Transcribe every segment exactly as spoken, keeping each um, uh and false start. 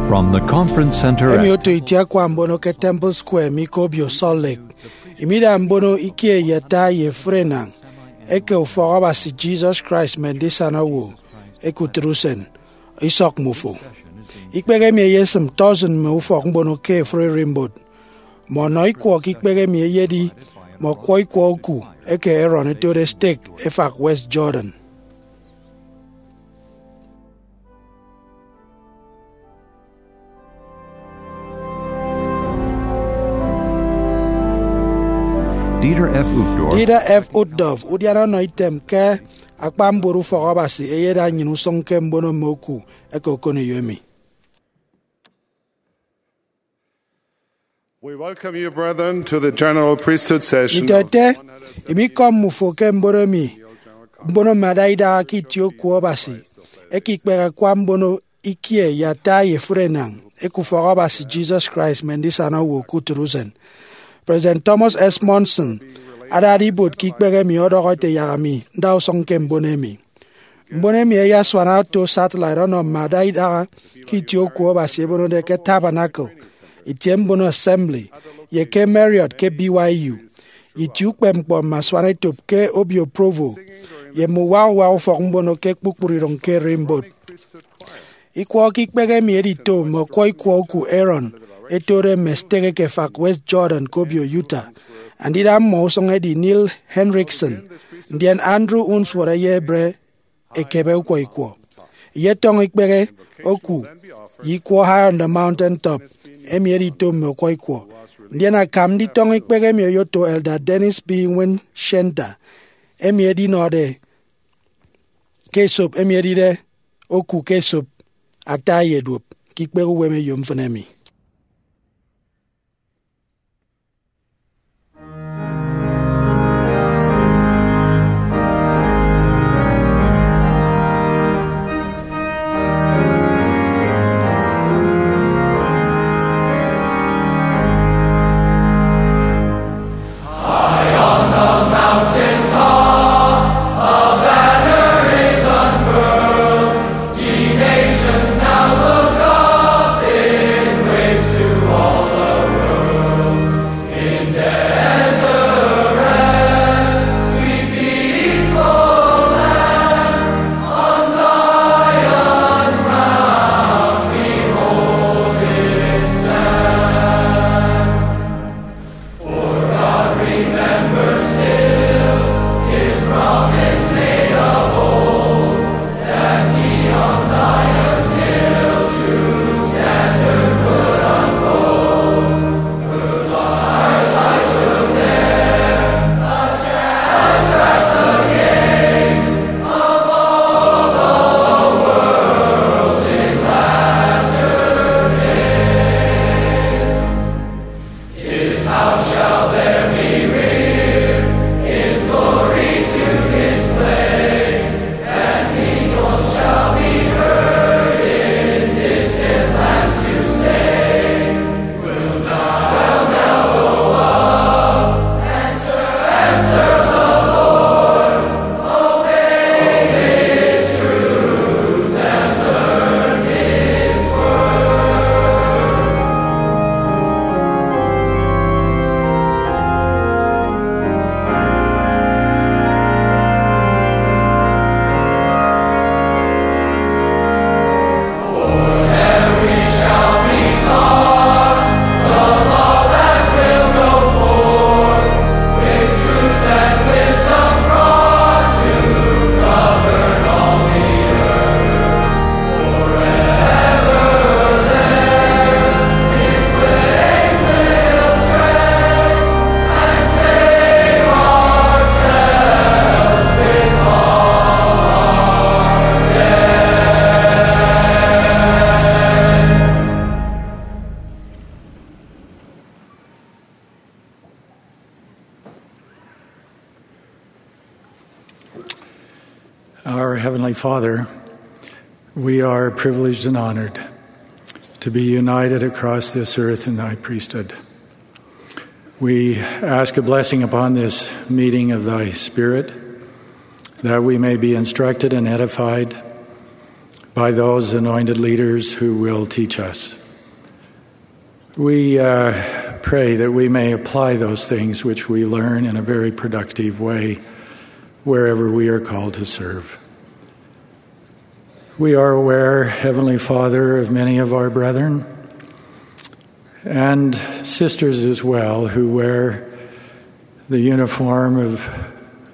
From the Conference Center. Emi at otu itie akwa mbono ke Temple Square mi ke Obio Salt Lake. Imida mbono ikie ye ata ye efuri enañ eke Ufọk Abasi Jesus Christ mme Ndisana Owo Ekutịt Usen, isọk mmufo. Ikpehe emi eyesịm tọsịn mme ufọk mbono ke efuri Rimboat. Mme ọnọ ikwọ ke ikpehe emi eyedi mme ọkwọ ikwọ oku eke Aaron ẹtode stek efak West Jordan. Dieter F. Uchtdorf. Dieter F. Uchtdorf, udiana ọnọ item ke akpa mbuot Ufọk Abasi, eyeda nnyịn usụñ ke mbono mme oku eke okoneyo emi. We welcome you, brethren, to the General Priesthood Session. Nditọete, emi ikọm mmufo ke mbono emi, mbono mme ada idaha ke itie oku Abasi, eke ikpehe akwa mbono ikie ye ata ye efuri enañ eke Ufọk Abasi Jesus Christ mme Ndisana Owo Ekutịt Usen. President Thomas S. Monson adade ibuot ke ikpehe emi ọdọhọ ete yak ami nda usụñ ke mbono emi. Mbono emi ẹyasuana oto satellite ọnọ mme ada idaha ke itie oku Abasi ẹbonode ke Tabernacle, itie mbono Assembly, ye ke Marriott ke B Y U, itie ukpepñkpọ mme asuanetop ke Obio Provo, ye mme uwak uwak ufọk mbono ke kpukpru idoñ ke Rimboat. Ikwọ ke ikpehe emi edito mme ọkwọ ikwọ oku Aaron ẹtode mme stek eke efak West Jordan ke Obio Utah. Andida mmọ usụñ edi Neil Henriksen, ndien Andrew Unsworth eyebre ekebe ukwọ ikwọ. Iyetọñọ ikpehe oku ye ikwọ High on the Mountain Top emi edito mme ukwọ ikwọ. Ndien akam nditọñọ ikpehe emi oyoto Elder Dennis B. Winchester, emi edinọde ke esop emi edide oku ke esop ata ye duop ke ikpehe uwem eyomfịn emi. Our Heavenly Father, we are privileged and honored to be united across this earth in thy priesthood. We ask a blessing upon this meeting of thy Spirit, that we may be instructed and edified, by those anointed leaders who will teach us. We uh, pray that we may apply those things which we learn in a very productive way wherever we are called to serve. We are aware, Heavenly Father, of many of our brethren and sisters as well who wear the uniform of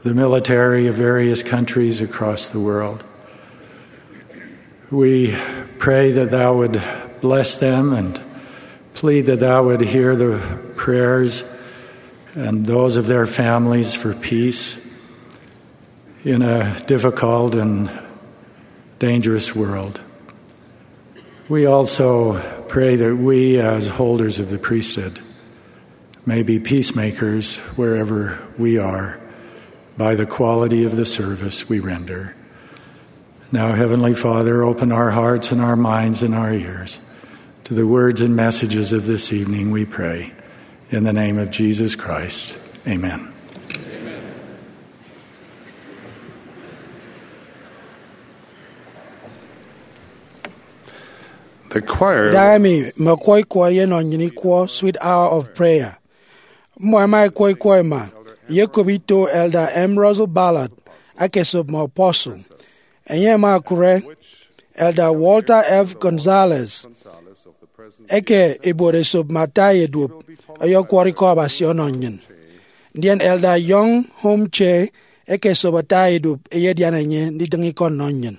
the military of various countries across the world. We pray that thou would bless them and plead that thou would hear the prayers and those of their families for peace in a difficult and dangerous world. We also pray that we, as holders of the priesthood, may be peacemakers wherever we are by the quality of the service we render. Now, Heavenly Father, open our hearts and our minds and our ears to the words and messages of this evening, we pray. In the name of Jesus Christ, amen. The choir. Idahaemi mme ọkwọ ikwọ ẹyenọ nnyịn ikwọ Sweet Hour of Prayer. Mmọ ẹma ẹkwọ ikwọ ẹma, ẹyekop ito Elder M. Russell Ballard, akesop mme apostle. Enye ama okụre Elder Walter F. Gonzalez, eke ibuot esop mme ata ye duop, ọyọkwọrọ ikọ Abasi ọnọ nnyịn. Ndien Elder Young Home Che, eke esop ata ye duop, eyedian enye ndidịñ ikọ nnọ nnyịn.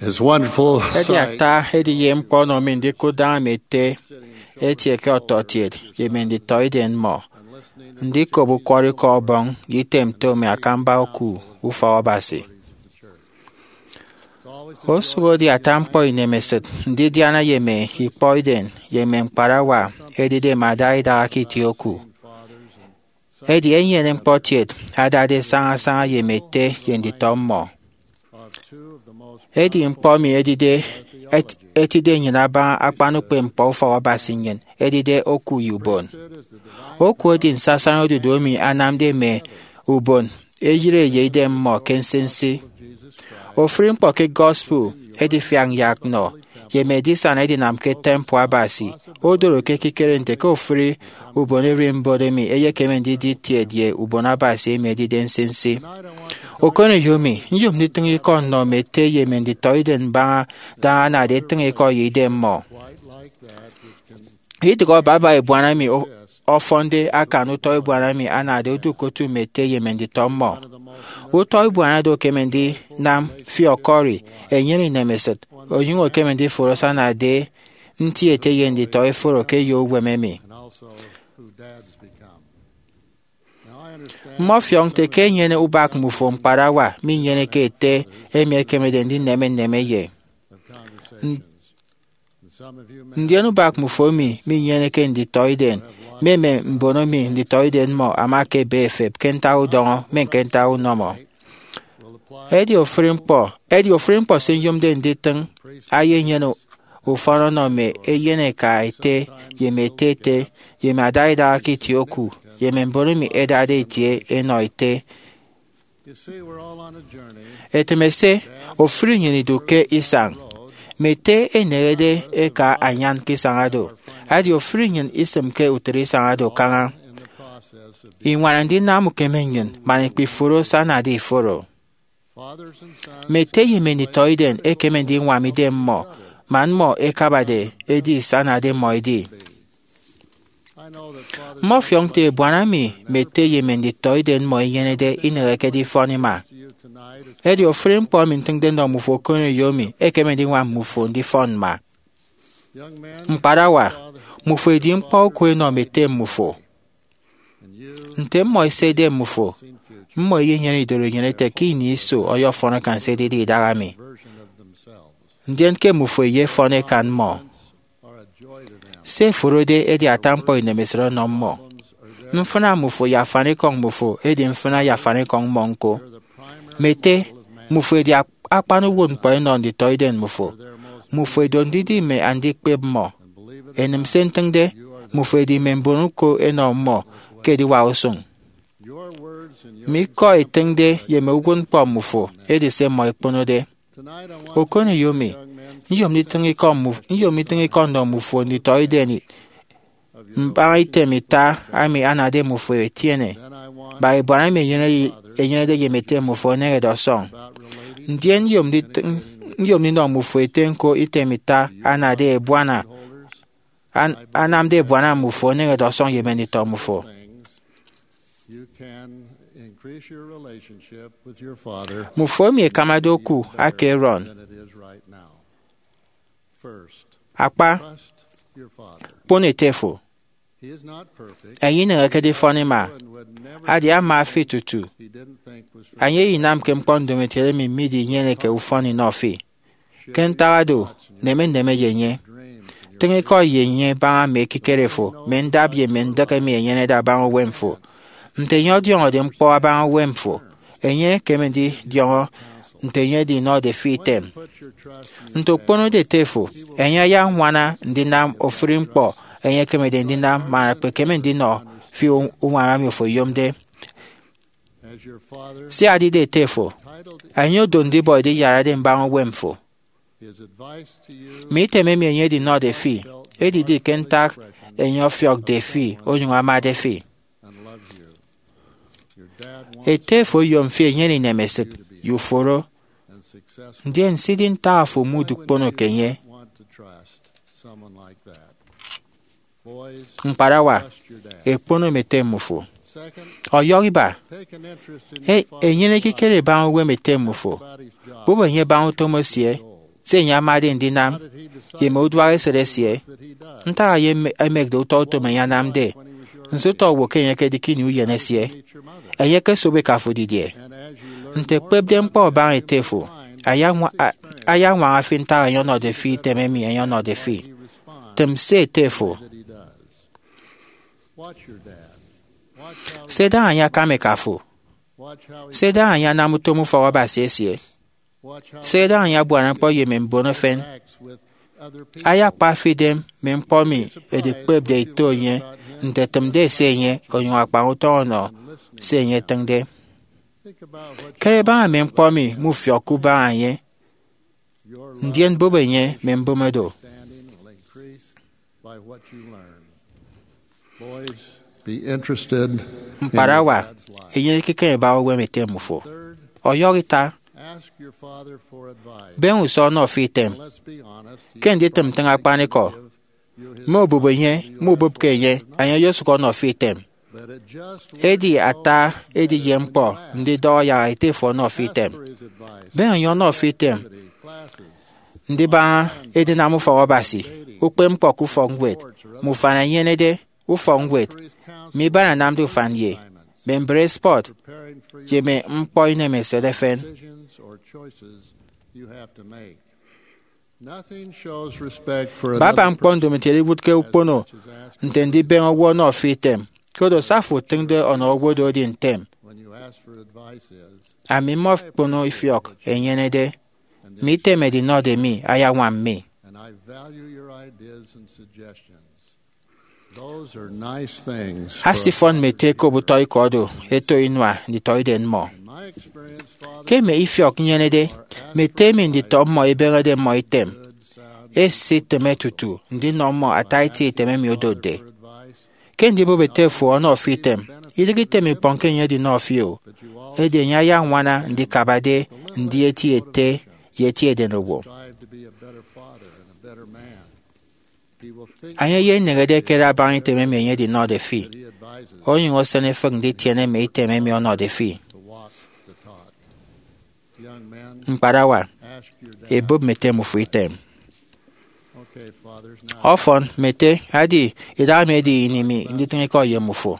It's wonderful. Edi sight. Ata ediye ñkpọ ọnọ mi ndikụt daña mme ete etie ke ọtọkiet ye mme nditọiden mmọ, ndikop ukwọrọikọ Ọbọñ ye item nto mme akamba oku ufọk Abasi. Osụk edi ata ñkpọ inemesịt ndidiana ye mme ikpọiden ye mme ñkparawa ẹdide mme ada idaha ke itie oku. Edi enyene ñkpọ kiet adade sañasaña ye mme ete ye nditọ mmọ. Edi ñkpọ emi edide et- etide nnyịn abaña akpan ukpepñkpọ ufọk Abasi nnyịn, edide oku ye ubon. Oku edi nsasaña odudu emi anamde mme ubon eyịre ye idem mmọ ke nsinsi. Ofụri ñkpọ ke gospel edifiak nyak nọ ye mme edisana edinam ke temple Abasi odoro ke ekikere nte ke ofụri ubon ererimbot emi eyekeme ndidi kiet ye ubon Abasi emi edide nsinsi. Okoneyo mi, nyom nditịñ ikọ nnọ mme ete ye mme nditọiden mbaña daña anade etịñ ikọ ye idem mmọ. Idịghe baba ebuana emi o- ọfọnde akan utọ ebuana emi anade odu ke otu mme ete ye mme nditọ mmọ. Utọ ebuana do ekeme ndinam fi ọkọri, enyene inemesịt, onyụñ ekeme ndiforo se anade nti ete ye nditọ eforo ke eyo uwem emi. Mmọfiọk nte ke enyene ubak mmufo ñkparawa minyeneke ete emi ekemede ndineme nneme ye. Ndien ubak mmufo emi minyeneke nditọiden, mme mme mbon emi nditọiden mmọ ama ke ebe efep ke ntak udọñọ mme ke ntak unọmọ. Edi ofụri ñkpọ, edi ofụri ñkpọ se nyomde nditịñ eyenyene ufọn ọnọ mme eyeneka ete ye mme ete ete ye mme ada idaha ke itie oku ye mme mbon emi ẹdade itie ẹnọ ete. Etịm ese, ofụri nnyịn idu ke isañ. Mme ete ẹneñede ẹka anyan ke isañ oro. Edi ofụri nnyịn isịm ke utịt isañ oro kaña. Iñwana ndinam ukeme nnyịn man ikpiforo se anade iforo. Mme ete ye mme nditọiden ẹkeme ndiñwam idem mmọ man mmọ ẹkabade edi se anade mmọ edi. Mmọfiọk nte ebuana emi mme ete ye mme nditọiden mmọ ẹnyenede ineheke edifọn ima. Edi ofụri ñkpọ emi ntịñde nnọ mmufo okoneyo mi ekeme ndiñwam mmufo ndifọn mma. Ñkparawa, mmufo edi ñkpọ oku ẹnọ mme ete mmufo. Nte mmọ ẹsede mmufo, mmọ ẹyenyene idoro inyene ete ke ini iso ọyọfọn akan se edide idaha mi, ndien ke mmufo ẹyefọn ẹkan mmọ. Se ẹforode edi ata ñkpọ inemesịt ọnọ mmọ. Mfịna mmufo ye afanikọñ mmufo edi mfịna ye afanikọñ mmọ ñko. Mme ete, mmufo edi ak- akpan uwụtñkpọ ẹnọ nditọiden mmufo. Mmufo ẹdot ndidi mme andikpep mmọ. Ẹnịm se ntịñde, mmufo ẹdi mme mbon uko ẹnọ mmọ ke ediwak usụñ. Mme ikọ ẹtịñde ye mme uwụtñkpọ mmufo edi se mmọ ẹkponode. Okoneyo mi, nyom nditịñ ikọ mmuf- nyom nditịñ ikọ nnọ mmufo nditọiden mbaña item ita emi anade mmufo ẹtiene, ba ebuana emi enyenede ye mme ete mmufo eneñede ọsọñ. Ndien nyom nditịñ- nyom ndinọ mmufo ete ñko item ita anade ebuana an- anamde ebuana mmufo eneñede ọsọñ ye mme nditọ mmufo. Mmufo emi ẹkamade oku aka Aaron. Akpa, kpono ete fo. Enye ineñeke edifọn ima. Adi ama fi tutu. Enye inamke ñkpọ ndomokiet emi midinyeneke ufọn inọ fi. Ke ntak oro, neme nneme ye enye. Tịñ ikọ ye enye baña mme ekikere fo, mme ndap ye mme ndịk emi enyenede abaña uwem fo. Nte enye ọdiọñọde ñkpọ abaña uwem fo, enye ekeme ndidiọñọ nte enye edinọde fi item. Nte okponode ete fo, enye ayañwana ndinam ofụri ñkpọ enye ekemede ndinam man akpekeme ndinọ fi u- uñwam emi ofo oyomde. Sia edide ete fo, enye odo ndibọ ediyarade mbaña uwem fo. Mme item emi enye edinọde fi edidi ke ntak enye ọfiọkde fi onyụñ amade fi. Ete fo oyom fi enyene inemesịt ye uforo, ndien sidi ntak afo mudu ukpono ke enye. Ñkparawa, ekpono mme ete mmufo. Ọyọhọ iba, e- enyene ekikere baña uwem ete mmufo. Bụp enye baña utom esie. se enye amade ndinam, ye mme uduak esịt esie. Ntak enye eme- emekde utọ utom enye anamde? Nso utọ owo ke enye ekedi ke ini uyen esie? Enye ekesobo ika fo didie? Nte ekpepde ñkpọ abaña ete fo, ayañwa- a- ayañwaña fi ntak enye ọnọde fi item emi enye ọnọde fi. Tịm se ete fo. Se daña enye akam eka fo. Se daña enye anam utom ufọk Abasi esie. Se daña enye abuana ñkpọ ye mme mbon efen. Ayakpa fi idem mme ñkpọ emi edikpepde ito enye nte etịmde ese enye, onyụñ akpañ utọñ ọnọ se enye etịñde. Kere baña mme ñkpọ emi mufiọkke ubaña enye, ndien bụp enye mme mbụme do. Ñkparawa, enyene ekikere iba uwem ete mmufo. Ọyọhọ ita, beñe usọ ọnọ fi item. Ke nditịm ntịñ akpanikọ, mme obụp enye mubụpke enye, enye oyosụk ọnọ fi item. Edi ata edi ye ñkpọ ndidọhọ yak ete fo ọnọ fi item. Beñe enye ọnọ fi item ndibaña edinam ufọk Abasi, ukpepñkpọ ke ufọkñwed, mme ufan ẹnyenede, ufọkñwed, mme iban anamde ufan ye, mme mbre spọt, ye mme ñkpọ inemesịt efen. Baba ñkpọ ndomokiet iwụtke ukpono nte ndibeñe owo ọnọ fi item, koro se afo otịñde ọnọ owo do edi ntem. Ami mmọkpono ifiọk enyenede, mme item ẹdinọde mi ayañwam mi. Asifọn mme ete ẹkop utọ ikọ do ẹto inua nditọiden mmọ. Ke mme ifiọk inyenede, mme ete emi nditọ mmọ ẹbeñede mmọ item, ẹsitịme tutu ndinọ mmọ ata itie item emi odotde. Ke ndibụp ete fo ọnọ fi item, idịghe item ikpọñ ke enye edinọ fi o, edi enye ayañwana ndikabade ndi eti ete ye eti edenowo. Enye eyenehede ekere abaña item emi enye edinọde fi, onyụñ esen efịk nditiene mme item emi ọnọde fi. Ñkparawa, ebụp mme ete mmufo item. Ọfọn, mme ete, adi, idahaemi edi ini mi nditịñ ikọ ye mmufo.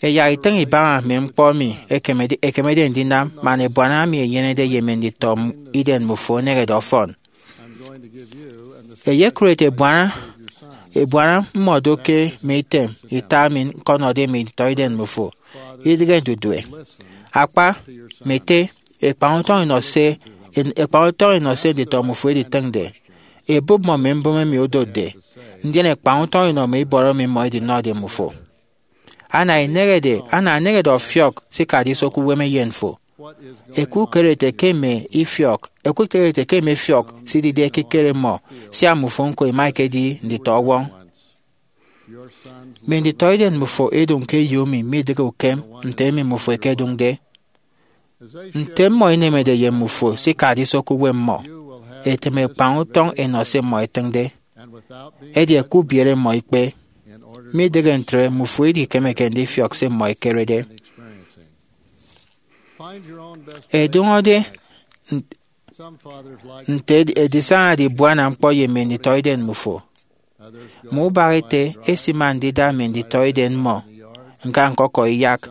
Ẹyak itịñ ibaña mme ñkpọ emi ẹkemede, ẹkemede ndinam man ebuana emi enyenede ye mme nditọiden mmufo enehede ọfọn. Ẹyekụre ete ebuana, ebuana mmọ do ke mme item ita emi ñkọnọde mme nditọiden mmufo, idịghe ndudue. Akpa, mme ete, ẹkpañ utọñ ẹnọ se, ẹkpañ utọñ ẹnọ se nditọ mmufo ẹditịñde. Ebụp mmọ mme mbụme emi odotde, ndien ẹkpañ utọñ ẹnọ mme ibọrọ emi mmọ ẹdinọde mmufo. Ana enehede, ana enehede ọfiọk se ikade iso ke uwem eyen fo. Ẹkukere ete ke mme ifiọk, ẹkukere ete ke mme ifiọk sidide ekikere mmọ, sia mmufo ñko ima ikedi nditọ ọwọñ. Mme nditọiden mmufo ẹdụñ ke eyo emi midịghe ukem nte emi mmufo ẹkedụñde. Nte mmọ ẹnemede ye mmufo se ikade iso ke uwem mmọ, ẹtịm ẹkpañ utọñ ẹnọ se mmọ ẹtịñde. Edi ẹkubiere mmọ ikpe. Midịghe ntre, mmufo idikemeke ndifiọk se mmọ ẹkerede. Ẹdụñọde nte edi- edisañade ibuana ñkpọ ye mme nditọiden mmufo. Mme ubak ete ẹsima ndida mme nditọiden mmọ ñka ñkọkọ iyak,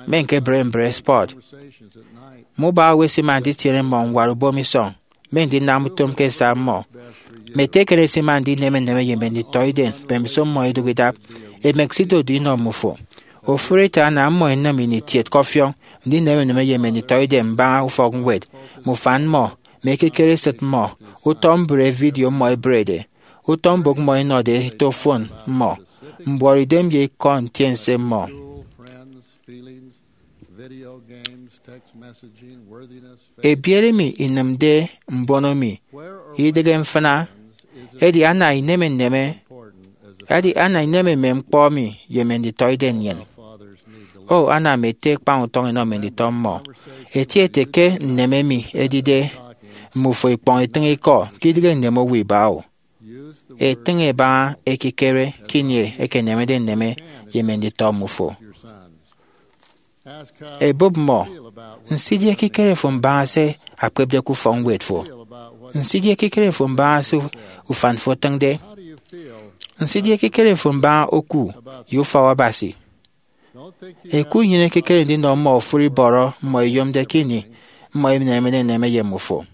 mme ñkebre mbre spọt. Mme ubak owo ẹsima nditiene mmọ ñwara ubomisọñ, mme ndinam utom ke esa mmọ. Mme ete eken ẹsima ndineme nneme ye mme nditọiden mbemiso mmọ idụk idap, emek se idodu inọ mmufo. Ofụri ete ana mmọ ẹnịm ini kiet ke ọfiọñ ndineme nneme ye mme nditọidem mbaña ufọkñwed, mme ufan mmọ, mme ekikere esịt mmọ, utọ mbre vidio mmọ ẹbrede, utọ mbụk mmọ ẹnọde eto fon mmọ, mbuọtidem ye ikọ ntiense mmọ. Ebiere mi inịmde mbono mi idịghe mfịna, edi ana ineme nneme, edi ana ineme mme ñkpọ emi ye mme nditọide nnyịn. O, ana mme ete ẹkpañ utọñ ẹnọ mme nditọ mmọ. Eti ete ke nneme emi edide mmufo ikpọñ itịñ ikọ ke idịghe nneme owo iba o. Etịñ ebaña ekikere ke ini ekenemede nneme ye mme nditọ mmufo. Ebụp mmọ, nso idi ekikere fo mbaña se akpepde ke ufọkñwed fo? Nsidie ekikere fo mbaña se ufan fo etịñde? Nsidie ekikere fo mbaña oku ye ufọk Abasi? Eku nnyịn ekikere ndinọ mmọ ofụri bọrọ mmọ ẹyomde ke ini mmọ ẹneñede ẹneme ye mmịfo.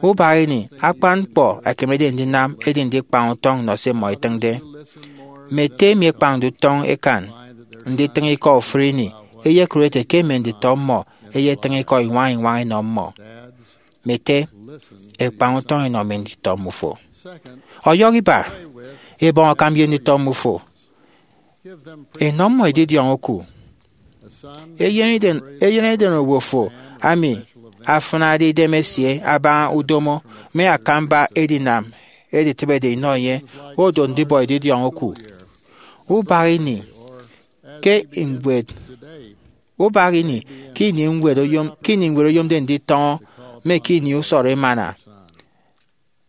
Ubak ini, akpan ñkpọ ẹkemede ndinam edi ndikpañ utọñ nnọ se mmọ ẹtịñde. Mme ete emi ẹkpañde utọñ ẹkan nditịñ ikọ ofụri ini ẹyekụre ẹte ke mme nditọ mmọ ẹyetịñ ikọ iñwañ iñwañ ẹnọ mmọ. Mme ete, ẹkpañ utọñ ẹnọ mme nditọ mmụfo. Ọyọhọ iba, ẹbọñ akam ye nditọ mmụfo. Ẹnọ mmọ edidiọñ oku. Eyen eden, eyen eden owo fo ami afịnade idem esie abaña udomo mme akamba edinam editịbede inọ enye odo ndibọ edidiọñ oku. Ubak ini ke ñwed, ubak ini ke ini ñwed oyom, ke ini ñwed oyomde nditọñọ, mme ke ini usọrọ emana.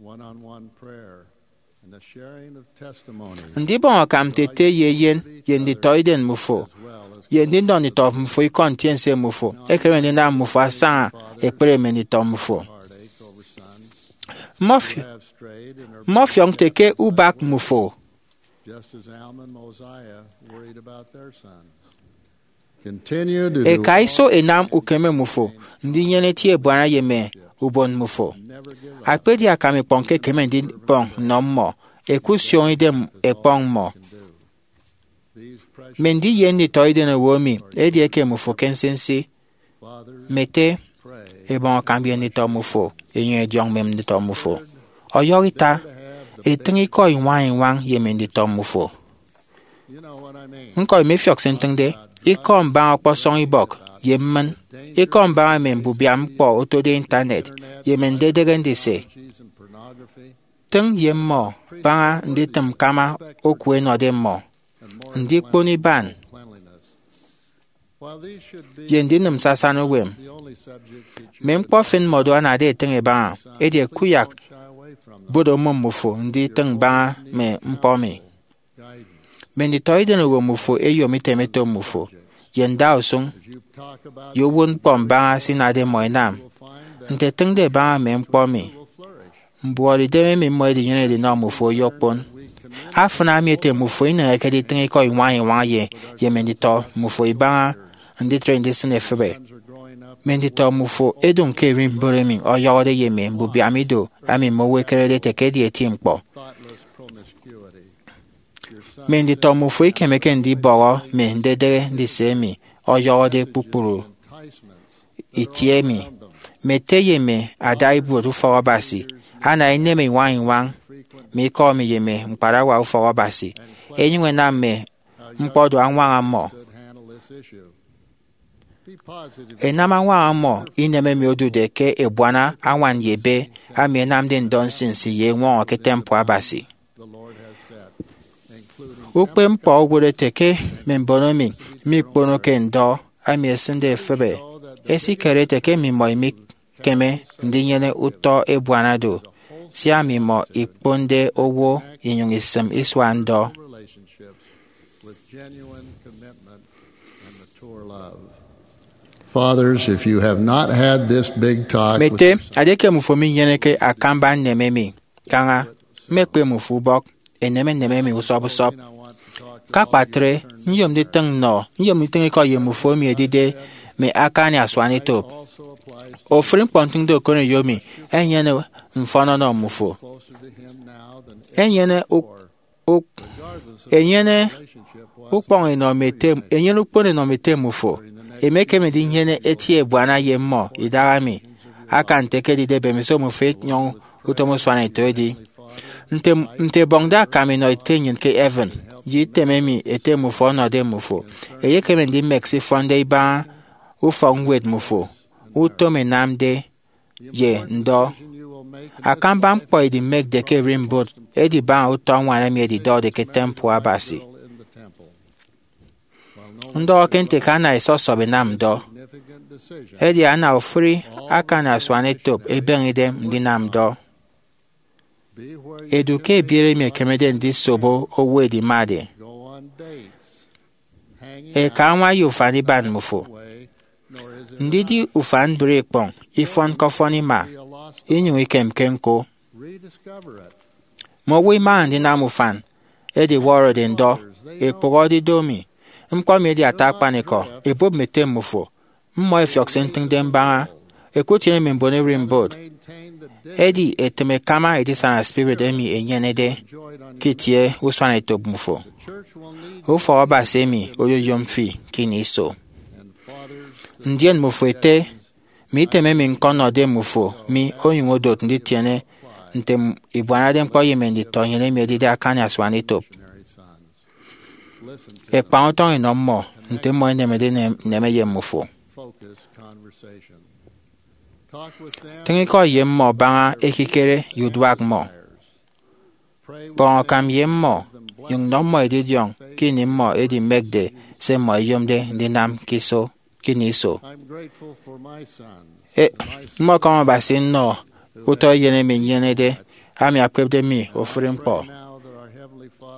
One-on-one prayer and the sharing of testimonies. Ndibọñ akam nte ete ye eyen ye nditọiden mmụfo, ye ndinọ nditọ mmụfo ikọ ntiense mmụfo ekeme ndinam mmụfo asaña ekpere mme nditọ mmụfo. Mmọfi-, mmọfiọk nte ke ubak mmụfo. Just as Alma and Mosiah worried about their sons. Eka iso ẹnam ukeme mmụfo ndinyene eti ebuana ye mme ubon mmụfo. Akpedi akam ikpọñ ke ẹkeme ndibọñ nnọ mmọ, ẹkusioño idem ẹkpọñ mmọ. Mme ndiye nditọiden owo emi edieke mmụfo ke nsinsi. Mme ete, ẹbọñ akam ye nditọ mmụfo, ẹnyụñ ẹdiọñ mme nditọ mmụfo. Ọyọhọ ita, ẹtịñ ikọ iñwañ iñwañ ye mme nditọ mmụfo. Ñko imefiọk se ntịñde, ikọ mbaña ọkpọsọñ ibọk ye mmịn, ikọ mbaña mme mbubiam ñkpọ otode intanet ye mme ndedịghe ndise. Tịñ ye mmọ baña nditịm ñkama oku ẹnọde mmọ, ndikpono iban, ye ndinịm sasan uwem. Mme ñkpọ efen mmọdo anade ẹtịñ ẹbaña, edi ẹkuyak bot omụm mmụfo nditịñ baña mme ñkpọ emi. Mme nditọiden owo mmụfo ẹyom item ẹto mmụfo ye ndausụñ ye uwụtñkpọ mbaña se inade mmọ ẹnam. Nte ẹtịñde ẹbaña mme ñkpọ emi, mbuọtidem emi mmọ ẹdinyenede ẹnọ mmụfo oyokpon. Afịna emi ete mmụfo ineñeke nditịñ ikọ iñwañ iñwañ ye, ye mme nditọ mmụfo ibaña nditre ndisịn efịbe. Mme nditọ mmụfo ẹdụñ ke ererimbot emi ọyọhọde ye mme mbubiam ido emi mme owo ẹkerede ẹte ke edi eti ñkpọ. Mme nditọ mmụfo ikemeke ndibọhọ mme ndedịghe ndise emi ọyọhọde kpukpru itie emi. Mme ete ye mme ada ibuot ufọk Abasi ana ineme iñwañ iñwañ mme ikọ emi ye mme ñkparawa ufọk Abasi, ẹnyụñ ẹnam mme ñkpọ do añwaña mmọ. Ẹnam añwaña mmọ inem emi odude ke ebuana añwan ye ebe ami ẹnamde ndọ nsinsi ye eñwọñọ ke temple Abasi. Ukpepñkpọ owụt ete ke mme mbon emi mikponoke ndọ emi ẹsịnde efịbe ẹsikere ete ke mmimọ imikeme ndinyene utọ ebuana do, sia mmimọ ikponde owo inyụñ isịm isua ndọ. Fathers, if you have not had this big talk with Mme ete, edieke mmụfo minyeneke akamba nneme emi, kaña, mmekpe mmụfo ubọk, ẹneme nneme emi usọp usọp. Ke akpatre, nyom nditịñ nnọ, nyom nditịñ ikọ ye mmụfo emi ẹdide mme akani asuanetop. Ofụri ñkpọ ntịñde okoneyo emi enyene mfọn ọnọ mmụfo. Enyene uk- uk- enyene ukpọñ enọ mme ete, enyene ukpono enọ mme ete mmụfo. Emekeme ndinyene eti ebuana ye mmọ idahaemi, akan nte ekedide mbemiso mmụfo ẹnyọñ utom usuanetop edi. Nte, nte ẹbọñde akam inọ ete nnyịn ke heaven, ye item emi ete mmụfo ọnọde mmụfo, eyekeme ndimek se ifọnde ibaña ufọkñwed mmụfo, utom ẹnamde, ye ndọ. Akamba ñkpọ edimekde ke ererimbot edibaña utọ añwan emi edidọde ke temple Abasi. Ndọhọ ke nte ke ana ẹsọsọp ẹnam ndọ, edi ana ofụri akani asuanetop ebeñe idem ndinam ndọ. Edu ke ebiere emi ekemede ndisobo owo edimade. Eka añwa ye ufan iban mmụfo. Ndidi ufan mbre ikpọñ ifọn ke ọfọn ima. inyụñ ikemke ñko. Mme owo imaha ndinam ufan ediwọrọde ndọ, ekpụhọde ido mi. Ñkpọ emi edi ata akpanikọ, ebụp mme ete mmufo. Mmọ ẹfiọk se ntịñde mbaña, ẹkutiene mme mbon ererimbot, ẹdi ẹtịm ẹkama edisana spirit emi enyenede ke itie usuanetop mmufo. Ufọk Abasi emi oyoyom fi ke ini iso. Ndien mmufo ete, mme item emi ñkọnọde mmufo mi onyụñ odot nditiene nte ibuanade ñkpọ ye mme nditọ nnyịn emi ẹdide akani asuanetop. Ẹkpañ utọñ inọ mmọ nte mmọ ẹnemede nneme ye mmufo. Tịñ ikọ ye mmọ baña ekikere ye uduak mmọ. Bọñ akam ye mmọ, nyụñ nọ mmọ edidiọñ ke ini mmọ edimekde se mmọ ẹyomde ndinam ke iso, ke ini iso. E, mmọkọm Abasi nnọ utọ eyen emi nnyenede, ami akpepde mi ofụri ñkpọ.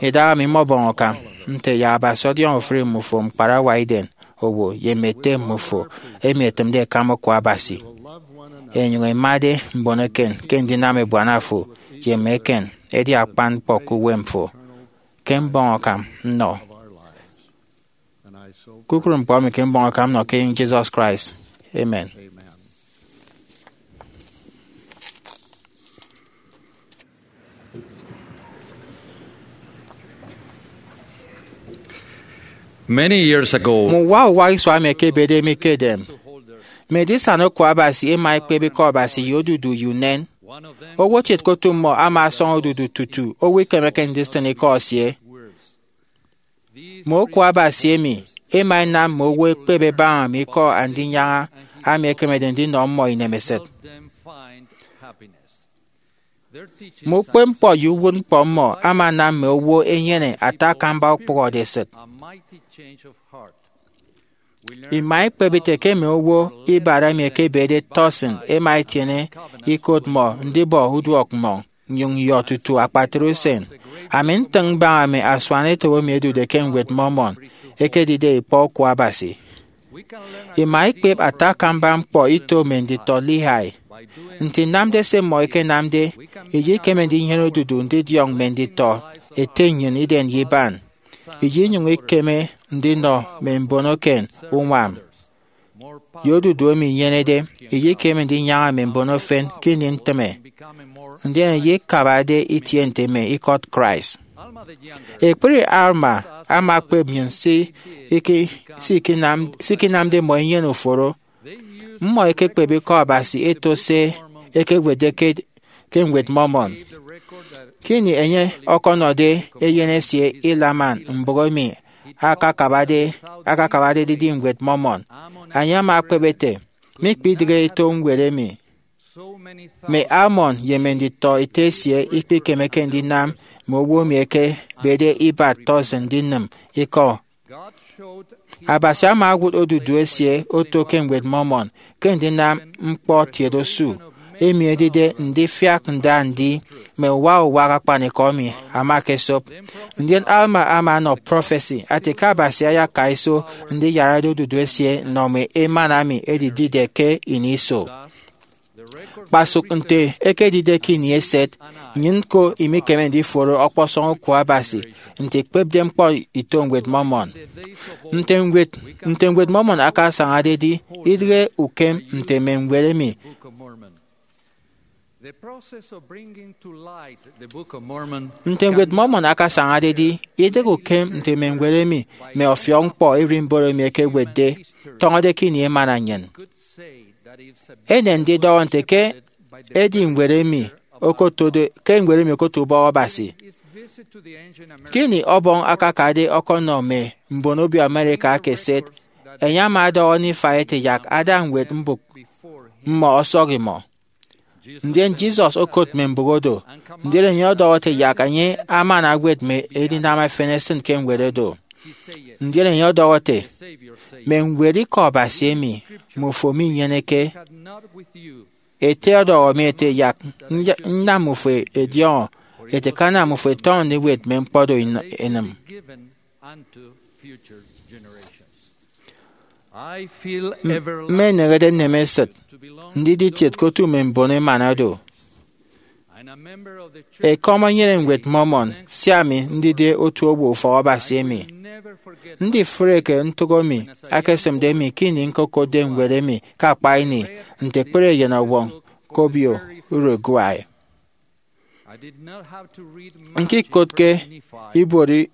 Idahaemi mmọbọñ akam nte yak Abasi ọdiọñ ofụri mmufo mkparawa iden owo ye mme ete mmufo emi ẹtịmde ẹkama Okụk Abasi, ẹnyụñ ẹmade mbon eken ke ndinam ebuana fo ye mme eken edi akpan ñkpọ ke uwem fo. Ke mbọñ akam nnọ. Kpukpru ñkpọ emi ke mbọñ akam nnọ ke enyịñ Jesus Christ. Amen. Many years ago, mme uwa uwa isua emi ẹkebede mi ke edem, mme edisana Okụk Abasi ẹma ẹkpep Ikọ Abasi ye odudu ye unen. Owo kiet ke otu mmọ ama ọsọñ odudu tutu owo ikemeke ndisịn ikọ esie. Mme Okụk Abasi emi ẹma ẹnam mme owo ẹkpep ẹbaña mme ikọ Andinyaña emi ẹkemede ndinọ mmọ inemesịt. Mme ukpepñkpọ ye uwụtñkpọ mmọ ama anam mme owo ẹnyene ata akamba ukpụhọde esịt. Ima ikpep ite ke mme owo ibat emi ẹkebede tọsịn ẹma ẹtiene ikot mmọ ndibọ uduọkmmọñ nnyụñ nyọ tutu akpatre usen. Ami ntịñ mbaña mme asuanetop emi ẹdude ke Ñwed Mormon ẹkedide ikpọ Okụk Abasi. Ima ikpep ata akamba ñkpọ ito mme nditọ Lehi. Nte inamde se mmọ ẹkenamde, iyikeme ndinyene odudu ndidiọñ mme nditọ ete nnyịn iden ye iban. Iyinyụñ ikeme ndinọ mme mbon eken uñwam. Ye odudu emi inyenede, iyikeme ndinyaña mme mbon efen ke ini ntịme, ndien iyikabade itie nte mme ikọt Christ. Ekpri Alma ama ekpep nnyịn se iki-, se ikinam-, se ikinamde mmọ inyene uforo. Mmọ ẹkekpep Ikọ Abasi ẹto se ẹkewetde ke, ke Ñwed Mormon. Ke ini enye ọkọnọde eyen esie Helaman mbụk emi akakabade, akakabade edidi Ñwed Mormon, enye ama ekpep ete, mikpidịghe eto ñwed emi. Mme Alma ye mme nditọ ete esie ikpikemeke ndinam mme owo emi ẹkebede ibat tọsịn ndinịm ikọ. Abasi ama owụt odudu esie oto ke Ñwed Mormon ke ndinam ñkpọ tiet osu, emi edide ndifiak nda ndi mme uwa uwa akpanikọ emi ama ekesop. Ndien Alma ama ọnọ prọfesi ate ke Abasi ayaka iso ndiyarade odudu esie nnọ mme emana emi ẹdidide ke ini iso. Kpasụk nte ekedide ke ini eset, nnyịn ñko imikeme ndiforo ọkpọsọñ Okụk Abasi nte ikpepde ñkpọ ito Ñwed Mormon. Nte Ñwed, nte Ñwed Mormon akasañade edi, idịghe ukem nte mme ñwed emi. Nte Ñwed Mormon akasañade edi, idịghe ukem nte mme ñwed emi, mme ọfiọk ñkpọ ererimbot emi ẹkewetde, tọñọde ke ini emana nnyịn. Enen ndidọhọ nte ke edi ñwed emi okotode, ke ñwed emi okoto ubọk Abasi. Ke ini Ọbọñ akakade ọkọnọ mme mbon obio America aka eset, enye ama ọdọhọ Nifai ete yak ada ñwed mbụk mmọ ọsọk imọ. Ndien Jesus okot mme mbụk odo, ndien enye ọdọhọ ete yak enye amana ewet mme edinam efen esịn ke ñwed odo. Ndien enye ọdọhọ ete, mme ñwed Ikọ Abasi emi mmufo minyeneke. Ete ọdọhọ mi ete yak nya-, nnam mmufo ẹdiọñọ ete ke anam mmufo ẹtọñọ ndiwet mme ñkpọ do in-, inịm. Mmeneñede nnemesịt ndidi itiet ke otu mme mbon emana do. Ekọm enyene Ñwed Mormon sia ami ndide otu owo ufọkabasi emi. Ndifreke ntụk emi akesịmde mi ke ini ñkokotde ñwed emi ke akpa ini nte ekpere eyenọwọñ ke obio Uruguay. Ñkikotke ibuot i-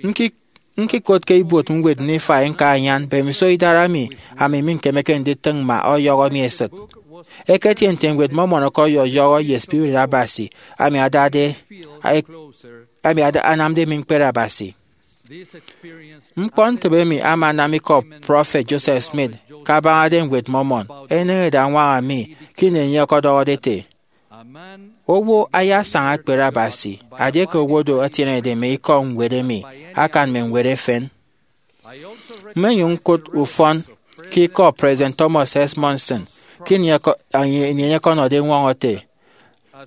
ñki- ñkikotke ibuot ñwed Nifai ñka anyan mbemiso idara mi, ami mikemeke nditịñ mma ọyọhọ mi esịt. Eketie nte Ñwed Mormon ọkọyọyọhọ ye spirit Abasi ami adade ami ada- anamde mi ñkpere Abasi. Ñkpọntịbe emi ama anam ikọ Prọfet Joseph Smith ke abañade Ñwed Mormon eneñede añwaña mi ke ini enye ọkọdọhọde ete, "Owo ayasaña ekpere Abasi adieke owo do etienede mme ikọ ñwed emi akan mme ñwed efen." Mmenyụñ ñkụt ufọn ke ikọ President Thomas S. Monson ke ini enye ọkọnọde eñwọñọ ete,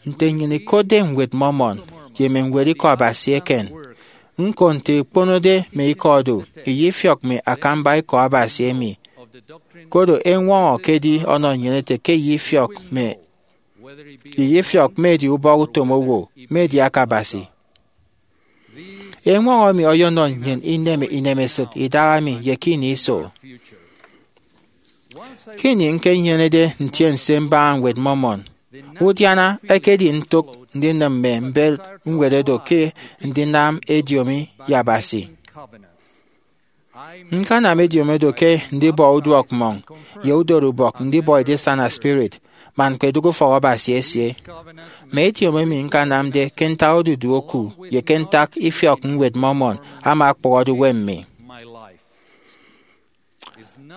"Nte nnyịn ikotde Ñwed Mormon ye mme ñwed Ikọ Abasi eken, ñko nte ikponode mme ikọ do, iyefiọk mme akamba ikọ Abasi emi. Koro eñwọñọ ke edi ọnọ nnyịn ete ke iyefiọk mme iyefiọk, mme edi ubọk utom owo, mme edi aka Abasi." Eñwọñọ emi ọyọnọ nnyịn ineme inemesịt idaha mi ye ke ini iso. Ke ini ñkenyenede ntiense mbaña Ñwed Mormon, udiana ekedi ntụk ndinịm mme mbet ñwed oro ke ndinam ediomi ye Abasi. Ñkanam ediomi oro ke ndibọ uduọk mmọñ ye udorubọk ndibọ edisana spirit man ñkpedụk ufọkabasi esie. Mme ediomi emi ñkanamde ke ntak odudu oku ye ke ntak ifiọk Ñwed Mormon ama ọkpụhọde uwem mi.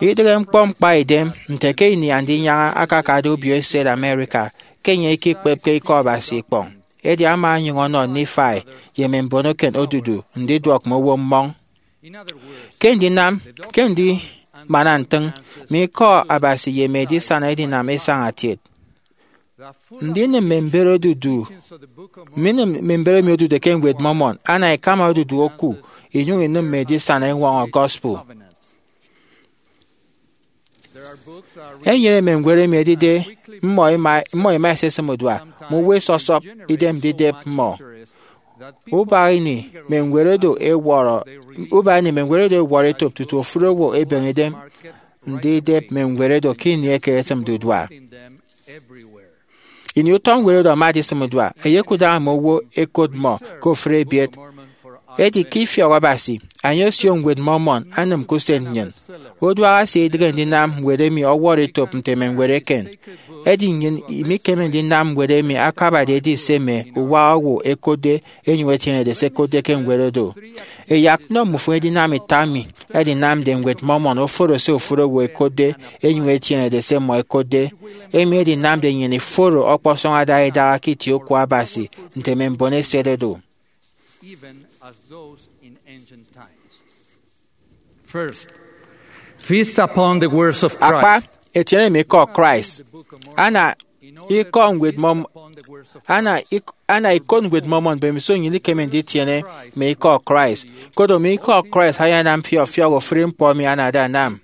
Idịghe ñkpọ ñkpaidem nte ke ini Andinyaña akakade obio eset America ke enye ikikpepke Ikọ Abasi ikpọñ, edi ama onyụñ ọnọ Nifai ye mme mbon eken odudu ndiduọk mme owo mmọñ. Ke ndinam ke ndimana ntịñ, mme ikọ Abasi ye mme edisana edinam isañatiet. Ndinịm mme mbet odudu, ndinịm mme mbet emi odude ke Ñwed Mormon ana ikama odudu oku inyụñ inịm mme edisana eñwọñọ gospel. Enyene mme ñwed emi edide mmọ ima, mmọ ima ẹsisịm udua, mme owo ẹsọsọp idem ndidep mmọ. Ubak ini mme ñwed oro ẹwọrọ, ubak ini mme ñwed oro ẹwọrọ etop tutu ofụri owo ebeñe idem ndidep mme ñwed oro ke ini eke ẹsịmde udua. Ini utọ ñwed oro ama adisịm udua, ẹyekudara mme owo ẹkot mmọ ke ofụri ebiet. Edi ke ifiọk Abasi, enye osio Ñwed Mormon anịm ke usen nnyịn. Uduak esie idịghe ndinam ñwed emi ọwọrọ etop nte mme ñwed eken. Edi nnyịn imikeme ndinam ñwed emi akabade edi se mme uwa owo ẹkotde enyụñ ẹtienede se ẹkotde ke ñwed oro. Ẹyak nnọ mmufo edinam ita emi edinamde Ñwed Mormon oforo se ofụri owo ẹkotde enyụñ ẹtienede se mmọ ẹkotde, emi edinamde nnyịn iforo ọkpọsọñ adaha idaha ke itie oku Abasi nte mme mbon eset oro. Feast upon the words of Christ. Akpa, etiene mme ikọ Christ. Ana ikọ Ñwed Mormon, ana ik- ana ikot Ñwed Mormon mbemiso nnyịn ikeme nditiene mme ikọ Christ. Koro mme ikọ Christ ayanam fi ọfiọk ofụri ñkpọ emi anade anam.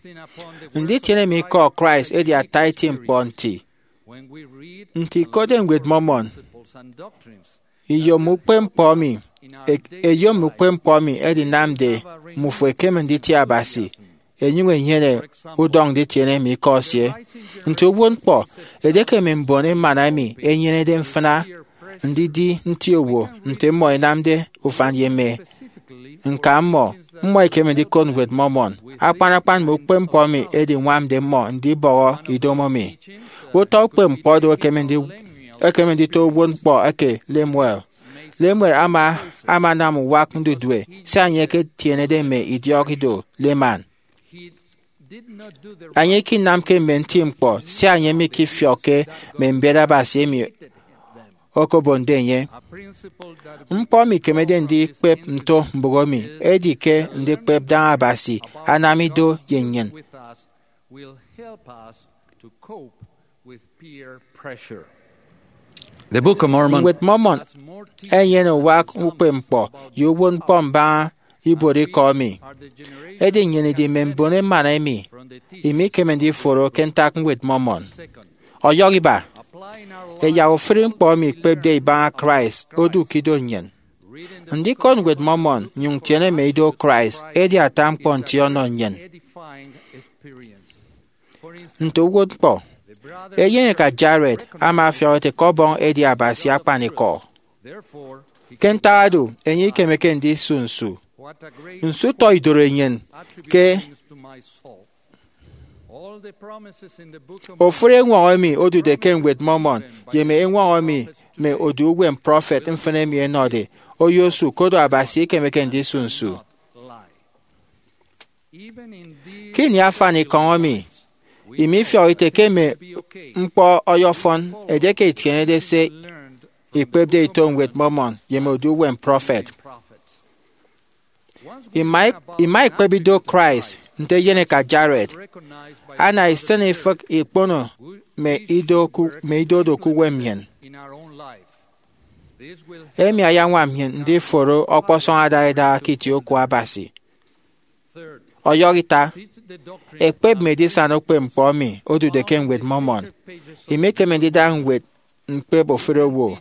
Nditiene mme ikọ Christ edi ata eti ñkpọ nti. Nte ikotde Ñwed Mormon, iyom ukpepñkpọ emi, e- eyom ukpepñkpọ emi edinamde mmufo ekeme nditie Abasi, enyụñ enyene udọñ nditiene mme ikọ esie. Nte uwụtñkpọ, edieke mme mbon emana emi ẹnyenede mfịna ndidi nti owo nte mmọ ẹnamde ufan ye mme ñka mmọ, mmọ ẹkeme ndikot Ñwed Mormon. Akpan akpan mme ukpepñkpọ emi ediñwamde mmọ ndibọhọ idomo mi. Utọ ukpepñkpọ do ẹkeme ndi- ẹkeme nditọ uwụtñkpọ eke Lemuel. Lemuel ama ama anam uwak ndudue sia enye eketienede mme idiọk ido Laman. Enye ikinamke mme nti ñkpọ sia enye mikifiọkke mme mbet Abasi emi okobonde enye. Ñkpọ mikemede ndikpep nto mbụk emi, edi ke ndikpep daña Abasi anam ido ye nnyịn. The Book of Mormon. Ñwed Mormon enyene uwak ukpepñkpọ ye uwụtñkpọ mbaña ibuot ikọ emi. Edi nnyịn idi mme mbon emana emi, emi ikeme ndiforo ke ntak Ñwed Mormon. Ọyọhọ iba, ẹyak ofụri ñkpọ emi ikpepde ibaña Christ odu ke ido nnyịn. Ndikot Ñwed Mormon nnyụñ ntiene mme ido Christ edi ata ñkpọ nti ọnọ nnyịn. Nte uwụtñkpọ, eyeneka Jared ama ọfiọk ete ke Ọbọñ edi Abasi akpanikọ. Ke ntak oro, enye ikemeke ndisu nsu. Nsu utọ idoro enyịn ke ofụri eñwọñọ emi odude ke Ñwed Mormon ye mme eñwọñọ emi mme odu uwem prọfet mfịn emi ẹnọde oyosu, koro Abasi ikemeke ndisu nsu. Ke ini afanikọñ emi, emi ifiọk ite ke mme ñkpọ ọyọfọn edieke itienede se ikpepde ito Ñwed Mormon ye mme odu uwem prọfet. Ima, ima ikpep ido Christ nte eyeneka Jared, ana isịn ifịk ikpono mme ido ku, mme ido do ke uwem nnyịn. Emi ayañwam nnyịn ndiforo ọkpọsọñ adaha idaha ke itie oku Abasi. Ọyọhọ ita, ekpep mme edisana ukpepñkpọ emi odude ke Ñwed Mormon. Emi ikeme ndida ñwed ñkpep ofụri owo.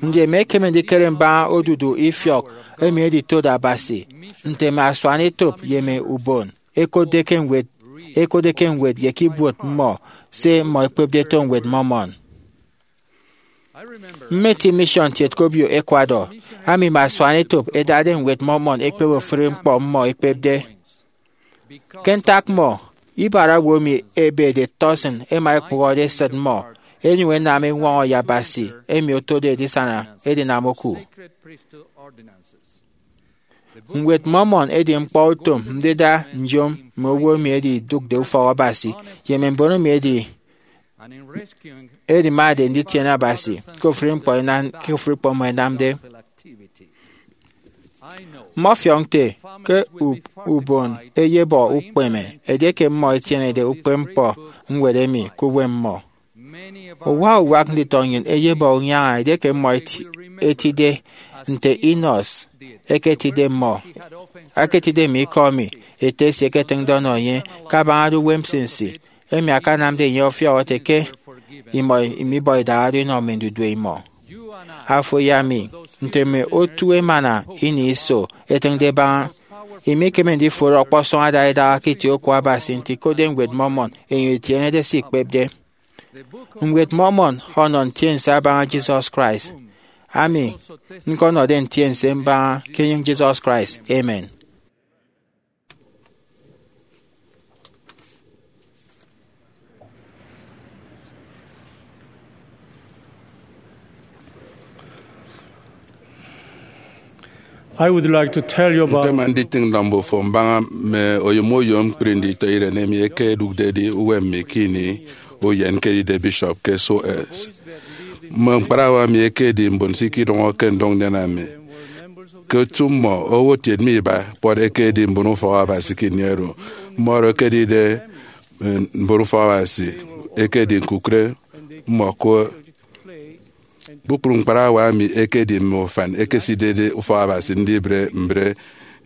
Ndi emi ekeme ndikere mbaña odudu ifiọk emi editode Abasi, nte mme asuanetop ye mme ubon ẹkotde ke ñwed, ẹkotde ke ñwed ye ke ibuot mmọ se mmọ ẹkpepde ẹto Ñwed Mormon? Mmeti mission kiet ke obio Ecuador, ami mme asuanetop ẹdade Ñwed Mormon ẹkpep ofụri ñkpọ mmọ ẹkpepde. Ke ntak mmọ, ibara owo emi ẹbede tọsịn ẹma ẹkpụhọde esịt mmọ, ẹnyụñ ẹnam eñwọñọ ye Abasi emi otode edisana edinam oku. Ñwed Mormon edi ñkpọutom ndida nyom mme owo emi ẹdidụkde ufọk Abasi ye mme mbon emi ẹdi, ẹdimade nditiene Abasi ke ofụri ñkpọ ẹnam, ke ofụri ñkpọ mmọ ẹnamde. Mmọfiọk nte ke u-, ubon eyebọ ukpeme edieke mmọ ẹtienede ukpepñkpọ ñwed emi ke uwem mmọ. Uwa uwak nditọ nnyịn eyebọ unyaña edieke mmọ eti-, etide nte Enos eketide mmọ, eketide mme ikọ emi ete esie eketịñde ọnọ enye kabañade uwem nsinsi, emi akanamde enye ọfiọk ete ke imọ imibọ idaha do inọ mme ndudue imọ. Afo ye ami, nte mme otu emana ini iso, etịñde ẹbaña, imikeme ndiforo ọkpọsọñ adaha idaha ke itie oku Abasi nte ikotde Ñwed Mormon, enyịn itienede se ikpepde. Ñwed Mormon ọnọ ntiense abaña Jesus Christ, ami ñkọnọde ntiense mbaña ke enyịñ Jesus Christ. Amen. I would like to tell you about Ñkpema nditịñ nọ mbufo mbaña mme oyom oyom ñkpri nditọiren emi ẹkedụkde edi uwem mi ke ini uyen ñkedide bishop ke Soes. Mme ñkparawa mi ẹkedi mbon se ikidọñọke ndụñ ndien ami. Ke otu mmọ, owo kiet me iba kpọt ẹkedi mbon ufọk Abasi ke ini oro. Mmọdo ẹkedide, eh, mbon ufọk Abasi ẹkedi ñkukụre mmọ ke kpukpru ñkparawa emi ẹkedi mme ufan ẹkesidede ufọk Abasi ndibre mbre,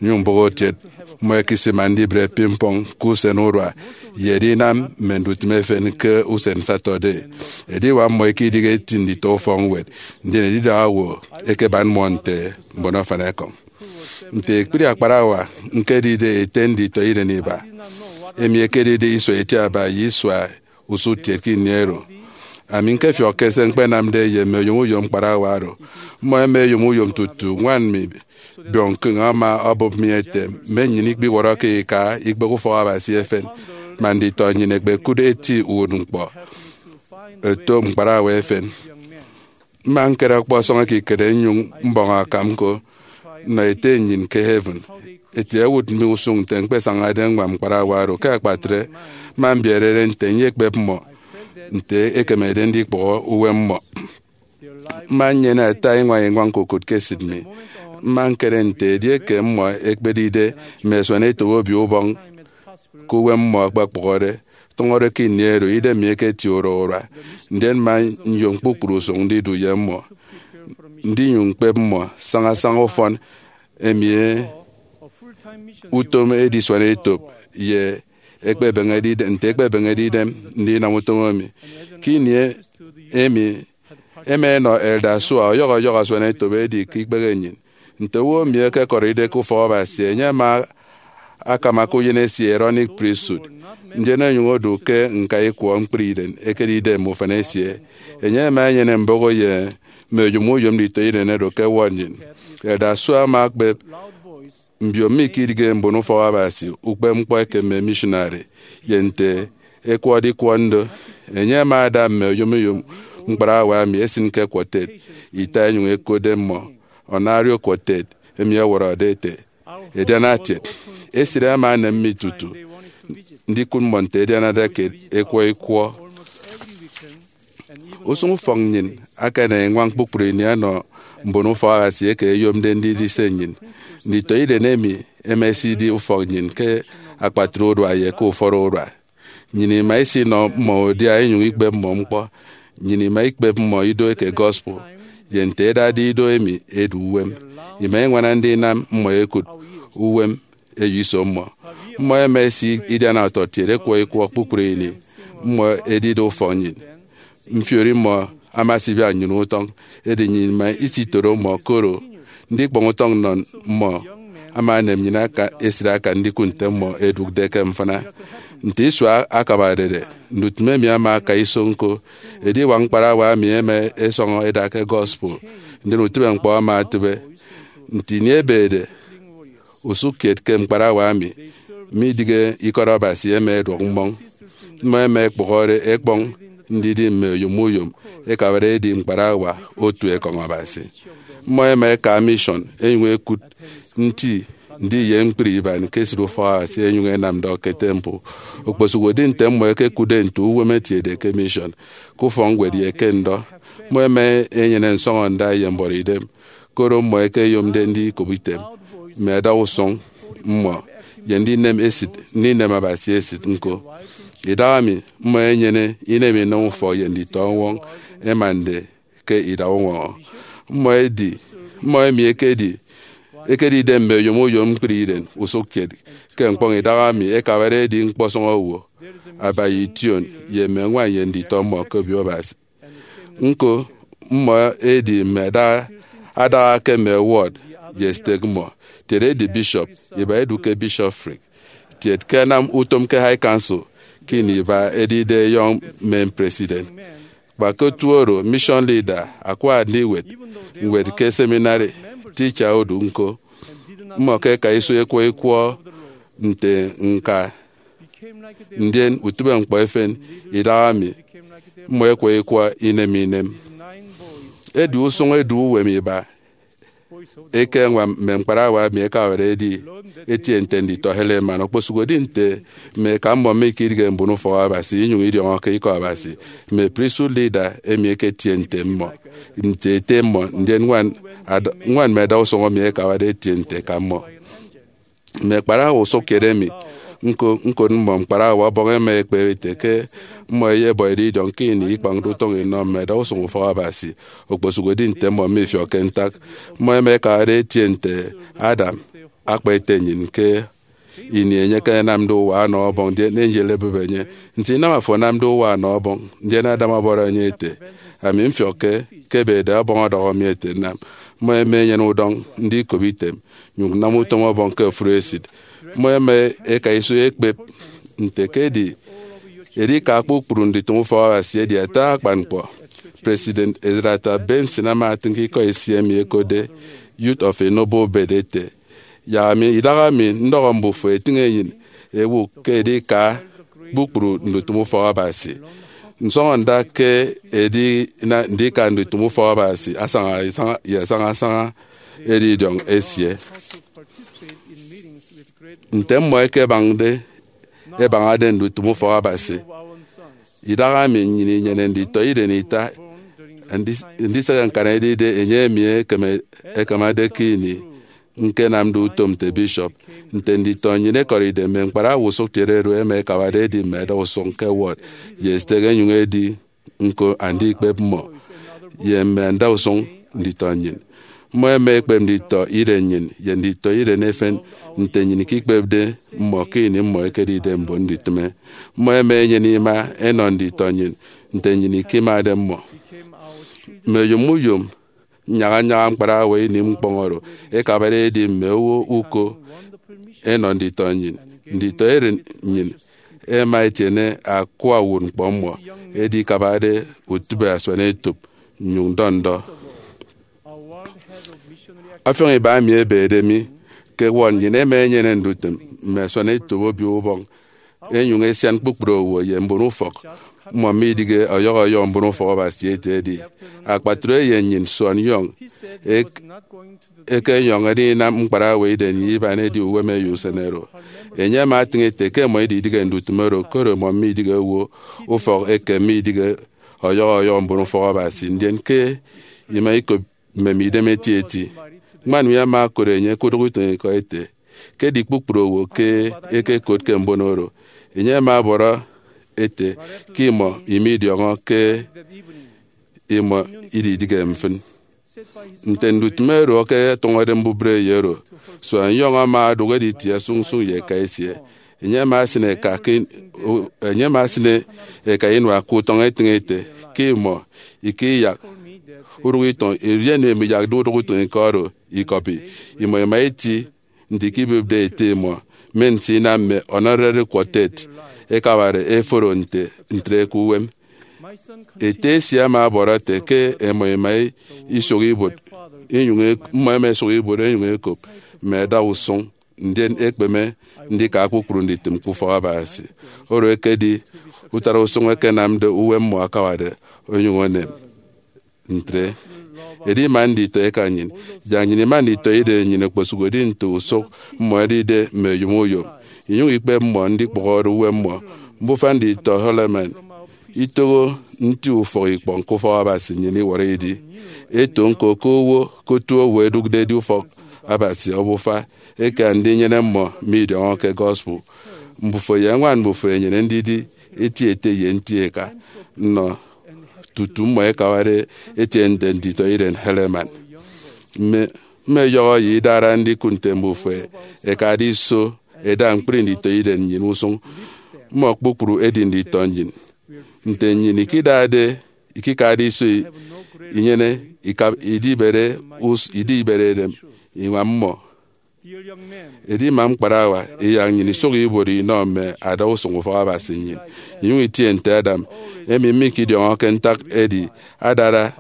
nyụñ mbụk okiet. Mmọ ẹkesima ndibre ping pong ke usen urua ye edinam mme ndutịm efen ke usen Saturday. Ediwak mmọ ikedịghe eti nditọ ufọkñwed, ndien edidaha owo ẹkebat mmọ nte mbon afanikọñ. Nte ekpri akparawa, ñkedide ete nditọiren iba, emi ekedide isua itiaba ye isua usụkkiet ke ini oro. Ami ñkefiọkke se ñkpenamde ye mme oyom uyom ñkparawa oro. Mmọ ẹma ẹyom uyom tutu ñwan mi, Biong Kung, ama obụp mi ete, mme nnyịn ikpiwọrọke ika ikpek ufọk Abasi efen, man nditọ nnyịn ẹkpekụt eti uwụtñkpọ ẹto ñkparawa efen. Mma ñkere ọkpọsọñ ekikere nnyụñ mbọñ akam ñko nnọ Ete nnyịn ke heaven. Ete owụt mi usụñ nte ñkpesañade ññwam ñkparawa oro. Ke akpatre, mma mbiere eren nte nyekpep mmọ nte ekemede ndikpụhọ uwem mmọ. Mma nnyene ata iñwañ iñwañ ñkokụt ke esịt mi. Mma ñkere nte edieke mmọ ẹkpedide mme asuanetop Obio Ubọñ ke uwem mmọ akpakpụhọde, tụñọde ke ini oro idem mi eketie urua urua, ndien mma nyom kpukpru usụñ ndidu ye mmọ. ndinyụñ ñkpep mmọ saña saña ufọn emi utom edisuan etop ye ekpebeñede idem, nte ekpebeñede idem ndinam utom emi. Ke ini emi, ema enọ Elder Sua ọyọhọ ọyọhọ asuan etop edi ke ikpehe nnyịn. Nte owo emi ekekọride ke ufọk Abasi, enye ama akama ke uyen esie Aaronic Priesthood, ndien onyụñ odu ke ñka ikwọ ñkpri iren ekedide mme ufan esie. Enye ama enyene mbụk ye mme oyom uyom nditọiren oro ke ward nnyịn. Elder Sua ama ekpep mbio mikidige mbon ufọk Abasi ukpepñkpọ eke mme missionary, ye nte ekwọde ikwọ ndo. Enye ama ada mme oyom uyom ñkparawa emi esin ke quartet ita, enyụñ ekotde mmọ Honorio Quartet, emi ọwọrọde ete, Ediana Tiet. Esịt ama enem mi tutu ndikụt mmọ nte ẹdianade ke ekwọ ikwọ. Usụñ ufọk nnyịn akana iñwañ kpukpru ini ọnọ mbon ufọk Abasi eke ẹyomde ndidi se nnyịn. Nditọiren emi ẹma ẹsidi ufọk nnyịn ke akpatre urua ye ke ufọrọ urua. Nnyịn ima isinọ mmọ udia inyụñ ikpep mmọ ñkpọ. Nnyịn ima ikpep mmọ ido eke gospel ye nte ẹdade ido emi edu uwem. Ima iñwana ndinam mmọ ẹkụt uwem eyo iso mmọ. Mmọ ẹma ẹsi idiana ọtọkiet ekwọ ikwọ kpukpru ini mmọ ẹdide ufọk nnyịn. Mfiori mmọ ama esibiak nnyịn utọñ, edi nnyịn ima isitoro mmọ, koro ndikpọñ utọñ nnọ mmọ ama enem nnyịn aka esịt akan ndikụt nte mmọ ẹdụkde ke mfịna. Nte isua akabarede, ndutịm emi ama aka iso ñko. Ediwak ñkparawa emi ẹma ẹsọñọ ẹda ke gospel, ndien utịbeñkpọ ama etịbe. Nte ini ebede usụkkiet ke ñkparawa emi midịghe ikọt Abasi ẹma ẹduọk mmọñ. Mmọ ẹma ẹkpụhọre ẹkpọñ ndidi mme oyom uyom ẹkabade ẹdi ñkparawa otu ekọñ Abasi. Mmọ ẹma ẹka mission ẹnyụñ ẹkụt nti ndi ye ñkpri iban ke esịt ufọk Abasi ẹnyụñ ẹnam ndọ ke temple. Okposụkedi nte mmọ ẹkekụtde nte uwem etiede ke mission, ke ufọkñwed ye ke ndọ, mmọ ẹma ẹnyene nsọñọnda ye mbọrọidem, koro mmọ ẹkeyomde ndikop item mme ẹdausụñ mmọ ye ndinem esịt, ndinem Abasi esịt ñko. Idahaemi, mmọ ẹnyene inem inam ufọk ye nditọ ọñwọñ ẹmande ke idak uñwọñọ. Mmọ ẹdi, mmọ emi ẹkedi, ẹkedide mme oyom uyom ñkpri iren usụkkiet ke ñkpọñ idahaemi ẹkabade ẹdi ñkpọsọñ owo, abaña ition, ye mme ñwan ye nditọ mmọ ke obio Abasi. Ñko, mmọ ẹdi mme ada-, adaha ke mme ward ye stake mmọ, tiet ẹdi bishop, iba ẹdu ke bishopric, tiet ke ẹnam utom ke high council, ke ini iba ẹdide young men president. Kpa ke otu oro, mission leader akwa ndiwet ñwed ke seminary, teacher odu ñko. Mmọ ke ẹka iso ekwọ ikwọ nte ñka, ndien utịbeñkpọ efen idahaemi mmọ ẹkwọ ikwọ inem inem. Edi usụñ edu uwem iba eke ẹñwam mme ñkparawa emi ẹkabade ẹdi etie nte nditọ Helaman, okposụkedi nte mme eka mmọ mikidige mbon ufọk Abasi inyụñ idiọñọke ikọ Abasi. Mme priesthood leader emi ẹketie nte mmọ, nte ete mmọ, ndien ñwan ad-, ñwan mme ẹdausụñ emi ẹkabade ẹtie nte eka mmọ. Mme ñkparawa usụkkiet emi ñko, ñkot mmọ ñkparawa Ọbọñ, ẹma ẹkpep ete ke mmọ ẹyebọide idiọñ ke ini ikpañde utọñ inọ mme ẹdausụñ ufọk Abasi, okposụkedi nte mmọ mifiọkke ntak. Mmọ ẹma ẹkabade ẹtie nte Adam akpa ete nnyịn ke ini enye ekenamde uwa ọnọ Ọbọñ, ndien enye eyelebịbe enye. Nte inam afo anamde uwa ọnọ Ọbọñ? Ndien Adam ọbọrọ enye ete, Ami mfiọkke ke ebede Ọbọñ ọdọhọ mi ete nnam. Mmọ ẹma ẹnyene udọñ ndikop item, nyụñ nnam utom Ọbọñ ke ofụri esịt. Mmọ ẹma ẹka iso ẹkpep nte ke edi edika kpukpru ndutịm ufọk Abasi edi ata akpan ñkpọ. President Ezra Taft Benson ama atịñ ke ikọ esie emi ẹkotde Youth of a Noble Birth ete, Yak ami, idahaemi ndọhọ mbufo, ẹtịñ enyịn ẹbụk ke edika kpukpru ndutịm ufọk Abasi. Nsọñọnda ke edi na ndika ndutịm ufọk Abasi asaña isaña, ye asaña asaña edi idiọñ esie. Nte mmọ ẹkebañde, ẹbañade ndutịm ufọk Abasi, idahaemi nnyịn inyene nditọiren ita, ndi-, ndisịk ñkana edide enye emi ekeme-, ẹkamade ke ini ñkenamde utom nte bishop. Nte nditọ nnyịn ẹkọride, mme ñkparawa usụkkiet oro ẹma ẹkabade ẹdi mme ẹdausụñ ke ward ye stake, ẹnyụñ ẹdi ñko andikpep mmọ ye mme ẹdausụñ nditọ nnyịn. Mmọ ẹma ẹkpep nditọ iren nnyịn ye nditọ iren efen nte nnyịn ikikpepde mmọ ke ini mmọ ẹkedide mbon ndutịme. Mmọ ẹma ẹnyene ima ẹnọ nditọ nnyịn nte nnyịn ikimade mmọ. Mme oyom uyom nnyaña nnyaña ñkparawa ini ñkpọñ oro ẹkabade ẹdi mme owo uko ẹnọ nditọ nnyịn. Nditọ iren nnyịn ẹma ẹtiene akwa uwụtñkpọ mmọ, edi ikabade utịbe asuanetop nnyụñ dọ ndọ. Ọfiọñ iba emi ebede mi ke ẹwọrọ nnyịn ẹma ẹnyene ndutịm mme asuanetop Obio Ubọñ, ẹnyụñ ẹsian kpukpru owo ye mbonufọk mmọ midịghe ọyọhọ ọyọhọ mbonufọk Abasi ete edi akpatre ye nnyịn Suan Young ek- ekenyọñ edinam ñkparawa iren ye iban edi uwem eyo usen oro. Enye ama atịñ ete ke mmọ ididịghe ndutịm oro, koro mmọ midịghe owo ufọk eke midịghe ọyọhọ ọyọhọ mbonufọk Abasi, ndien ke ima ikop mmem idem etieti. Ñkpọ emi ama okot enye ke udụk utịñikọ ete ke edi kpukpru owo ke ẹkekot ke mbon oro. Enye ama ọbọrọ ete ke imọ imidiọñọ ke imọ ididịghe mfịn. Nte ndutịm oro ẹketọñọde mbubreyo oro, Suan Young ama odụk editie sụñsụñ ye eka esie. Enye ama esịne eka ke in- o- enye ama esịne eka inua ke utọñ etịñ ete ke imọ ikiyak udụk itọñ, edi emi iyakde udụk utịñikọ oro ikọbi. Imọ ima iti nte ikibịpde ete imọ, men se inam mme honorary quartet ẹkabade ẹforo nte ntre ke uwem. Ete esie ama ọbọrọ ete ke ẹmọ ẹma isụk ibuot, inyụñ ek- mmọ ẹma ẹsụk ibuot ẹnyụñ ẹkop mme adausụñ, ndien ẹkpeme ndika kpukpru nditịm ke ufọk Abasi. Oro ekedi utara usụñ ẹkenamde uwem mmọ akabade onyụñ onem. Ntre, edi ima nditọ eka nnyịn, yak nnyịn ima nditọ iren nnyịn okposụkedi nte usụk mmọ ẹdide mme oyom uyom, inyụñ ikpep mmọ ndikpụhọde uwem mmọ. Mbufa nditọ Helaman itoho nti ufọk ikpọñ ke ufọk Abasi nnyịn iwọrọ idi. Eto ñko ke owo ke otu owo ẹdụkde edi ufọk Abasi obufa eke andinyene mmọ midiọñọke gospel. Mbufo ye añwan mbufo ẹnyene ndidi eti ete ye nti eka nnọ tutu mmọ ẹkabade ẹtie nte nditọ iren Helaman. Mme mme ọyọhọ ye idara ndikụt nte mbufo ẹkade iso ẹda ñkpri nditọ iren nnyịn usụñ. Mmọ kpukpru ẹdi nditọ nnyịn. Nte nnyịn ikidade ikikade iso inyene ika- idibere us- idibere edem iñwam mmọ. Edi ima ñkparawa iyak nnyịn isụk ibuot inọ mme adausụñ ufọk Abasi nnyịn, inyụñ itie nte Adam, emi mikidiọñọke ntak edi adara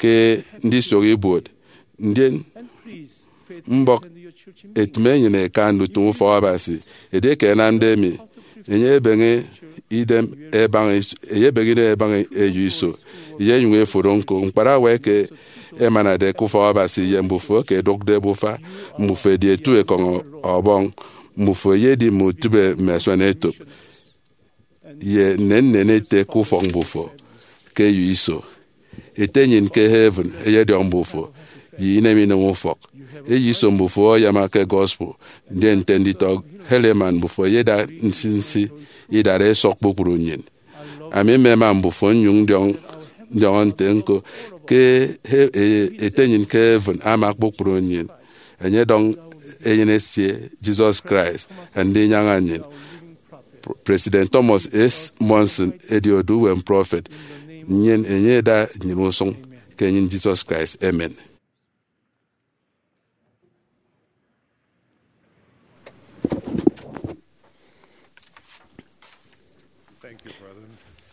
ke ndisụk ibuot. Ndien mbọk etịm enyịn eka ndutịm ufọk Abasi. Edieke ẹnamde emi, enye ebeñe idem ẹbaña is- enye ebeñe idem ẹbaña eyo iso, enye enyụñ eforo ñko. Ñkparawa eke ẹmanade ke ufọk Abasi ye mbufo eke ẹdụkde ẹbufa mbufo ẹdi etu ekọñ Ọbọñ. Mbufo ẹyedi mme utịbe mme asuanetop ye nnennen ete ke ufọk mbufo ke eyo iso. Ete nnyịn ke heaven eyediọñ mbufo ye inem inem ufọk. Eyo iso mbufo oyama ke gospel, ndien nte nditọ Helaman mbufo ẹyeda nsinsi idara ẹsọk kpukpru nnyịn. Ami mmema mbufo nnyụñ ndiọñ- ndiọñọ nte ñko ke he- e- ete nnyịn ke heaven ama kpukpru nnyịn. Enye ọdọñ eyen esie, Jesus Christ, andinyaña nnyịn. Pr- President Thomas S. Monson edi odu uwem prọfet. Nnyịn enye eda nnyịn usụñ ke enyịn Jesus Christ. Amen.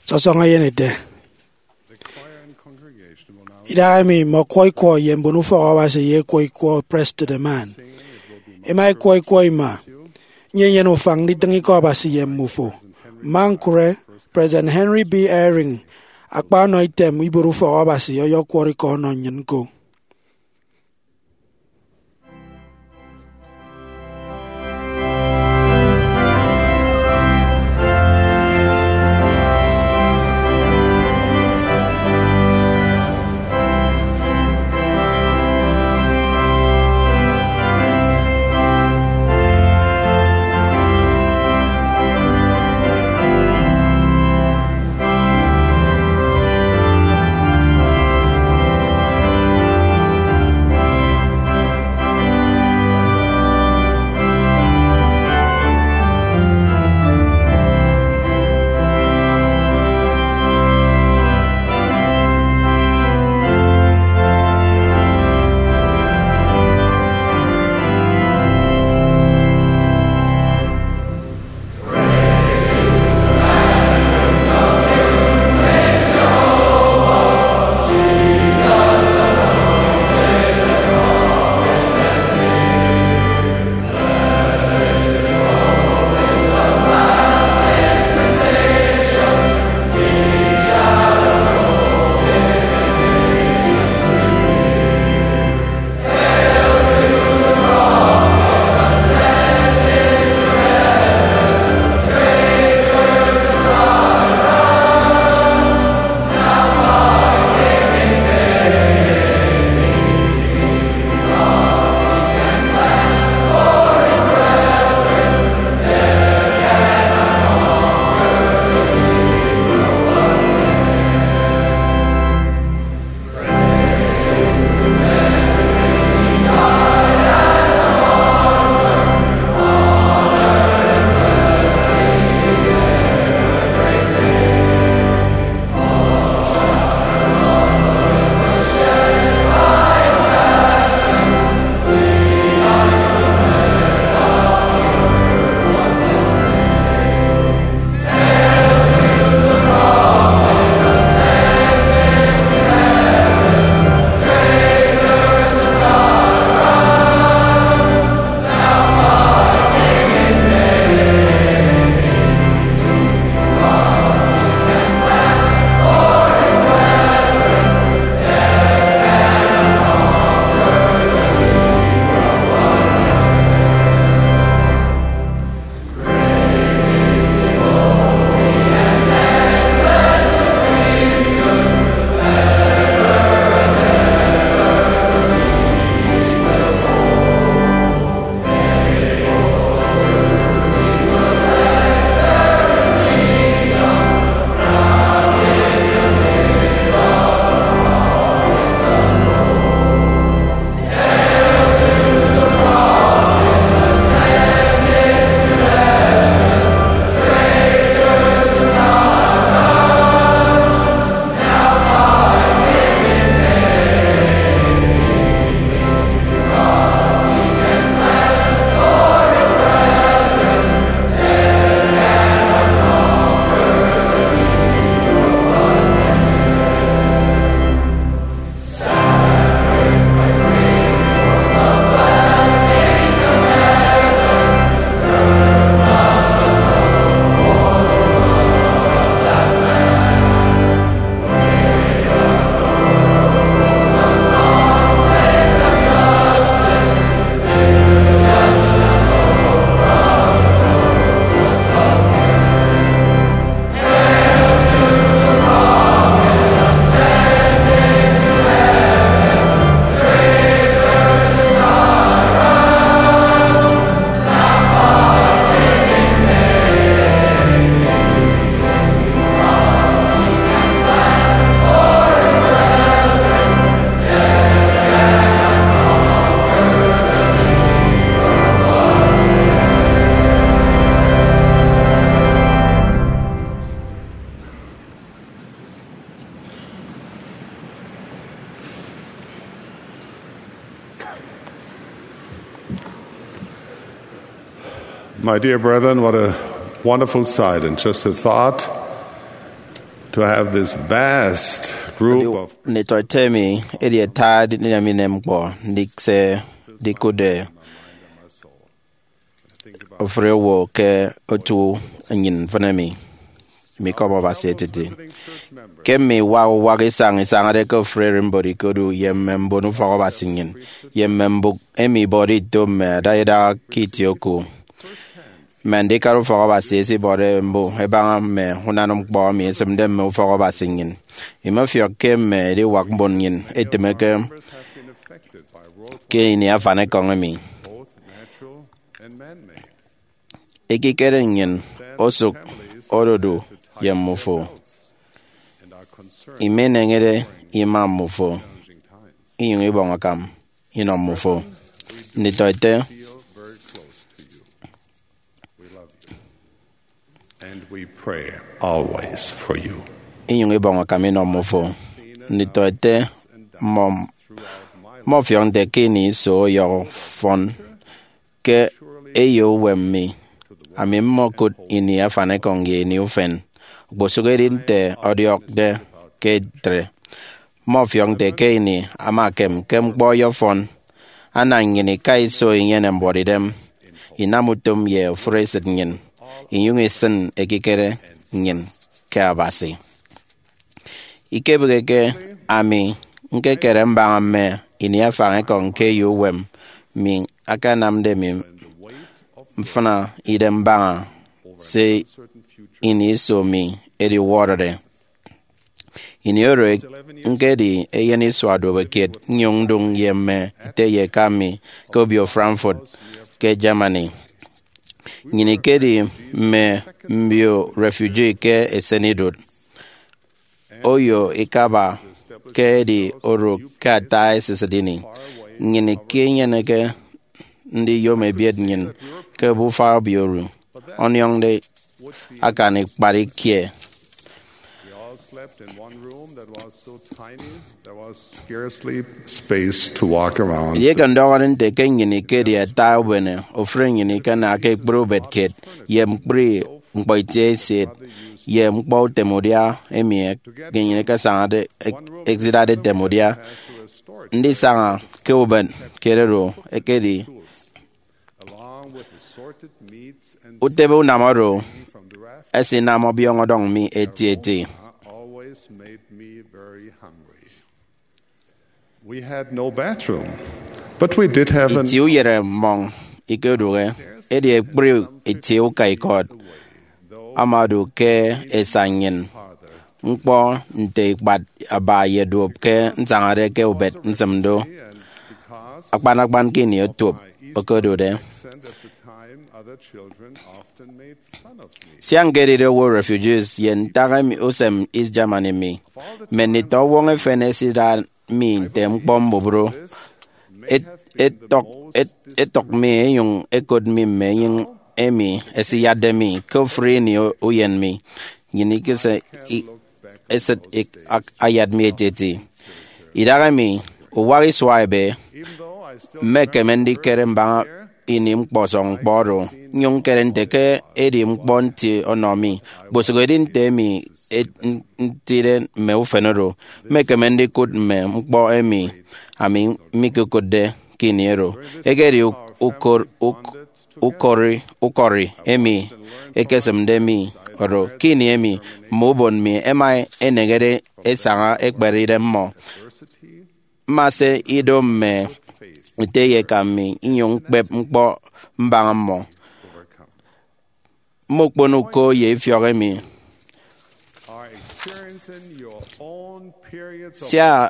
Sọsọñọ eyenete. Idahaemi mme ọkwọ ikwọ ye mbon ufọk Abasi ye ekwọ ikwọ Preston Eman. Ema ekwọ ikwọ ima, nnyịn inyene ufañ nditịñ ikọ Abasi ye mmufo. Mma ñkụre President Henry B. Eyring akpa ọnọ item ibuot ufọk Abasi ọyọkwọrọ ikọ ọnọ nnyịn ñko. My dear brethren, what a wonderful sight and just a thought to have this vast group of Nditọete emi, edi ata edinem inem ñkpọ ndise ndikụtde ofụri owo ke otu nnyịn mfịn emi mikọbọ Abasi etiti. Ke mme iwak uwak isañ isañade ke ofụri ererimbot ikodu ye mme mbon ufọkabasi nnyịn, ye mme mbụk emi ibọde ito mme adaidaha ke itie oku, mme andikara ufọkabasi ẹsibọde mbụk ẹbaña mme unana ñkpọ emi esịmde mme ufọkabasi nnyịn. Imefiọk ke mme ediwak mbon nnyịn ẹtịmeke ke ini afanikọñ emi. Ekikere nnyịn osụk ododu ye mmufo. Imeneñede ima mmufo, inyụñ ibọñ akam inọ mmufo. Nditọete, And we pray always for you. Inyụñ ibọñ akam inọ mmufo. Nditọete, mmọ mmọfiọk nte ke ini iso ọyọhọ fọn ke eyo uwem mi, ami mmokụt ini afanikọñ ye ini ufen, okposụkedi nte ọdiọkde ke etre. Mmọfiọk nte ke ini ama ekem ke ñkpọ ọyọfọn, ana nnyịn ika iso inyene mbuọtidem, inam utom ye ofụri esịt nnyịn, inyụñ isịn ekikere nnyịn ke Abasi. Ikebịghike ami ñkekere mbaña mme ini afañikọñ ke eyo uwem mi akanamde mi mfịna idem mbaña se ini iso mi ediwọrọde. Ini oro ñkedi eyen isua duopekiet nnyụñ ndụñ ye mme ete ye eka mi ke obio Frankfurt ke Germany. Nnyịn ikedi mme mbio refugee ke esenidụt. Oyo ikaba ke edi oro ke ata esisịt ini. Nnyịn ikenyeneke ndiyom ebiet nnyịn ke obufa obio oro ọniọñde akan ikpat ikie. We all slept in one room that was so tiny there was scarcely space to walk around. Edieke ndọhọde nte ke nnyịn ikedi ata ubene, ofụri nnyịn ikana ke ekpri ubet kiet ye ñkpri ñkpọ itie eset ye ñkpọ utem udia emi nnyịn ikesañade, ek-, esidade etem udia. Ndisaña ke ubet kiet oro ekedi utebe unam oro ẹsinam ọbiọñ ọdọñ mi etieti. We had no bathroom, but we did have an Itie uyere mmọñ ikedụhe, edi ekpri itie uka ikọt ama odu ke esa nnyịn. Ñkpọ nte ikpat aba ye duop ke nsañade ke ubet nsịm do. Akpan akpan ke ini otuop okodude. Sia ñkedide owo refugees ye ntak emi usem East Germany mi, mme nditọ ọwọñ efen ẹsida mi nte ñkpọ mbubru. Et-, etọk, et-, etọk mi, enyụñ ekot mi mme enyịñ emi ẹsiyatde mi ke ofụri ini u-, uyen mi. Nnyịn ikese i-, esịt ik-, ak-, ayat mi etieti. Idahaemi, uwak isua ebe, mmekeme ndikere mbaña ini ñkpọsọñ ñkpọ oro, nnyụñ ñkere nte ke edi ñkpọ nti ọnọ mi, okposụkedi nte emi et-, n-, ntide mme ufen oro, mmekeme ndikụt mme ñkpọ emi ami mikekụtde ke ini oro. Ekedi uk-, ukor-, uk-, ukọri, ukọri emi ekesịmde mi oro. Ke ini emi mme ubon mi ẹma ẹneñede ẹsaña ẹkpere idem mmọ, mmase ido mme ete ye eka mi inyụñ ñkpep ñkpọ mbaña mmọ. Mme ukpono uko ye ifiọk emi. Sia,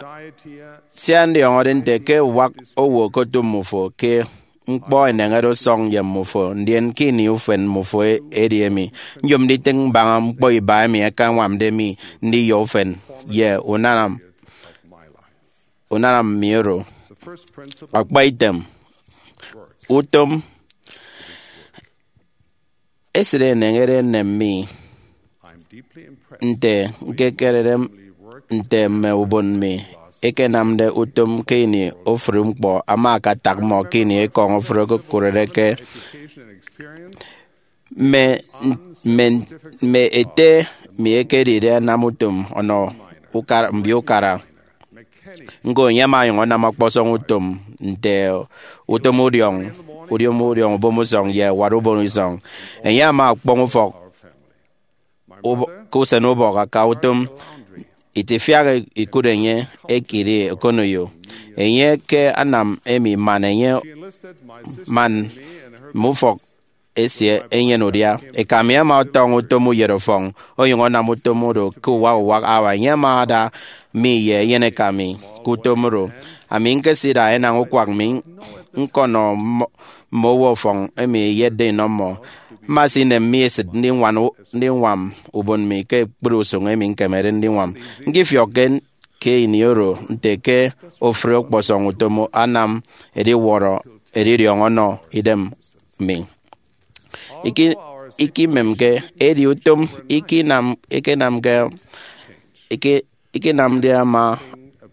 sia ndiọñọde nte ke uwak owo okotu mmufo ke ñkpọ eneñede ọsọñ ye mmufo, ndien ke ini ufen mmufo e-, edi emi, nyom nditịñ mbaña ñkpọ iba emi ẹkañwamde mi ndiyọ ufen ye unana, unana mi oro. Akpaitem, utom esịt eneñede enem mi nte ñkekerede nte mme ubon mi ẹkenamde utom ke ini ofụri ñkpọ ama akatak mmọ ke ini ekọñ ofụri okokụrede ke Mme, mme, mme ete mi ekedide anam utom ọnọ ukara, mbio ukara. Ñko, enye ama onyụñ anam ọkpọsọñ utom nte utom udiọñ, udiom udiọñ ubomusọñ, ye ẹwat ubon isọñ. Enye ama ọkpọñ ufọk ubọ-, ke usen ubọk aka utom. Itifiak ikụt enye ekidi okoneyo. Enye ke anam emi man enye, man mme ufọk esie enyene udia. Eka mi ama ọtọñọ utom uyet ọfọñ, onyụñ anam utom oro ke uwak uwak hour. Enye ama ada mi ye eyeneka mi ke utom oro. Ami ñkesida enañ ukwak mi ñkọnọ mmọ, mme owo ọfọñ emi eyetde inọ mmọ. Mma sinem mi esịt ndiñwan u-, ndiñwam ubon mi ke ekpri usụñ emi ñkemede ndiñwam. Ñkifiọkke ke ini oro nte ke ofụri ọkpọsọñ utom anam ediwọrọ edidiọñ ọnọ idem mi. Iki-, ikimemke, edi utom ikinam, ikinamke, iki-, ikinamde ama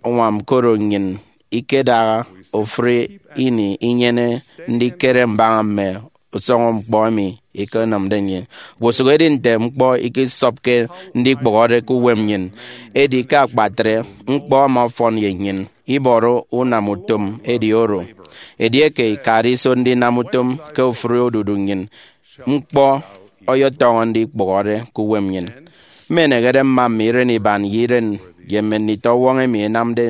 añwam, koro nnyịn ikedaha ofụri ini inyene ndikere mbaña mme usọñọ ñkpọ emi ikenamde nnyịn. Okposụkedi nte ñkpọ ikisọpke ndikpụhọde ke uwem nnyịn, edi ke akpatre, ñkpọ ama ọfọn ye nnyịn. Ibọrọ unam utom edi oro. Edieke ikade iso ndinam utom ke ofụri odudu nnyịn, ñkpọ ọyọtọñọ ndikpụhọde ke uwem nnyịn. Mmenehede mma mme iren iban ye iren ye mme nditọwọñ emi ẹnamde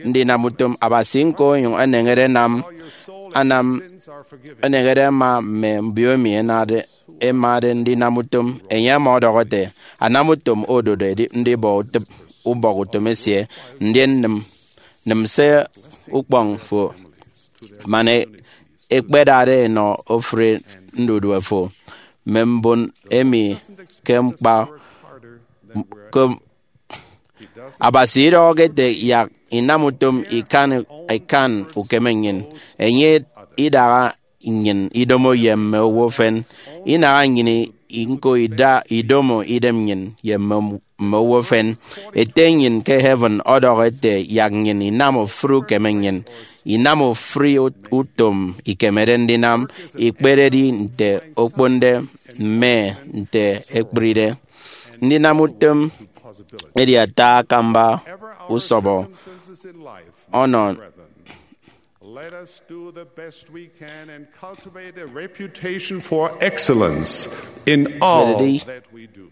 ndinam utom Abasi, ñko onyụñ eneñede anam, anam, eneñede ama mme mbio emi ẹnade, ẹmade ndinam utom. Enye ama ọdọhọ ete, anam utom ododo edi ndibọ utịp ubọk utom esie, ndien nịm, nịm se ukpọñ fo, man e-, ekpedade enọ ofụri ndudue fo. Mme mbon emi ke mkpa, ke Abasi idọhọke ete, yak inam utom ikan, ikan ukeme nnyịn. Enye idaha nnyịn idomo ye mme owo efen. Inaha nnyịn i-, ñko ida idomo idem nnyịn ye mme, mme owo efen. Ete nnyịn ke heaven ọdọhọ ete, yak nnyịn inam ofụri ukeme nnyịn, inam ofụri ut-, utom ikemede ndinam, ikpededi nte okponde mme nte ekpride. Ndinam utom edi ata akamba usọbọ ọnọ. Let us do the best we can and cultivate a reputation for excellence in all that we do.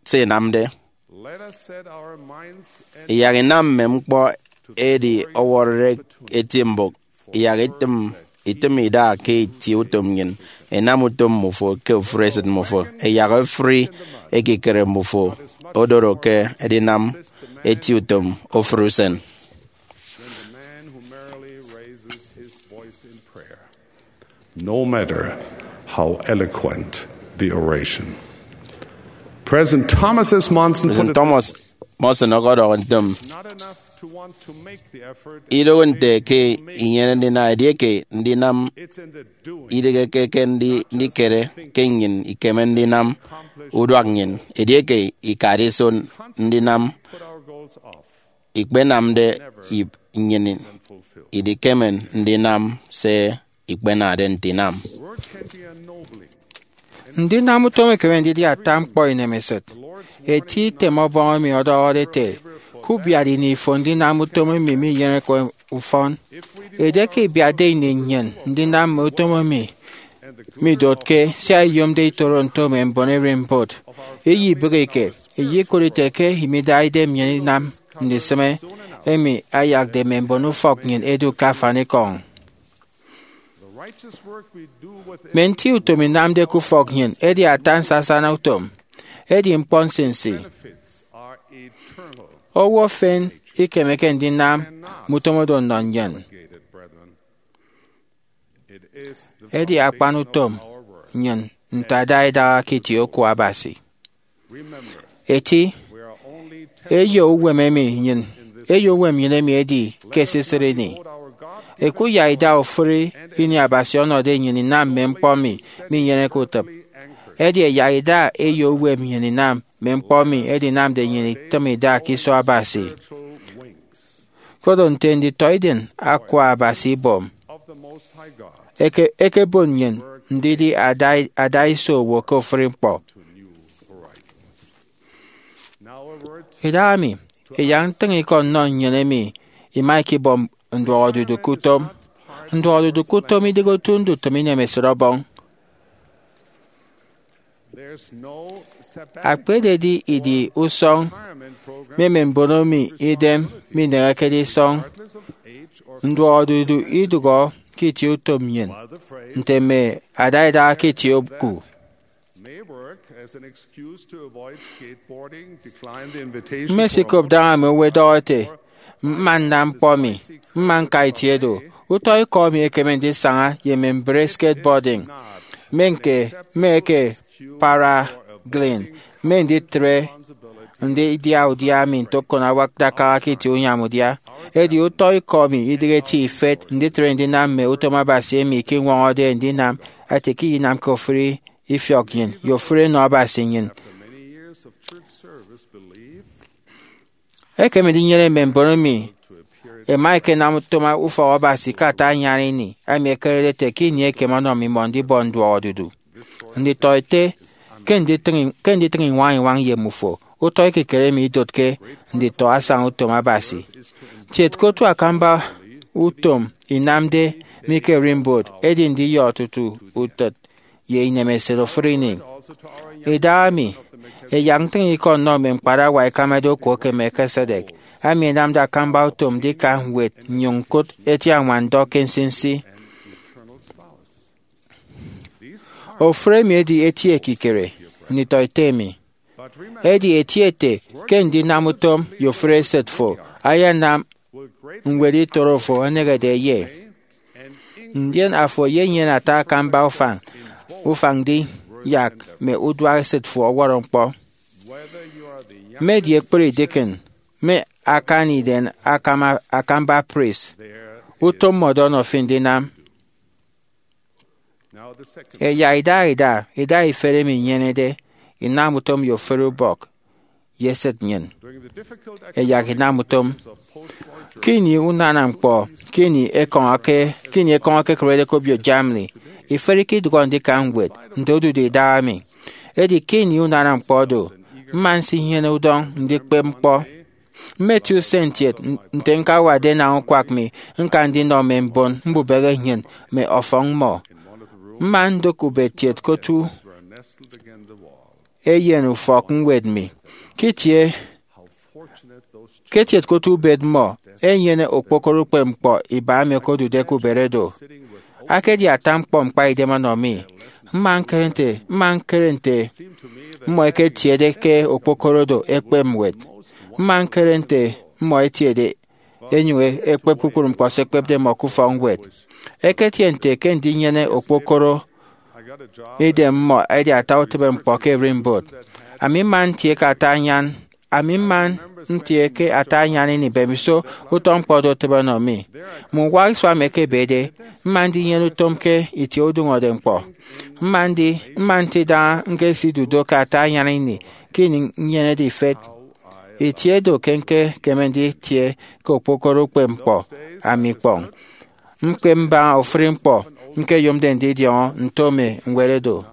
Se inamde. Let us set our minds and Iyak inam mme ñkpọ edi ọwọrọde eti mbụk. Iyak itịm, itịm ida ke itie utom nnyịn. Inam utom mmufo ke ofụri esịt mmufo. Iyak ofụri ekikere mmufo odoro ke edinam eti utom ofụri usen. Than the man who merely raises his voice in prayer, no matter how eloquent the oration. President Thomas S. Monson put President it Thomas Monson ọkọdọhọ ntem, not enough to want to make the effort and idoho nte ke inyene ndina edieke ndinam, it's in the doing, idịghe ke, ke ndi-, ndikere ke nnyịn ikeme ndinam uduak nnyịn. Edieke ikade iso ndinam, put our goals off, ikpenamde ip nnyịn, idikeme ndinam se ikpenade nte inam. Work heavy and nobly. Ndinam utom ekeme ndidi ata ñkpọ inemesịt. Eti item Ọbọñ emi ọdọhọde ete, kubiat ini fo ndinam utom emi minyeneke ufọn. Edieke ibiatde ini nnyịn ndinam mme utom emi midotke sia iyomde itoro nto mme mbon ererimbot, iyibịghike, iyekot ite ke imida idem nnyịn inam ndisịme emi ayakde mme mbon ufọk nnyịn ẹdu ke afanikọñ. Mme nti utom inamde ke ufọk nnyịn edi ata nsasana utom, edi ñkpọ nsinsi. Owo efen ikemeke ndinam mme utom oro nnọ nnyịn. Edi akpan utom nnyịn nte ada idaha ke itie oku Abasi. Eti, eyo uwem emi nnyịn, eyo uwem nnyịn emi edi ke esisịt ini. Ẹkuyak ida ofụri ini Abasi ọnọde nnyịn inam mme ñkpọ emi minyeneke utịp. Edi ẹyak ida eyo uwem nnyịn inam mme ñkpọ emi ẹdinamde nnyịn itịm ida ke iso Abasi. Koro nte nditọidem Akwa Abasi ibom, eke- ekebon nnyịn ndidi ada- adaiso owo ke ofụri ñkpọ. Idahaemi, iyak ntịñikọ nnọ nnyịn emi ima ikibọ nduọkodudu ke utom. Nduọkodudu ke utom idịghe otu ndutịm inemesịt Ọbọñ. Akpa ededi idi usọñ mme mme mbono emi idem minehekede isọñ, nduọkodudu idụhọ ke itie utom nnyịn, nte mme adaidaha ke itie oku. Mmesikop daña mme owo ẹdọhọ ẹte, mma nnam ñkpọ mi, mma ñka itie do. Utọ ikọ emi ekeme ndisaña ye mme mbre skateboarding, mme ñke, mme eke paragliding, mme nditre ndidia udia mi nte okon awak dakara ke itie unyam udia. Edi utọ ikọ mi idịghe eti ifet nditre ndinam mme utom Abasi emi ikiñwọñọde ndinam ete ke iyinamke ofụri ifiọk nnyịn ye ofụri enọ Abasi nnyịn. Ekeme ndinyene mme mbon emi ẹma ẹkenam utom ufọk Abasi ke ata anyan ini, emi ẹkerede ete ke ini ekem ọnọ mmimọ ndibọ nduọkodudu. Nditọete ke nditịñ, ke nditịñ iñwañ-iñwañ ye mmufo, utọ ekikere emi idotke nditọ asaña utom Abasi. Kiet ke otu akamba utom inamde mi ke Rimwood edi ndiyọ tutu utịt ye inemesịt ofụri ini. Idahaemi, iyak ntịñikọ nnọ mme ñkparawa ẹkamade okuo ke Melchizedek, emi ẹnamde akamba utom ndika ñwed nnyụñ ñkụt eti añwandọ ke nsinsi. Ofụri emi edi eti ekikere, nditọete mi. Edi eti ete ke ndinam utom ye ofụri esịt fo ayanam ñwed itoro fo enehede eye. Ndien afo eyenyene ata akamba ufañ, ufañ ndiyak mme uduak esịt fo ọwọrọ ñkpọ. Mme edi ekpri deacon, mme akan iden akama- akamba priest, utom mmọdo ọnọ fi ndinam. Ẹyak idaha ida, ida ifet emi inyenede inam utom ye ofụri ubọk ye esịt nnyịn. Ẹyak inam utom. Ke ini unana ñkpọ, ke ini ekọñọke, ke ini ekọñọke ẹkerede ke obio Germany, ifet ikidụhọ ndika ñwed nte odude idahaemi. Edi ke ini unana ñkpọ do, mma nsinyene udọñ ndikpep ñkpọ. Mmeti usen kiet n- nte ñkawade enañ ukwak mi ñka ndinọ mme mbon mbubehe nnyịn mme ọfọñ mmọ. Mma ndụk ubet kiet ke otu eyen ufọk ñwed mi. Ke itie, ke kiet ke otu ubet mmọ enyene okpokoro ukpepñkpọ iba emi okodude ke ubet edo. Akedi ata ñkpọ mkpaidem ọnọ mi. Mma ñkere nte, mma ñkere nte mmọ ẹketiede ke okpokoro do ẹkpep ñwed. Mma ñkere nte mmọ ẹtiede ẹnyụñ ẹkpep kpukpru ñkpọ se ẹkpepde mmọ ke ufọkñwed. Eketie nte ke ndinyene okpokoro idem mmọ edi ata utịbeñkpọ ke Rimwood. Ami mma ntie ke ata anyan, ami mma ntie ke ata anyan ini mbemiso utọ ñkpọ do otịbe ọnọ mi. Mme uwak isua emi ẹkebede, mma ndinyene utom ke itie udụñọde ñkpọ. Mma ndi, mma nte idaha ñkesidu do ke ata anyan ini ke ini nnyenede ifet. Itie do ke ñkekeme nditie ke okpokoro ukpepñkpọ ami ikpọñ. Ñkpep mbaña ofụri ñkpọ ñkeyomde ndidiọñọ nto mme ñwed edo.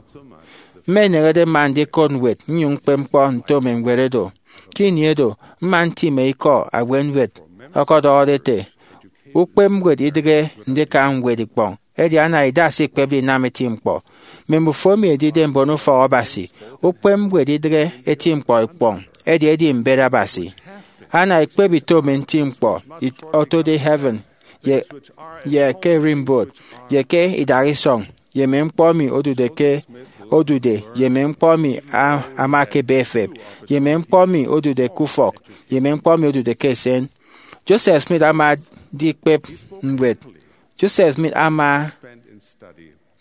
Mma nnehede mma ndikot ñwed nnyụñ ñkpep ñkpọ nto mme ñwed edo. Ke ini edo, mma ntịme ikọ abuetñwed ọkọdọhọde ete, ukpep ñwed idịghe ndika ñwed ikpọñ, edi ana ida se ikpepde inam eti ñkpọ. Mme mbufo emi ẹdide mbon ufọk Abasi, ukpep ñwed idịghe eti ñkpọ ikpọñ, edi edi mbet Abasi. Ana ikpep ito mme nti ñkpọ it- otode heaven, ye, ye ke Rimwood, ye ke idaha isọñ, ye mme ñkpọ emi odude ke odude, ye mme ñkpọ emi a- ama ke ebe efep, ye mme ñkpọ emi odude ke ufọk, ye mme ñkpọ emi odude ke esen. Joseph Smith ama ndikpep ñwed. Joseph Smith ama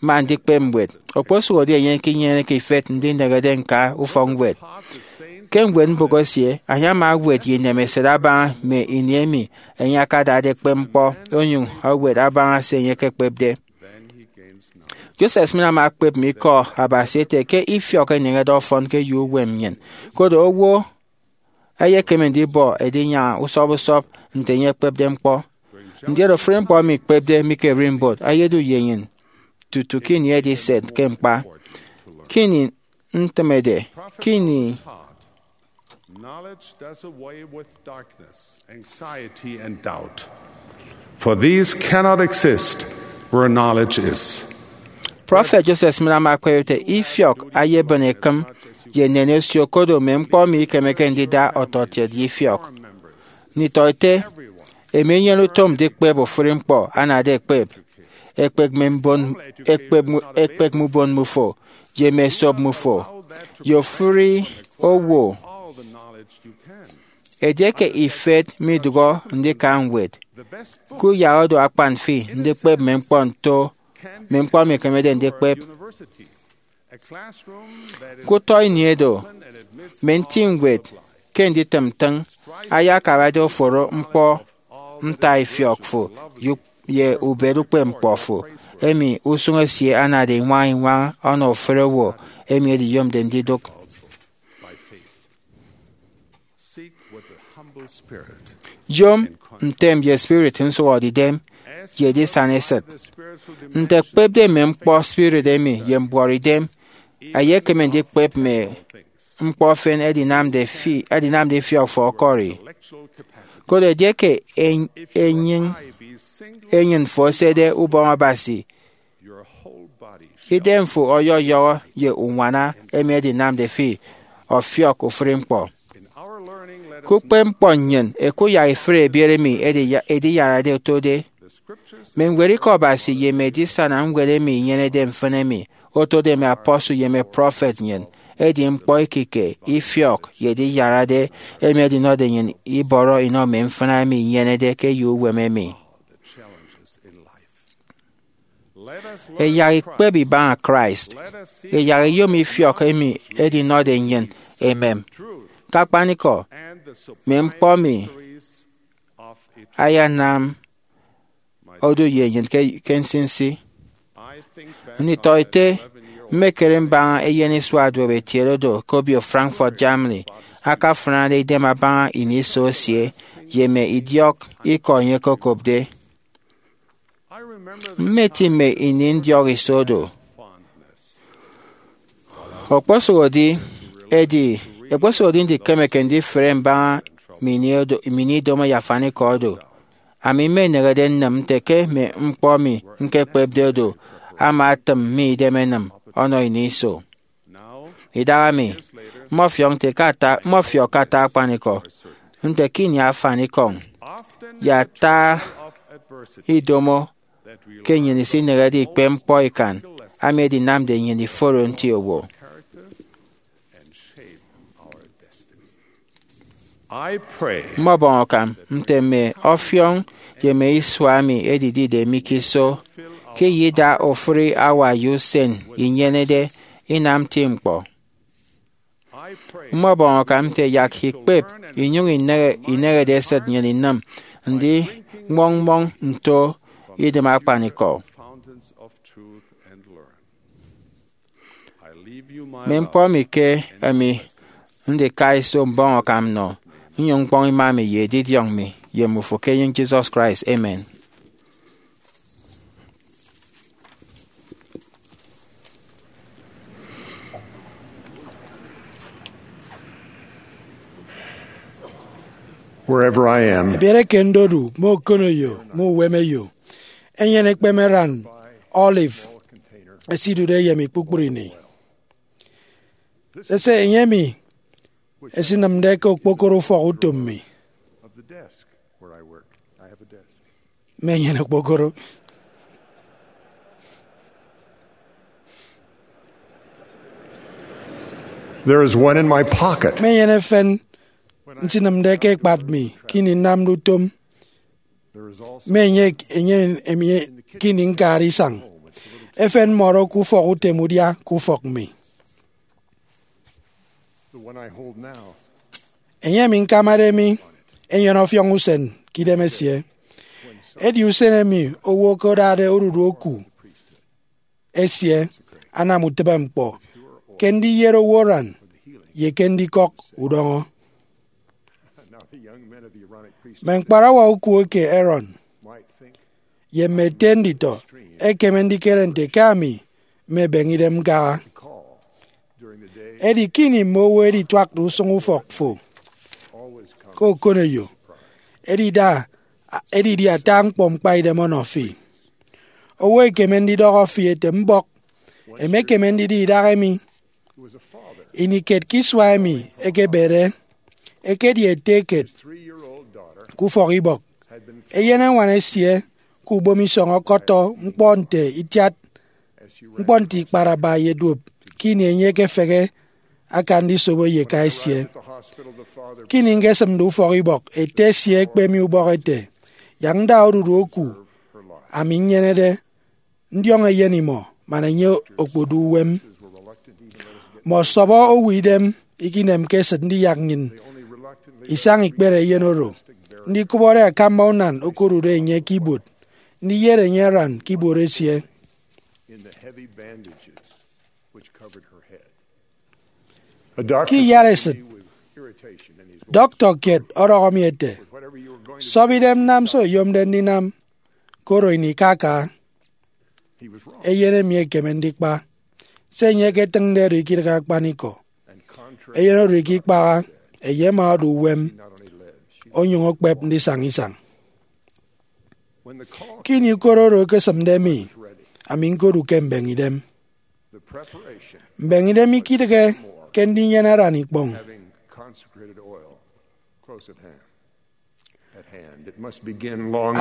mma ndikpep ñwed. Okposụkedi enye ikinyeneke ifet ndinehede ñka ufọkñwed ke ñwed mbụk esie, enye ama ewet ye inemesịt abaña mme ini emi enye akadade ekpep ñkpọ, onyụñ ewet abaña se enye ekekpepde. Joseph Smith ama ekpep mme ikọ Abasi ete ke ifiọk eneñede ọfọn ke eyo uwem nnyịn, koro owo eyekeme ndibọ edinyaña usọp usọp nte enye ekpepde ñkpọ. Ndien ofụri ñkpọ emi ikpepde mi ke ererimbot eyedu ye nnyịn tutu ke ini ediset ke ñkpa. Ke ini ntịmede, ke ini Knowledge does away with darkness, anxiety, and doubt. For these cannot exist where knowledge is. Prọfet Joseph Smith ama ekpep ete, ifiọk ayebịn ekịm ye nnennen osio, kodo mme ñkpọ emi ikemeke ndida ọtọkiet ye ifiọk. Nditọete, emi enyene utom ndikpep ofụri ñkpọ anade ekpep, ekpep mme mbon, ekpep mu-, ekpep mme ubon mmufo, ye mme esop mmufo, ye ofụri owo. Edieke ifet midụhe ndika ñwed, kuyak odu akpan fi ndikpep mme ñkpọ nto mme ñkpọ emi ekemede ndikpep. Ke utọ ini edo, mme nti ñwed ke nditịm ntịñ ayakarade oforo ñkpọ ntaifiọk fo ye ubet ukpepñkpọ fo, emi usụñ esie anade iñwaña iñwaña ọnọ ofụri owo emi ediyomde ndidụk. Yom ntem ye spirit nsụhọdeidem ye edisana esịt. Nte ẹkpepde mme ñkpọ spirit emi ye mbuọtidem, eyekeme ndikpep mme ñkpọ efen ẹdinamde fi-, ẹdinamde ifiọk fo ọkọri. Koro edieke en-, enyịñ, enyịn fo esede ubọñ Abasi, idem fo ọyọyọhọ ye uñwana emi edinamde fi ọfiọk ofụri ñkpọ. Ke ukpepñkpọ nnyịn, ẹkuyak ifụre ebiet emi ediya-, ediyarade otode. Mme ñwed Ikọ Abasi ye mme edisana ñwed emi inyenede mfịn emi otode mme apostle ye mme prọfet nnyịn, edi ñkpọ ekike, ifiọk, ye ediyarade emi ẹdinọde nnyịn ibọrọ inọ mme mfịna emi inyenede ke eyo uwem emi. Ẹyak ikpep ibaña Christ. Ẹyak iyom ifiọk emi edinọde nnyịn emem. Ke akpanikọ, mme ñkpọ emi ayanam odu ye nnyịn ke, ke nsinsi. Nditọete, mmekere mbaña eyen isua duop etiede odo ke obio Frankfurt, Germany, akafrade idem abaña ini iso esie ye mme idiọk ikọ enye okokopde. Mmeti mme ini ndiọk iso do. Okposụkedi, edi, ekpesụhọde ndikemeke ndifre mbaña mme ini odo, mme ini idomo ye afanikọ odo. Ami mmenehede nnịm nte ke mme ñkpọ emi ñkekpepde odo ama etịm mme idem ẹnịm ọnọ ini iso. Idahaemi, mmọfiọk nte ke ata, mmọfiọk ke ata akpanikọ nte ke ini afanikọñ ye ata idomo ke nnyịn isinehede ikpe ñkpọ ikan emi edinamde nnyịn iforo nti owo. Mmọbọñ akam nte mme ọfiọñ ye mme isua emi ẹdidide mi ke iso, ke iyida ofụri hour ye usen inyenede inam nti ñkpọ. Mmọbọñ akam nte yak ikpep inyụñ inehe, inehede esịt nnyịn inịm ndiñwọññwọñ nto idịm akpanikọ. Mme ñkpọ emi ke emi ndika iso mbọñ akam nnọ, nnyụñ ñkpọñ ima mi ye edidiọñ mi ye mmufo ke enyịñ Jesus Christ. Amen. Wherever I am, Ebiere ke ndodu mme okoneyo mme uwemeyo, enyene ekpemeran olive esidude ye mi kpukpru ini. Sese enye emi esinịmde ke okpokoro ufọk utom mi. Mmenyene okpokoro. There is one in my pocket. Mmenyene efen nsinịmde ke ekpat mi ke ini nnamde utom. Mmenyene enye emi ke ini ñkade isañ. Efen mmọdo ke ufọk utem udia ke ufọk mi. The one I hold now. Enye emi ñkamade mi enyene ọfiọñ usen ke idem esie. Edi usen emi owo ke odade odudu oku esie anam utịbeñkpọ ke ndiyet owo aran ye ke ndikọk udọñọ. Mme ñkparawa oku eke Aaron ye mme ete nditọ ẹkeme ndikere nte ke ami mmebeñe idem ñkaha. Edi ke ini mme owo ẹdituakde usụñ ufọk fo ke okoneyo, edida edidi ata ñkpọ ñkpaidem ọnọ fi. Owo ekeme ndidọhọ fi ete mbọk emekeme ndidi idahaemi. Ini kiet ke isua emi ekebede, ekedi ete kiet ke ufọkibọk. Eyeneñwan esie ke ubomisọñ ọkọtọ ñkpọ nte itiat ñkpọ nte ikparaba ye duop ke ini enye ekefehe aka ndisobo ye eka esie. Ke ini ñkesịmde ufọkibọk, ete esie ekpe mi ubọk ete, yak nda odudu oku ami nnyenede ndiọñ eyen imọ man enye okpodu uwem. Mmọ ọsọbọ owo idem ikinemke esịt ndiyak nnyịn isañ ikpere eyen oro ndikụbọde akamba unan okodude enye ke ibuot ndiyet enye aran ke ibuot esie. Ke iyat esịt, dọktọ kiet ọdọhọ mi ete, sọbọ idem nam se oyomde ndinam, koro ini ikaka. Eyen emi ekeme ndikpa. Se enye eketịñde oro ikidịghe akpanikọ. Eyen oro ikikpaha, enye ama odu uwem, onyụñ okpep ndisaña isañ. Ke ini ukot oro ekesịmde mi, ami ñkodu ke mbeñe idem. Mbeñe idem ikidịghe ke ndinyene aran ikpọñ.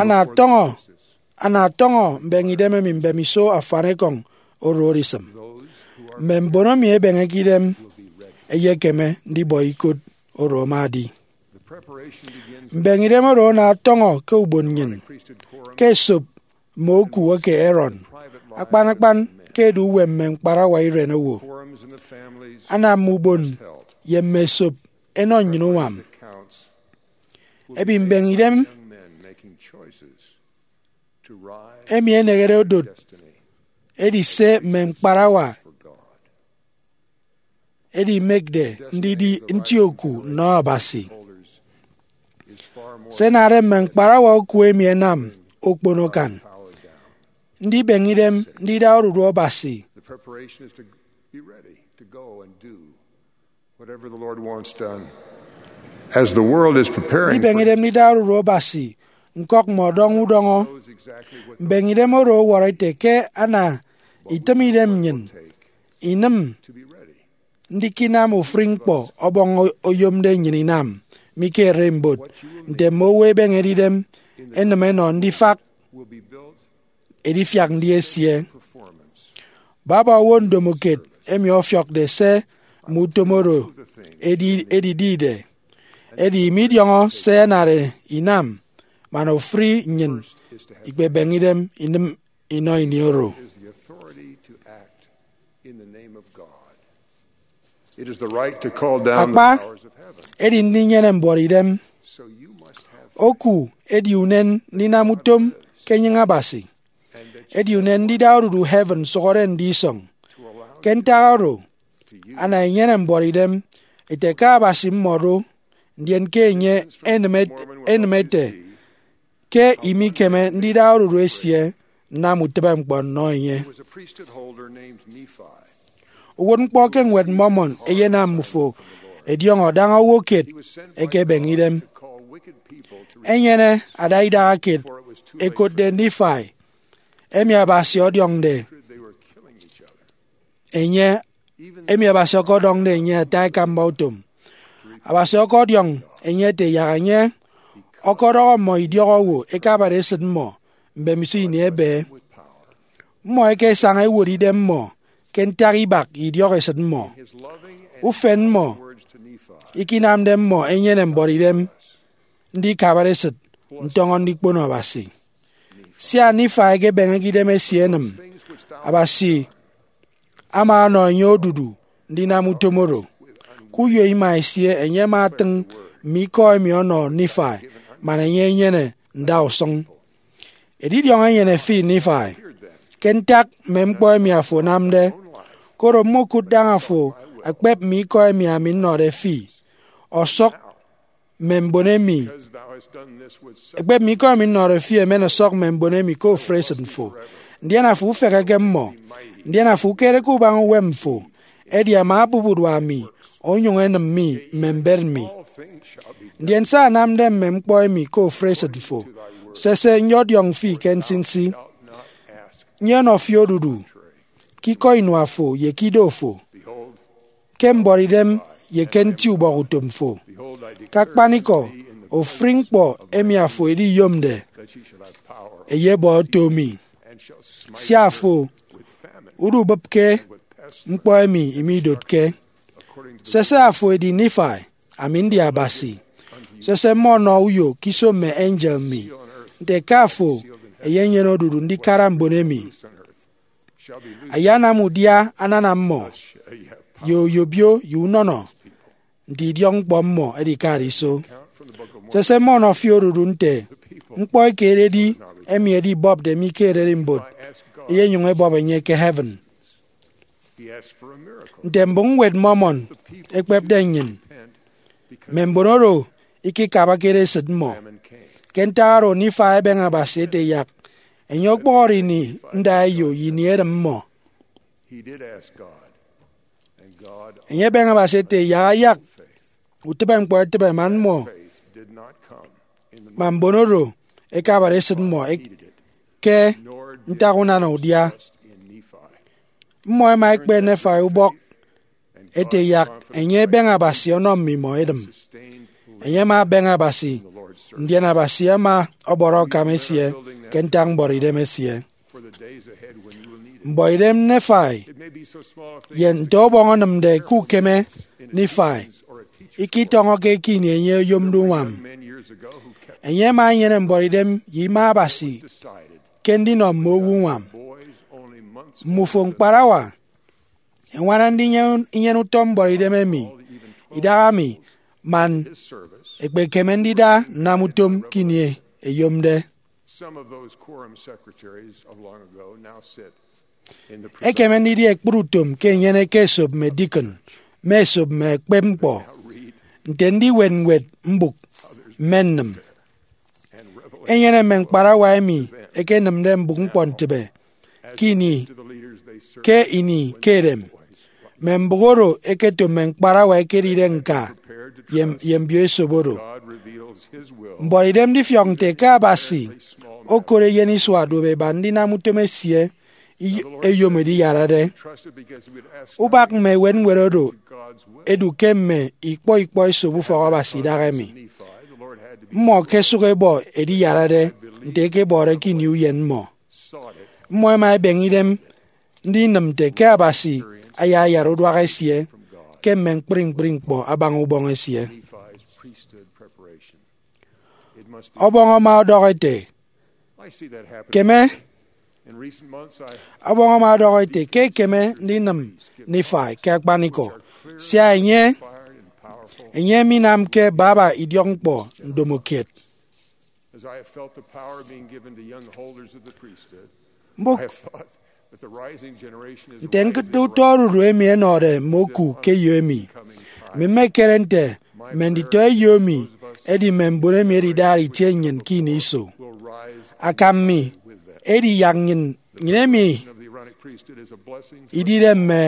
Ana tọñọ ana tọñọ mbeñe idem emi mbemiso afanikọñ oro odisịm. Mme mbon emi ebeñeke idem ẹyekeme ndibọ ikot oro ama edi. Mbeñe idem oro ana tọñọ ke ubon nnyịn, ke esop mme oku eke Aaron, akpan akpan ke edu uwem mme ñkparawa irenowo. Ana mme ubon ye mme esop ẹnọ nnyịn uñwam. Emi mbeñe idem emi enehede odot edi se mme ñkparawa edimekde ndidi nti oku nnọ Abasi. Se enade mme ñkparawa oku emi ẹnam okpono akan ndibeñe idem ndida odudu Abasi. Whatever the Lord wants done. As the world is preparing for Ndibeñe idem ndida odudu Abasi, ñkọk mme ọdọñ udọñọ. Mbeñe idem oro ọwọrọ ete ke ana itịm idem nnyịn inịm ndikinam ofụri ñkpọ Ọbọñ oyomde nnyịn inam mi ke ererimbot, nte mme owo ẹbeñede idem ẹnịm ẹnọ ndifak edifiak ndi esie. Baba owo ndomokiet emi ọfiọkde se mme utom oro edi- edidide, edi midiọñọ se ẹnade inam man ofụri nnyịn ikpebeñe idem inịm inọ ini oro. Akpa, edi ndinyene mbuọtidem. Oku edi unen ndinam utom ke enyịñ Abasi. Edi unen ndida odudu heaven nsụhọde ndisọñ. Ke ntak oro, ana enyene mbuọtidem ete ke Abasi mmọdo, ndien ke enye enịm et- enịm ete ke imikeme ndida odudu esie nnam utịbeñkpọ nnọ enye. Uwụtñkpọ ke Ñwed Mormon eyenam mbufo ẹdiọñọ daña owo kiet ẹkebeñe idem. Enyene ada idaha kiet ẹkotde Nifai, emi Abasi ọdiọñde enye emi Abasi ọkọdọñde enye ata ekamba utom. Abasi ọkọdiọñ enye ete yak enye ọkọdọhọ mmọ idiọk owo ẹkabade esịt mmọ mbemiso ini ebe. Mmọ ẹkesaña ẹwot idem mmọ ke ntak ibak idiọk esịt mmọ. Ufen mmọ ikinamde mmọ ẹnyene mbuọtidem ndikabade esịt ntọñọ ndikpono Abasi. Sia Nifai ekebeñeke idem esie enịm, Abasi ama ọnọ enye odudu ndinam utom oro. Ke uyo ima esie, enye ama atịñ mme ikọ emi ọnọ Nifai man enye enyene ndausụñ. Edidiọñ enyene fi, Nifai, ke ntak mme ñkpọ emi afo anamde, koro mmokụt daña afo akpep mme ikọ emi ami nnọde fi, ọsọk mme mbon emi Ekpep mme ikọ emi nnọde fi emen ọsọk mme mbon emi ke ofuri esịt fo, ndien afo ufeheke mmọ, ndien afo ukereke ubaña uwem fo, edi ama abup urua mi, onyụñ enịm mi mme mbet mi. Ndien se anamde mme ñkpọ emi ke ofuri esịt fo, sese, nyọdiọñ fi ke nsinsi, nyenọ fi odudu ke ikọ inua fo ye ke ido fo, ke mbuọtidem ye ke nti ubọk utom fo. Ke akpanikọ, ofuri ñkpọ emi afo ediyomde eyebọ oto mi, sia afo udubịpke ñkpọ emi imidotke. Sese, afo edi Nifai, ami ndi Abasi. Sese, mmọnọ uyo ke iso mme angel mi, nte ke afo eyenyene odudu ndikara mbon emi. Ayanam udia anana mmọ, ye oyobio ye unọnọ, nte idiọkñkpọ mmọ edikade iso. Sese, mmọnọ fi odudu nte ñkpọ eke ededi emi edibọpde mi ke ererimbot eyenyụñ ebọp enye ke heaven. Nte mbụk ñwed Mormon ekpepde nnyịn, mme mbon oro ikikabakede esịt mmọ. Ke ntak oro, Nifai ebeñe Abasi ete yak enye ọkpọhọre ini ndaeyo ye ini erịm mmọ. Enye ebeñe Abasi ete yak ayak utịbe ñkpọ etịbe man mmọ man mbon oro ẹkabade esịt mmọ ke ntak unana udia. Mmọ ẹma ẹkpe Nifai ubọk ete yak enye ebeñe Abasi ọnọ mme imọ edịm. Enye ama abeñe Abasi, ndien Abasi ama ọbọrọ akam esie ke ntak mbuọtidem esie. Mbuọtidem Nifai, ye nte ọbọñ anamde ke ukeme Nifai, ikitọñọke ke ini enye oyomde uñwam. Enye ama enyene mbuọtidem ye ima Abasi ke ndinọ mme owo uñwam. Mmufo ñkparawa ẹñwana ndinyene inyene utọ mbuọtidem emi idahaemi man ẹkpekeme ndida nnam utom ke ini eyomde. Ekeme ndidi ekpri utom ke enyene ke esop mme deacon, mme esop mme ekpepñkpọ, nte ndiwet ñwed mbụk, mme nnịm. Enyene mme ñkparawa emi ẹkenịmde mbụk ñkpọntịbe ke ini ke ini ke edem, mme mbụk oro ẹketo mme ñkparawa ẹkedide ñka ye, ye mbio esop oro. Mbuọtidem ndifiọk nte ke Abasi okot eyen isua duop eba ndinam utom esie i- eyom ediyarade. Ubak mme ewet ñwed oro ẹdu ke mme ikpọ ikpọ esop ufọk Abasi idahaemi. Mmọ ẹkesụk ẹbọ ediyarade nte ẹkebọde ke ini uyen mmọ. Mmọ ẹma ẹbeñe idem ndinịm nte ke Abasi ayayara uduak esie ke mme ñkpri ñkpri ñkpọ abaña ubọñ esie. Ọbọñ ama ọdọhọ ete, keme, ọbọñ ama ọdọhọ ete ke ekeme ndinịm Nifai ke akpanikọ, sia enye, enye minamke baba idiọkñkpọ ndomokiet. Mbụk nte ñkụt utọ odudu emi ẹnọde mme oku ke eyo emi. Ami mmekere nte mme nditọ eyo emi ẹdi mme mbon emi ẹdidara itie nnyịn ke ini iso. Akam mi edi yak nnyịn, nnyịn emi idide mme,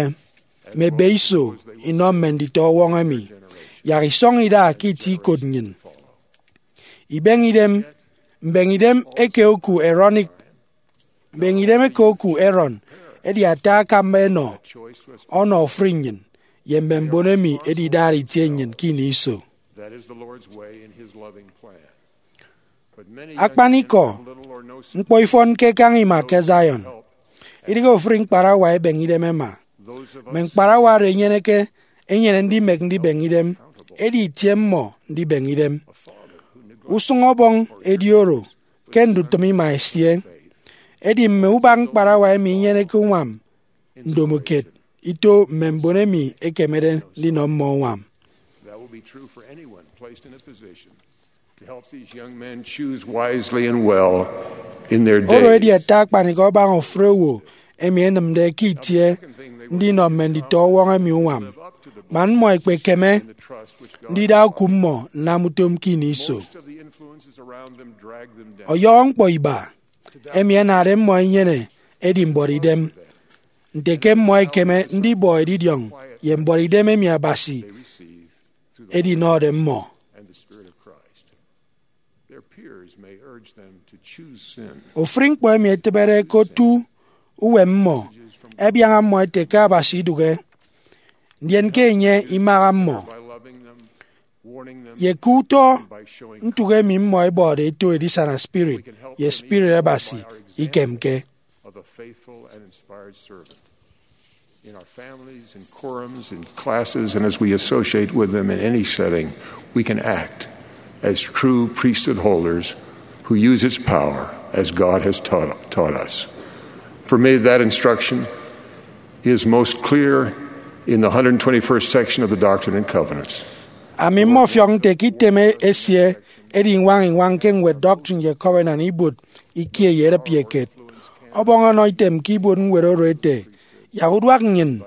mme ebe iso inọ mme nditọ ọwọñ emi, yak isọñ ida ke itie ikot nnyịn. Ibeñe idem, mbeñe idem eke oku Aaronic, mbeñe idem eke oku Aaron edi ata akamba enọ ọnọ ofụri nnyịn ye mme mbon emi ẹdidara itie nnyịn ke ini iso. Akpanikọ, ñkpọ ifọn ke kaña ima ke Zion. Idịghe ofụri ñkparawa ẹbeñe idem ẹma. Mme ñkparawa oro ẹnyeneke enyene ndimek ndibeñe idem, edi itie mmọ ndibeñe idem. Usụñ ọbọñ edi oro ke ndutịm ima esie. Edi mme ubak ñkparawa emi inyeneke uñwam ndomokiet ito mme mbon emi ẹkemede ndinọ mmọ uñwam. That will be true for anyone placed in a position to help these young men choose wisely and well in their days. Oro edi ata akpanikọ abaña ofụri owo emi ẹnịmde ke itie ndinọ mme nditọ ọwọñ emi uñwam, man mmọ ẹkpekeme ndida oku mmọ nnam utom ke ini iso. Most of the influences Ọyọhọ ñkpọ iba emi ẹnade mmọ ẹnyene edi mbuọtidem, nte ke mmọ ẹkeme ndibọ edidiọñ ye mbuọtidem emi Abasi edinọde mmọ. Ofụri ñkpọ emi etịbede ke otu uwem mmọ ẹbiaña mmọ ẹte ke Abasi idụhe, ndien ke enye imaha mmọ, ye ke utọ ntụk emi mmọ ẹbọde eto edisana spirit ye spirit Abasi ikemke. In our families, in quorums, in classes, and as we associate with them in any setting, we can act as true priesthood holders who use its power as God has taught, taught us. For me, that instruction is most clear in the hundred twenty-first section of the Doctrine and Covenants. Ami mmọfiọk nte ke item esie edi iñwañ iñwañ ke ñwed Doctrine ye Covenant ibuot ikie ye edịp ye kiet. Ọbọñ ọnọ item ke ibuot ñwed oro ete, yak uduak nnyịn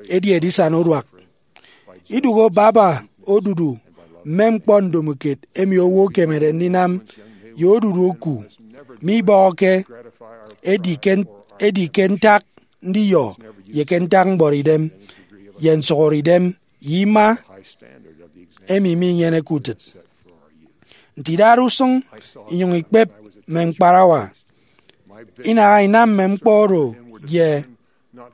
edi edisana uduak. Idụhe baba odudu mme ñkpọ ndomokiet emi owo ekemede ndinam ye odudu oku mibọhọke edi ke, edi ke ntak ndiyọ ye ke ntak mbuọtidem ye nsụhọre idem ye ima emi minyeneke utịt. Nte idade usụñ inyụñ ikpep mme ñkparawa, inaha inam mme ñkpọ oro ye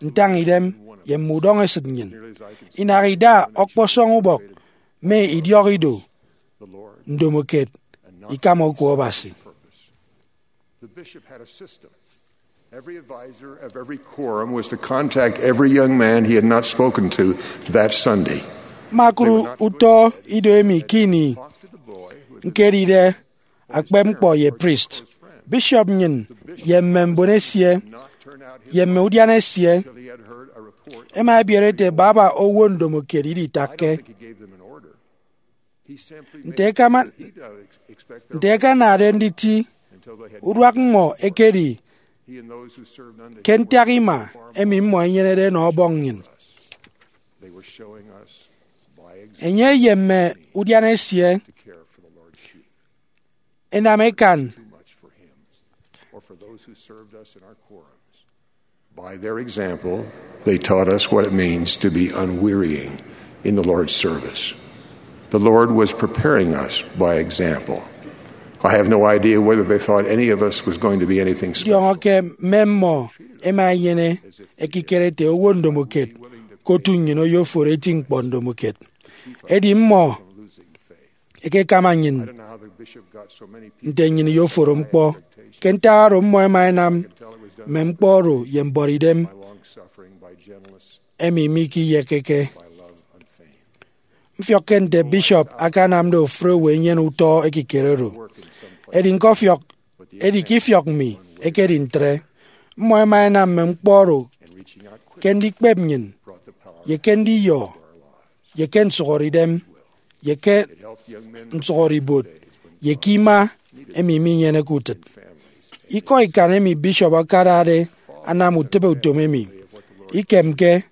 ntañidem ye mme udọñesịt nnyịn. Inaha ida ọkpọsọñ ubọk mme idiọk ido ndomokiet ikama oku Abasi. The bishop had a system. Every advisor of every quorum was to contact every young man he had not spoken to that Sunday. Mme akụri utọ ido emi ke ini ñkedide akpep ñkpọ ye priest, bishop nnyịn ye mme mbon esie ye mme udiana esie ẹma ẹbiere ete baba owo ndomokiet iditakke. Nte ẹkama, nte ẹkanade nditi uduak mmọ ekedi ke ntak ima emi mmọ ẹnyenede ẹnọ Ọbọñ nnyịn. Enye ye mme udiana esie ẹnam ẹkan. By their example, they taught us what it means to be unwearying in the Lord's service. The Lord was preparing us by example. I have no idea whether they thought any of us was going to be anything special. Ndiọñọ ke mme mmọ ẹma ẹnyene ekikere ete owo ndomokiet ke otu nnyịn oyoforo eti ñkpọ ndomokiet. Edi mmọ ẹkekama nnyịn nte nnyịn iyoforo ñkpọ. Ke ntak oro, mmọ ẹma ẹnam mme ñkpọ oro ye mbuọtidem emi mikiyekeke. Mfiọkke nte bishop akanamde ofụri owo enyene utọ ekikere oro. Edi ñkọfiọk, edi ke ifiọk mi ekedi ntre. Mmọ ẹma ẹnam mme ñkpọ oro ke ndikpep nnyịn, ye ke ndiyọ, ye ke nsụhọre idem, ye ke nsụhọre ibuot, ye ke ima emi minyeneke utịt. Ikọ ikan emi bishop akadade anam utịbe utom emi ikemke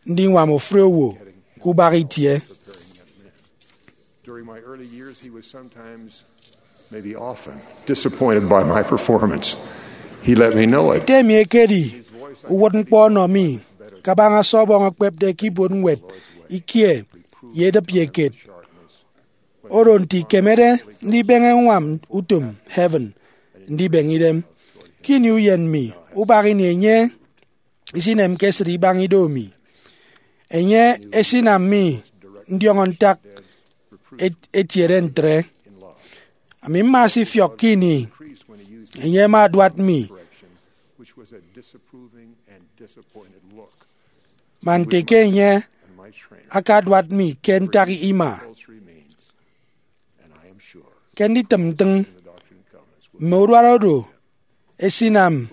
ndiñwam ofụri owo ke ubak itie. During my early years, he was sometimes, maybe often, disappointed by my performance. He let me know it. Ete mi ekedi uwụtñkpọ ọnọ mi kabaña se Ọbọñ ekpepde ke ibuot ñwed ikie ye edịp ye kiet. Oro nte ikemede ndibeñe ññwam utom heaven ndibeñe idem. Ke ini uyen mi, ubak ini enye isinemke esịt ibaña ido mi. Enye esinam mi ndiọñọ ntak et-, etiede ntre. Ami mma sifiọk ke ini enye ama aduat mi, man nte ke enye akaduat mi ke ntak ima. Ke nditịm ntịñ, mme uduat oro esinam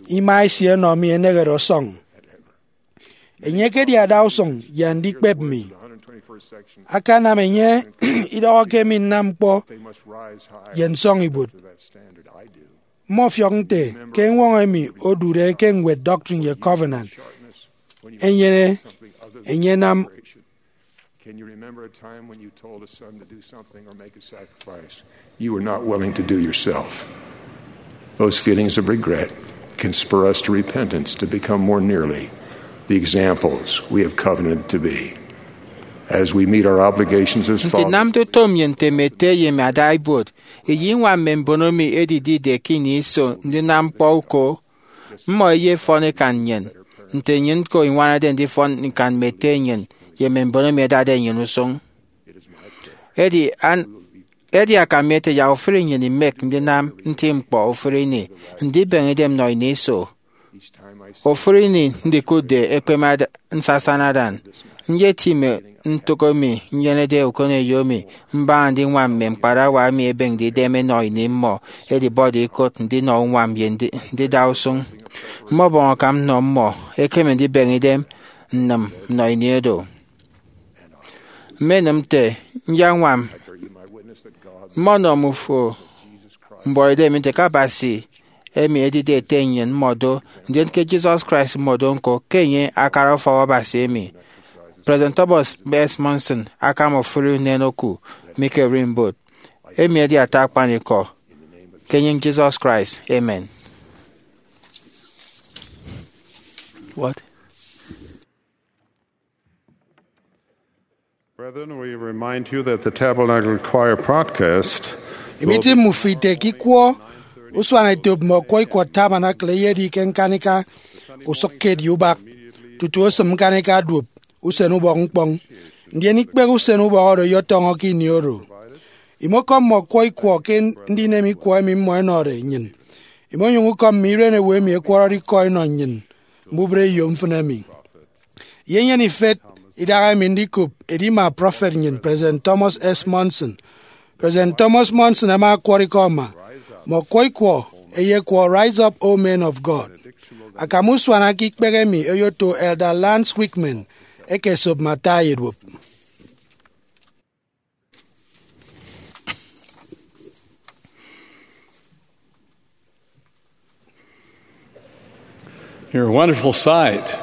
ima esie ẹnọ mi enehede ọsọñ. Enye ekedi adausụñ ye andikpep mi. Akanam enye idọhọ ke mi nnam ñkpọ ye nsọñibuot. Mmọfiọk nte ke eñwọñọ emi odude ke ñwed Doctrine ye Covenant enyene enye enam Can you remember a time when you told a son to do something or make a sacrifice you were not willing to do yourself? Those feelings of regret can spur us to repentance, to become more nearly the examples we have covenanted to be. As we meet our obligations as fathers, nte nnamde utom nnyịn nte mme ete ye mme ada ibuot, iyinwañ mme mbono emi ẹdidide ke ini iso ndinam ñkpọ uko. Mmọ ẹyefọn ẹkan nnyịn, nte nnyịn ñko iñwanade ndifọn ñkan mme ete nnyịn ye mme mbono emi ẹdade nnyịn usụñ. Edi, an, edi akam mi ete yak ofụri nnyịn imek ndinam nti ñkpọ ofụri ini, ndibeñe idem nnọ ini iso. Ofụri ini ndikụtde ekpeme ada-, nsasana adan, nyetịme ntụk emi nyenede ukoneyo mi mbaña ndiñwam mme ñkparawa emi ẹbeñde idem ẹnọ ini mmọ ẹdibọde ikụt ndinọ uñwam ye ndi-, ndida usụñ. Mmọbọñ akam nnọ mmọ ẹkeme ndibeñe idem nnịm nnọ ini oro. Mmenịm nte nyañwam mmọnọ mmufo mbuọtidem nte ke Abasi emi edide Ete nnyịn mmọ do, ndien ke Jesus Christ mmọ do ñko, ke enye akara ufọk Abasi emi. President Thomas S. Monson akam ofụri unen oku mi ke Rimboot. Emi edi ata akpanikọ. Ke enyịñ Jesus Christ, amen. What? Brethren, we remind you that the Tabernacle Choir broadcast will be Imiti mmufo ite ke ikwọ usuanetop mme ọkwọ ikwọ Tabernacle eyedi ke ñkanika usụkkiet ye ubak tutu osịm ñkanika duop usen ubọk ñkpọñ. Ndien ikpehe usen ubọk oro ẹyetọñọ ke ini oro. Imọkọm mme ọkwọ ikwọ ke ndinem ikwọ emi mmọ ẹnọde nnyịn. Imonyụñ ukọm mme iren owo emi ẹkwọrọde ikọ ẹnọ nnyịn mbubreyo mfịn emi. Ye nnyịn ifet idahaemi ndikop edima prọfet nnyịn, President Thomas S. Monson. President Thomas Monson ama ọkwọrọ ikọ ama, mme ọkwọ ikwọ ẹyekwọ Rise Up, O Men of God. Akam usuana ke ikpehe emi oyoto Elder Lance Wickman ekesop mme ata ye duop. You're a wonderful sight.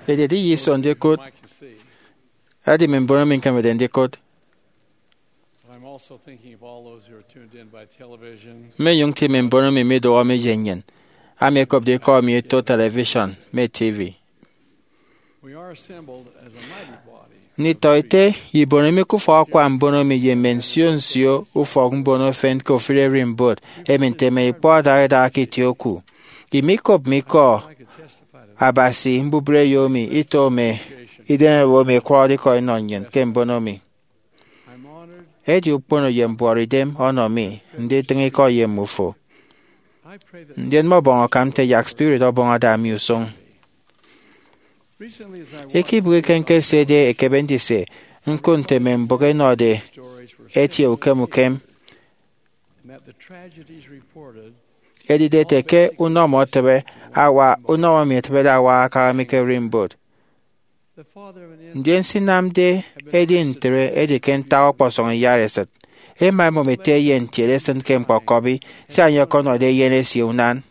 Ededi ye iso ndikụt. Edi mme mbon emi ñkemede ndikụt. I'm also thinking of all those who are tuned in by television. Mmenyụñ nti mme mbon emi midụhe mi ye nnyịn, ami ẹkopde ikọ mi eto television mme T V. We are assembled as a mighty body. Nditọete ye ibono mi ke ufọk akwa mbono mi ye mme nsio nsio ufọk mbono efen ke ofụri ererimbot emi nte mme ikpọ adaha idaha ke itie oku. Imikop mi ikọ Abasi mbubreyo mi ito mme idem owo emi ẹkwọrọde ikọ ẹnọ nnyịn ke mbono mi. Edi ukpono ye mbuọtidem ọnọ mi nditịñ ikọ ye mmufo. Ndien mmọbọñ akam nte yak spirit ọbọñ ada mi usụñ. Ikibụk eken ke esede ekebe ndise, ñkụt nte mme mbụk ẹnọde ẹtie ukem ukem. Edide ete ke unọmọ etịbe awa, unọmọ emi etịbede awa akaha mi ke Rimboot. Ndien se inamde edi ntre edi ke ntak ọkpọsọñ iyaresịt. Ema ẹmụm ete eyen ntiede esịn ke ñkpọkọbi, sia enye ọkọnọde eyen esie unan.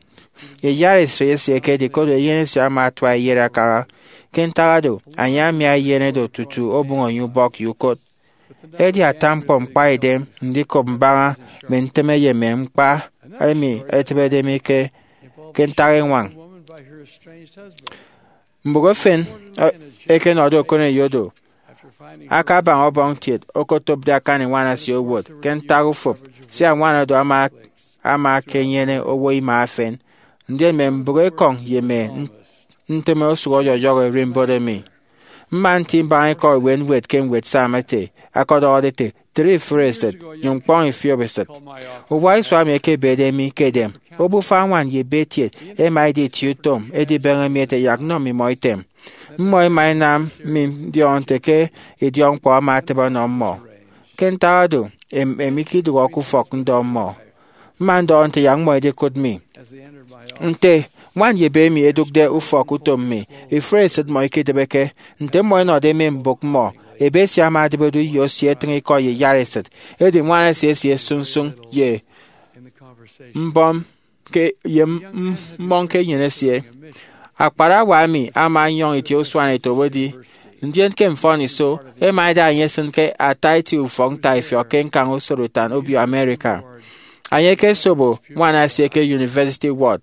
Iyaresịt esie ekedi koro eyen esie ama atua eyet akaha. Ke ntak oro, enye amia eyen oro tutu obụñ enye ubọk ye ukot. Edi ata ñkpọ ñkpaidem ndikop mbaña mme ntịme ye mme ñkpa emi etịbede mi ke, ke ntak eñwañ. Mbụk efen, eh, ẹkenọde okoneyo do, akabaña ọbọñ kiet okotopde akan ñwan esie owot ke ntak ufụp, sia ñwan oro ama, ama akenyene owo ima efen. Ndien mme mbụk ekọñ ye mme ntịme osụk ọyọyọhọ ererimbot emi. Mma nti mbaña ikọ ewe ñwed ke ñwed Psalm ete, ọkọdọhọde ete, tịre ifụre esịt, nyụñ kpọñ ifiop esịt. Uwa isua emi ẹkebede mi ke edem, obufa añwan ye ebe etiet, ẹma ẹdi itieutom edibeñe mi ẹte yak nnọ mmimọ item. Mmọ ẹma ẹnam mi ndiọñọ nte ke idiọkñkpọ ama atịbe ọnọ mmọ. Ke ntak oro, em, em ikidụhọ ke ufọk ndọ mmọ. Mma ndọhọ nte yak mmọ ẹdikụt mi. Nte ñwan ye ebe emi ẹdụkde ufọk utom mi, ifụre esịt mmọ ikidịbeke. Nte mmọ ẹnọde mme mbụk mmọ, ebe esie ama adịbe do uyo esie etịñ ikọ ye iyaresịt. Edi ñwan esie esie sụñsụñ ye mbọm ke, ye m-, m-, mmọñ ke enyịn esie. Akparawa emi ama ọnyọñ itie usuanetop edi Ndien ke mfọniso, ema eda enye esịn ke ata eti ufọk ntaifiọk ke ñkañ usorotan obio America. Enye ekesobo ñwan esie ke University Ward.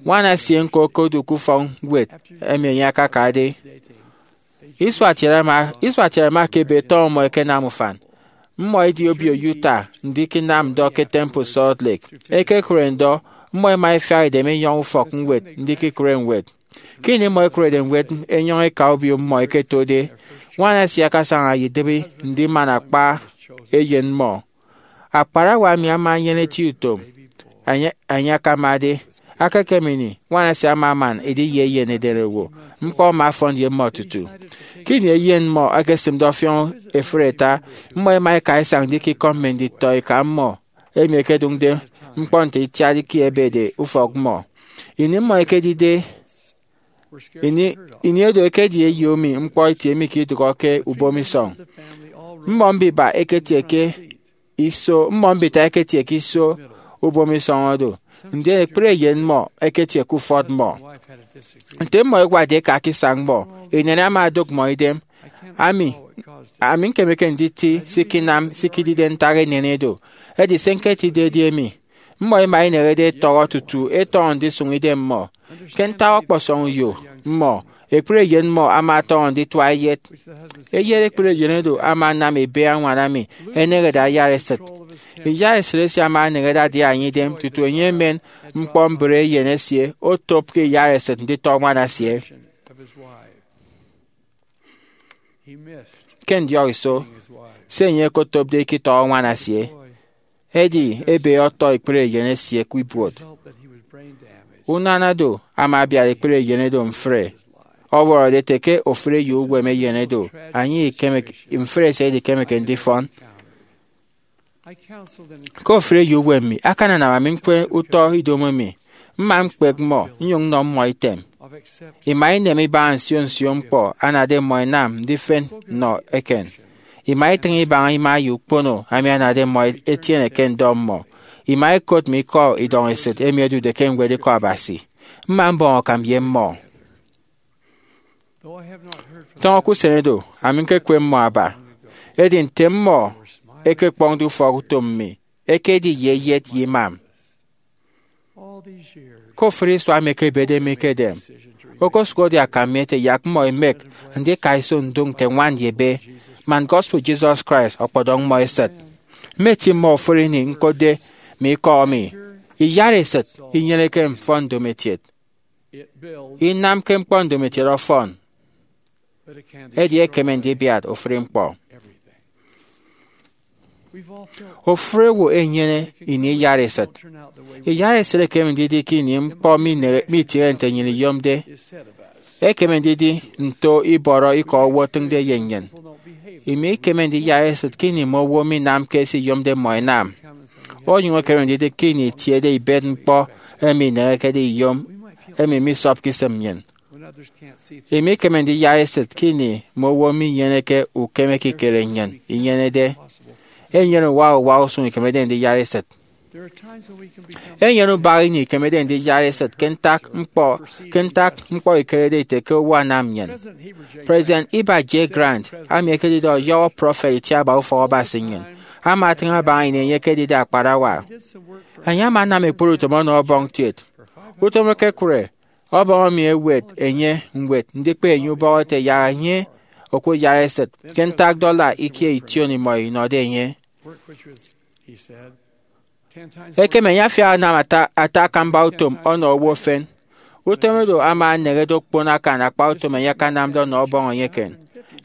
Ñwan esie ñko okodu ke ufọk ñwed emi enye akakade. Isua kiet ama, isua kiet ama ke ebe tọñọ mmọ ẹkenam ufan. Mmọ ẹdi obio Utah ndiknam ndọ ke Temple Salt Lake. Ẹkekụre ndọ, mmọ ẹma ẹfiak edem ẹnyọñ ufọk ñwed ndikikụre ñwed. Ke ini mmọ ẹkụrede ñwed ẹnyọñ ẹka obio mmọ ẹketode, ñwan esie akasaña ye idịbi ndiman akpa eyen mmọ. Akparawa emi ama enyene eti utom. Enye, enye akamade, aka ekem ini, ñwan esie ama aman edi ye eyen edereowo. Ñkpọ ama ọfọn ye mmọ tutu. Ke ini eyen mmọ ekesịmde ọfiọñ efịre ata, mmọ ẹma ẹka isañ ndikikọm mme nditọeka mmọ emi ẹkedụñde ñkpọ nte itiat ikie ẹbede ufọk mmọ. Ini mmọ ekedide, ini, ini edo ekedi eyo emi ñkpọ itie mi ke idụhọ ke ubomisọñ. Mmọ mbiba eketie ke iso, mmọ mbita eketie ke iso ubomisọñ oro, ndien ekpri eyen mmọ eketie ke ufọt mmọ. Nte mmọ ẹwatde ẹka ke isañ mmọ, inyene ama odụk mmọ idem. Ami, ami ñkemeke nditi se ikinam se ikidide ntak inyene do. Edi se ñketịñde edi emi. Mmọ ẹma ẹneñede ẹtọhọ tutu ẹtọñọ ndisụñ idem mmọ. Ke ntak ọkpọsọñ uyo mmọ, ekpri eyen mmọ ama ọtọñọ nditua eyet. Eyet ekpri eyen oro ama anam ebe añwan emi eneñede ayara esịt. Iyara esịt esie ama eneñede adiaña idem tutu enye emen ñkpọ mbre eyen esie otop ke iyara esịt nditọ ñwan esie. Ke ndiọk iso, se enye okotopde ikitọhọ ñwan esie edi ebe ọtọ ekpri eyen esie ke ibuot. Unana do ama abiat ekpri eyen oro mfre, ọwọrọde ete ke ofụri ye uwem eyen oro, enye ikemeke, mfre esie idikemeke ndifọn. Ke ofụri ye uwem mi akananam ami ñkwe utọ idomo mi, mma ñkpek mmọ nnyụñ nnọ mmọ item. Ima inem ibaña nsio nsio ñkpọ anade mmọ ẹnam ndifen nnọ eken. Ima itịñ ibaña ima ye ukpono emi anade mmọ ẹtiene ke ndọ mmọ. Ima ikot mme ikọ idọñ esịt emi ẹdude ke ñwed Ikọ Abasi. Mma mbọñ akam ye mmọ. Tọñọ ke usen oro, ami ñkekwe mmọ aba. Edi nte mmọ ẹkekpọñde ufọk utom mi, ekedi ye eyet ye imam. Ke ofụri isua emi ẹkebede mi ke edem, okosụhọde akam mi ete yak mmọ ẹmek ndika iso ndụñ nte ñwan ye ebe, man gospel Jesus Christ ọkpọdọñ mmọ esịt. Mmeti mmọ ofụri ini ñkotde mme ikọ mi. Iyara esịt inyeneke mfọn ndomokiet. Inamke ñkpọ ndomokiet ọfọn, edi ekeme ndibiat ofụri ñkpọ. Ofụri owo enyene ini iyara esịt. Iyara esịt ekeme ndidi ke ini ñkpọ mine-, mitiene nte nnyịn iyomde. Ekeme ndidi nto ibọrọ ikọ owo otịñde ye nnyịn. Imi ikeme ndiyara esịt ke ini mme owo minamke se iyomde mmọ ẹnam. Onyụñ ekeme ndidi ke ini itiede ibet ñkpọ emi inehekede iyom, emi misọpke isịm nnyịn. Emi ikeme ndiyara esịt ke ini mme owo minyeneke ukeme ekikere nnyịn inyenede. Enyene uwa uwa usụñ ikemede ndiyara esịt. Enyene ubak ini ikemede ndiyara esịt ke ntak ñkpọ, ke ntak ñkpọ ikerede ite ke owo anam nnyịn. President Heber J. Grant, ami ekedide ọyọhọ prọfet itiaba Ufọk Abasi nnyịn, ama atịñ abaña ini enye ekedide akparawa. Enye ama anam ekpri utom ọnọ Ọbọñ kiet. Utom ekekụre, Ọbọñ emi ewet enye ñwed ndikpe enye ubọk ete yak enye okuyara esịt ke ntak dollar ikie ition imọ inọde enye. Ekem enye afiak anam ata, ata akamba utom ọnọ owo efen. Utom oro ama eneñede okpon akan akpa utom enye akanamde ọnọ Ọbọñ enye eken.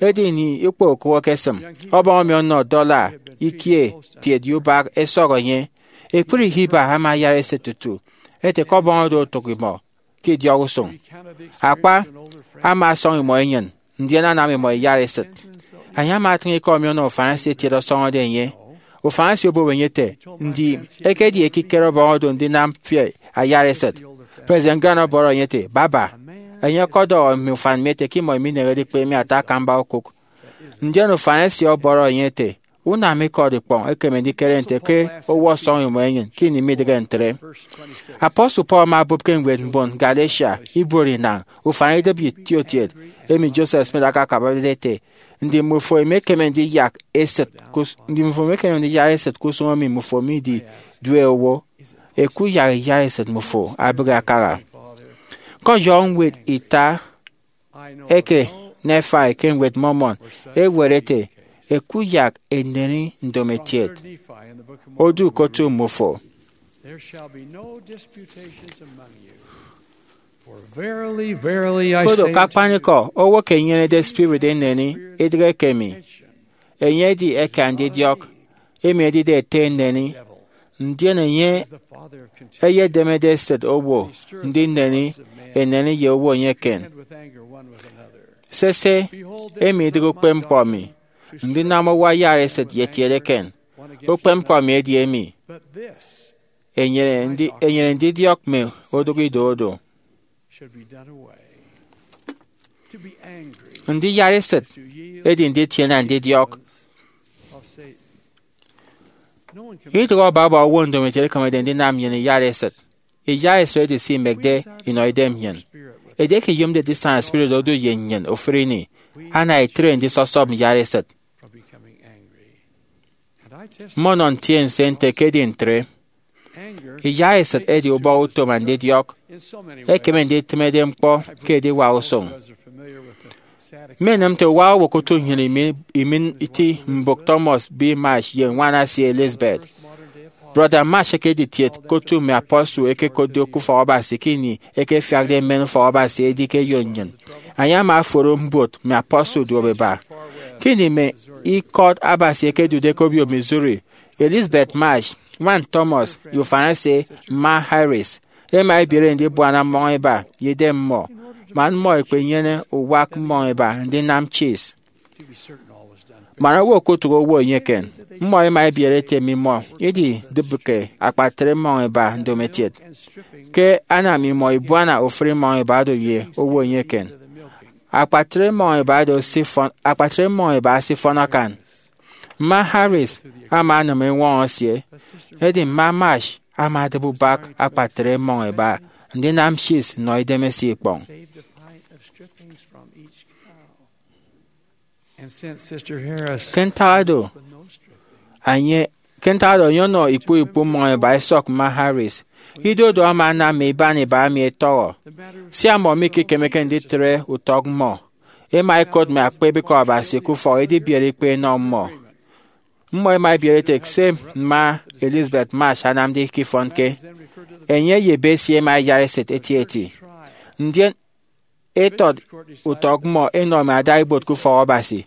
Edi ini ikpọ okụk ekesịm, Ọbọñ emi ọnọ dollar ikie kiet ye ubak ẹsọk enye. Ekpri Heber ama ayara esịt tutu ete ke Ọbọñ oro otụk imọ ke idiọk usụñ. Akpa, ama asọñ imọ enyịn, ndien anam imọ iyara esịt. Enye ama atịñ ikọ emi ọnọ ufan esie etiede ọsọñọde enye. Ufan esie obobo enye ete, ndi, ekedi ekikere Ọbọñ oro ndinam fi ayara esịt? President Grant ọbọrọ enye ete, baba, enye ọkọdọhọ mme ufan mi ete ke imọ iminehede ikpe mi ata akamba okụk. Ndien ufan esie ọbọrọ enye ete, unam ikọt ikpọñ ekeme ndikere nte ke owo ọsọñ imọ enyịn ke ini midịghe ntre. Apostle Paul ama obụp ke ñwed mbon Galatia ibuot inañ, ufan idịbi itiokiet, emi Joseph Smith akakabade ete, ndi mmufo emekeme ndiyak esịt ke us- ndi mmufo emekeme ndiyara esịt ke usụñ emi mmufo mididue owo? Ẹkuyak iyara esịt mmufo abịghi akaha. Ke ọyọhọ ñwed ita eke Nephi ke Ñwed Mormon, ewet ete, ẹkuyak eneni ndomokiet odu ke otu mmufo. There shall be no disputations among you. For verily, verily, I Koro say ke unto you, akpanikọ, owo ke enyenede spirit eneni idịghe ke emi. Enye edi eke andidiọk, emi edide ete eneni, ndien enye is the father of contention. Eyedemede esịt owo ndineni eneni ye owo enye eken. Contend with anger one with another. Sese, emi idịghe ukpepñkpọ mi, ndinam owo ayara esịt ye etiede eken. Ukpepñkpọ mi edi emi, but this enyene ndi- enyene ndidiọk mme odụk ido odo. Should be done away. To be angry Ndiyara esịt is to yield edi nditiene ndidiọk. Of Satan. No one can Idụhe ọbọbọ owo ndomokiet ekemede ndinam nnyịn iyara esịt. Iyara esịt edi se imekde inọ idem nnyịn. Edieke iyomde ndisaña spirit odu ye nnyịn ofụri ini, ana itre ndisọsọp iyara esịt. From becoming angry. And I testify Mmọnọ ntiense nte ekedi ntre. Anger Iyara esịt edi ubọhọ utom andidiọk. In so many ways. Ekeme nditịmede ñkpọ ke ediwak usụñ. As are familiar with the sad Mmenịm nte uwa owo ke otu nnyịn imi- imin iti mbụk Thomas B. Marsh ye ñwan esie Elizabeth. Brọda Marsh ekedi itiet ke otu mme apostle ẹkekotde ke ufọk Abasi ke ini ẹkefiakde mmen ufọk Abasi edi ke eyo nnyịn. Enye ama oforo mbuot mme apostle duop ẹba. Ke ini mme ikọt Abasi ẹkedude ke obio Missouri, Elizabeth Marsh, ñwan Thomas, ye ufan esie, Mma Harris, ẹma ẹbiere ndibuana mmọñ ẹba ye idem mmọ, man mmọ ẹkpenyene uwak mmọñ ẹba ndinam cheese. Man owo okotụk owo enye eken, mmọ ẹma ẹbiere ete mmimọ ididịbke akpatre mmọñ ẹba ndomokiet. Ke ana mmimọ ibuana ofụri mmọñ ẹba do ye owo enye eken, akpatre mmọñ ẹba do esifọn- akpatre mmọñ ẹba esifọn akan. Mma Harris ama anam eñwọñọ esie, edi Mma Marsh ama adịbe ubak akpatre mmọñ ẹba ndinam cheese nnọ idemesie ikpọñ. Saved a pint of strippings from each cow. And since Sister Harris Ke ntak do, enye ke ntak do enye ọnọ ikpu ikpu mmọñ ẹba ẹsọk Mma Harris. Ido do ama anam mme iban iba emi ẹtọhọ. Sia mmọ mikekemeke nditre utọk mmọ, ẹma ẹkot mme akpebekọ Abasi ke ufọk edibiere ikpe ẹnọ mmọ. Mmọ ẹma ẹbiere ete se Mma Elizabeth Marsh anamde ikifọnke. Enye ye ebe esie ẹma ẹyara esịt etieti. Ndien etọt utọk mmọ ẹnọ mme adaibuot ke ufọk Abasi.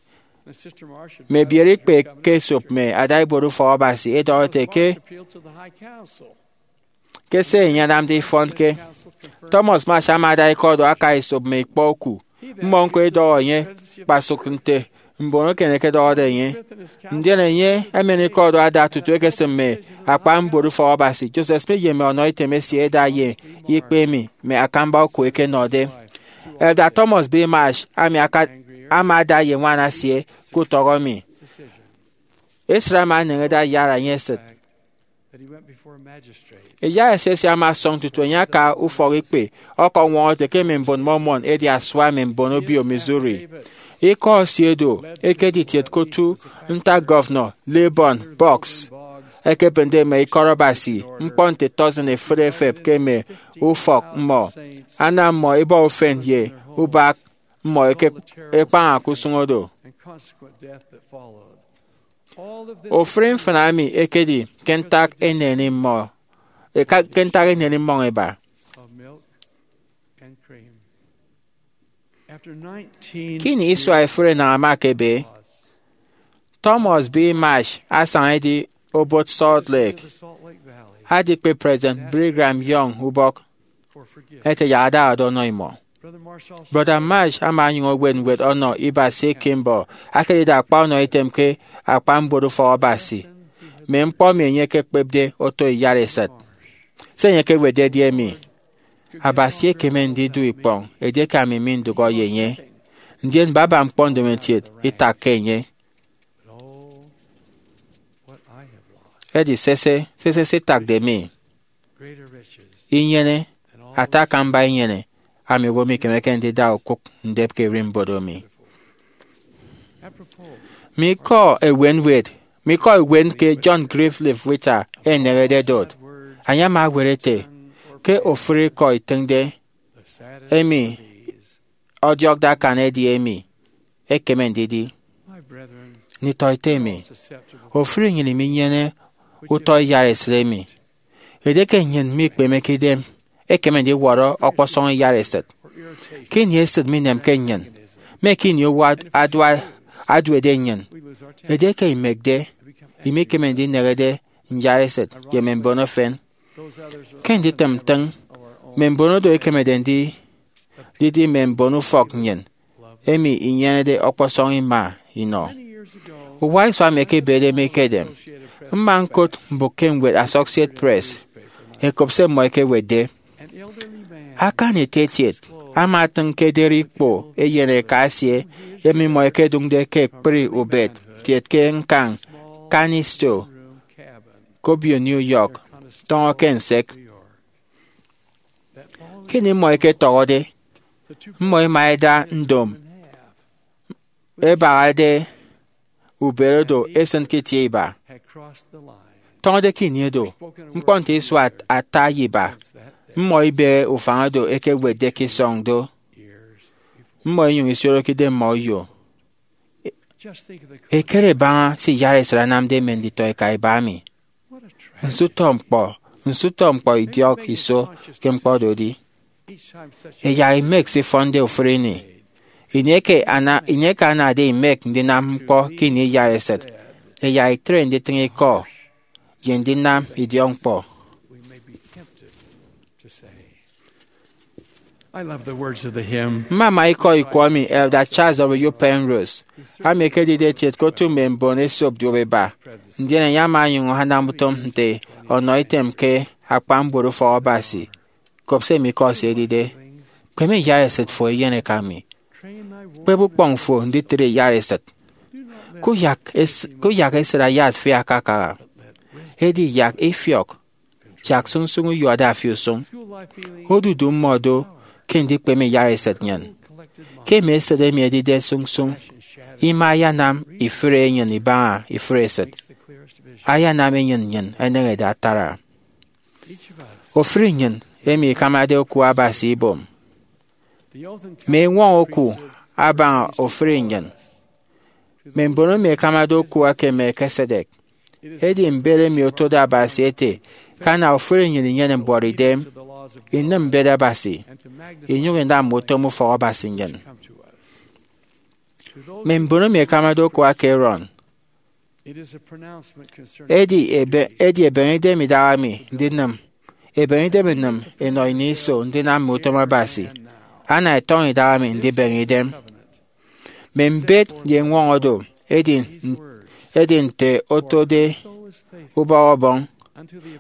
Mme ebiere ikpe ke esop mme adaibuot ufọk Abasi ẹdọhọ ete ke ke se enye anamde ifọnke. Thomas Marsh ama ada ikọ do aka esop mme ikpọ oku. Mmọ ñko ẹdọhọ enye kpasụk nte mbon eken ẹkedọhọde enye. Ndien enye emen ikọ do ada tutu ekesịm mme akpan mbuot ufọk Abasi. Joseph Smith ye mme ọnọ item esie ẹda ye ikpe emi mme akamba oku ẹkenọde. Elder Thomas B. Marsh, ami aka- ama ada ye ñwan esie ke utọk emi. Esịt ama eneñede ayara enye esịt. Iyara esie ama ọsọñ tutu enye aka ufọk ikpe ọkọñwọñọ ete ke mme mbon Mormon ẹdi asua mme mbon obio Missouri. Ikọ esie do ekedi itiet ke otu ntak Gọvanọ Layburn Boggs ekebịnde mme ikọt Abasi ñkpọ nte tọsịn efịt efep ke mme ufọk mmọ, anam mmọ ẹbọ ufen ye ubak mmọ ẹkekpaña ke usụñ odo. Ofụri mfịna emi ekedi ke ntak eneni mmọ eka- ke ntak eneni mmọñ ẹba. Ke ini isua ifụre enañ ama ekebe, Thomas B. Marsh asaña edi obot Salt Lake adikpe President Brigham Young ubọk ete yak adahade ọnọ imọ. Brọda Marsh ama onyụñ ewet ñwed ọnọ Iba C. Kimball akedide akpa ọnọ item ke akpan mbuot ufọk Abasi, mme ñkpọ emi enye ekekpepde oto iyara esịt. Se enye ekewetde edi emi, Abasi ekeme ndidu ikpọñ edieke ami mindụhọ ye enye, ndien baba ñkpọ ndomokiet itakke enye. Edi sese, sese se itakde mi. Inyene, ata akamba inyene, ami owo mikemeke ndida okụk ndep ke ererimbot emi. Mme ikọ ewe ñwed, mme ikọ ewe ke John Griffith Whittier enehede dot, enye ama ewet ete, ke ofụri ikọ itịñde, emi ọdiọkde akan edi emi ekeme ndidi. Nditọete mi, ofụri nnyịn minyene utọ iyaresịt emi. Edieke nnyịn mikpemeke idem, ekeme ndiwọrọ ọkpọsọñ iyaresịt. Ke ini esịt minemke nnyịn, mme ke ini owo ad- adua- aduede nnyịn, edieke imekde, imikeme ndinehede iyaresịt ye mme mbon efen. Ke nditịm ntịñ, mme mbon oro ẹkemede ndidi mme mbon ufọk nnyịn, emi inyenede ọkpọsọñ ima inọ. Uwa isua emi ẹkebede mi ekedem, mma ñkot mbụk ke ñwed Associated Press, ẹkop se mmọ ẹkewetde. Akan etietiet ama atịñ ke ederi ikpo eyen eka esie, emi mmọ ẹkedụñde ke ekpri ubet kiet ke ñkañ Canisteo ke obio New York, tọñọ ke nsek. Ke ini mmọ ẹketọhọde, mmọ ẹma ẹda ndom ẹbahade ubet oro esịn ke itie iba. Tọñọde ke ini oro, ñkpọ nte isua ata ye iba, mmọ ibehe ufañ oro ẹkewetde ke isọñ do, mmọ inyụñ isioroke idem mmọ uyo. Ekere baña se iyaresịt anamde mme nditọeka iba emi. Nso utọ ñkpọ, nso utọ ñkpọ idiọk iso ke ñkpọ oro edi! Ẹyak imek se ifọnde ofụri ini. Ini eke ana- ini eke anade imek ndinam ñkpọ ke ini iyaresịt, ẹyak itre nditịñ ikọ ye ndinam idiọkñkpọ. I love the words of the hymn. Mmama ikọ ikwọ emi Elder Charles W. Penrose, ami ekedide etiet ke otu mme mbon esop duop eba, ndien enye ama onyụñ anam utom nte ọnọ item ke akpa mbuot ufọk Abasi. Kop se emi ikọ esie edide: Kpeme iyaresịt fo, eyen eka mi. Kpep ukpọñ fo nditre iyaresịt. Kuyak es- kuyak esịt ayat fi akakaha. Edi yak ifiọk, yak sụñsụñ uyuatde afi usụñ. Odudu mmọ do ke ndikpeme iyaresịt nnyịn. Ke mme esịt emi ẹdide sụñsụñ, ima ayanam ifụre enyịn ibaña ifụre esịt. Ayanam enyịn nnyịn eneñede atara. Ofụri nnyịn emi ikamade oku Abasi ibom, mme eñwọñọ oku abaña ofụri nnyịn. Mme mbon emi ẹkamade oku eke Melchizedek. Edi mbet emi otode Abasi ete ke ana ofụri nnyịn inyene mbuọtidem, inịm mbet Abasi, inyụñ inam mme utom ufọk Abasi nnyịn. Mme mbon emi ẹkamade oku eke Aaron. Edi ebe- edi ebeñe idem idaha mi ndinịm, ebeñe idem inịm inọ ini iso ndinam mme utom Abasi, ana ẹtọñọ idaha mi ndibeñe idem. Mme mbet ye eñwọñọ oro edi, edi nte otode ubọhọ ọbọñ.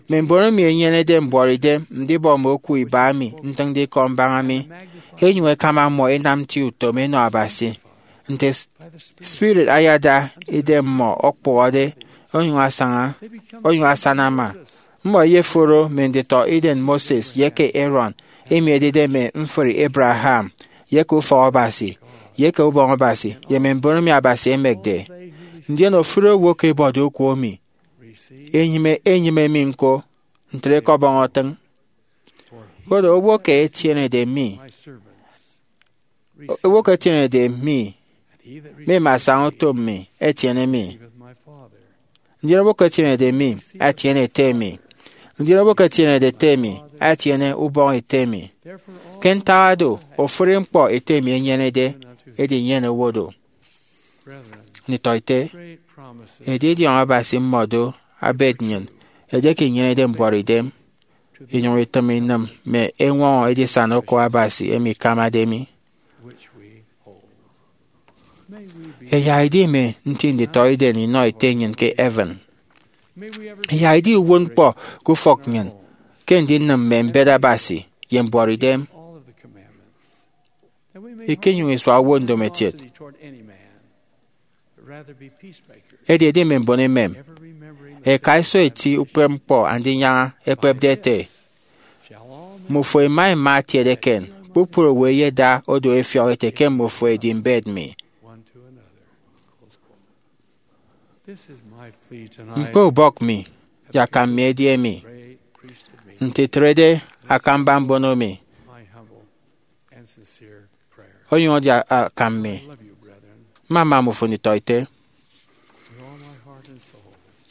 Mme mbon emi ẹnyenede mbuọtidem ndibọ mme oku iba emi ntịñde ikọ mbaña mi, ẹnyụñ ẹkama mmọ ẹnam nti utom ẹnọ Abasi, nte s- spirit ayada idem mmọ ọkpụhọde onyụñ asaña, onyụñ asana ama. Mmọ ẹyeforo mme nditọ idem Moses ye eke Aaron, emi ẹdide mme mfri Abraham, ye eke ufọk Abasi, ye eke ubọñ Abasi, ye mme mbon emi Abasi emekde. Ndien ofụri owo ke ebọde oku emi, enyịme, enyịme mi ñko, ntre ke ọbọñ otịñ. Koro owo ke etienede mi, owo ke etienede mi, mme mme asaña utom mi, etiene mi. Ndien owo ke etienede mi, etiene ete mi. Ndien owo ke etienede ete mi, etiene ubọñ ete mi. Ke ntak oro, ofụri ñkpọ ete mi enyenede, edi nnyene owo do. Nditọete, edidiọñ Abasi mmọ do abet nnyịn edieke inyenede mbuọtidem, inyụñ itịm inịm mme eñwọñọ edisana oku Abasi emi ikamade mi. Ẹyak idi mme nti nditọidem inọ ete nnyịn ke heaven. Ẹyak idi uwụtñkpọ ke ufọk nnyịn ke ndinịm mme mbet Abasi ye mbuọtidem. Ikenyụñ isua owo ndomokiet. Edi ẹdi mme mbon emem, ẹka iso eti ukpepñkpọ Andinyaña ekpepde ete, Mmufo ẹma ẹma atiat eken, kpukpru owo ẹyeda odu ẹfiọk ẹte ke mmọ fo ẹdi mbet mi. Ñkpe ubọk mi ye akam mi edi emi, nte itrede akamba mbono mi, onyụñ edi akam mi. Mmama mmọ fo nditọete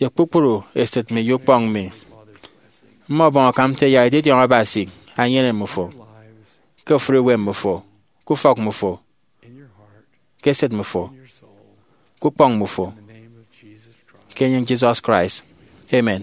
ye kpukpru esịt mi ye ukpọñ mi. Mmọbọñ akam nte yak edidiọñ Abasi enyene mmọ fo ke ofụri uwem mmọ fo, ke ufọk mmọ fo, ke esịt mmọ fo, ke ukpọñ mmọ fo, ke enyịñ Jesus Christ. Amen.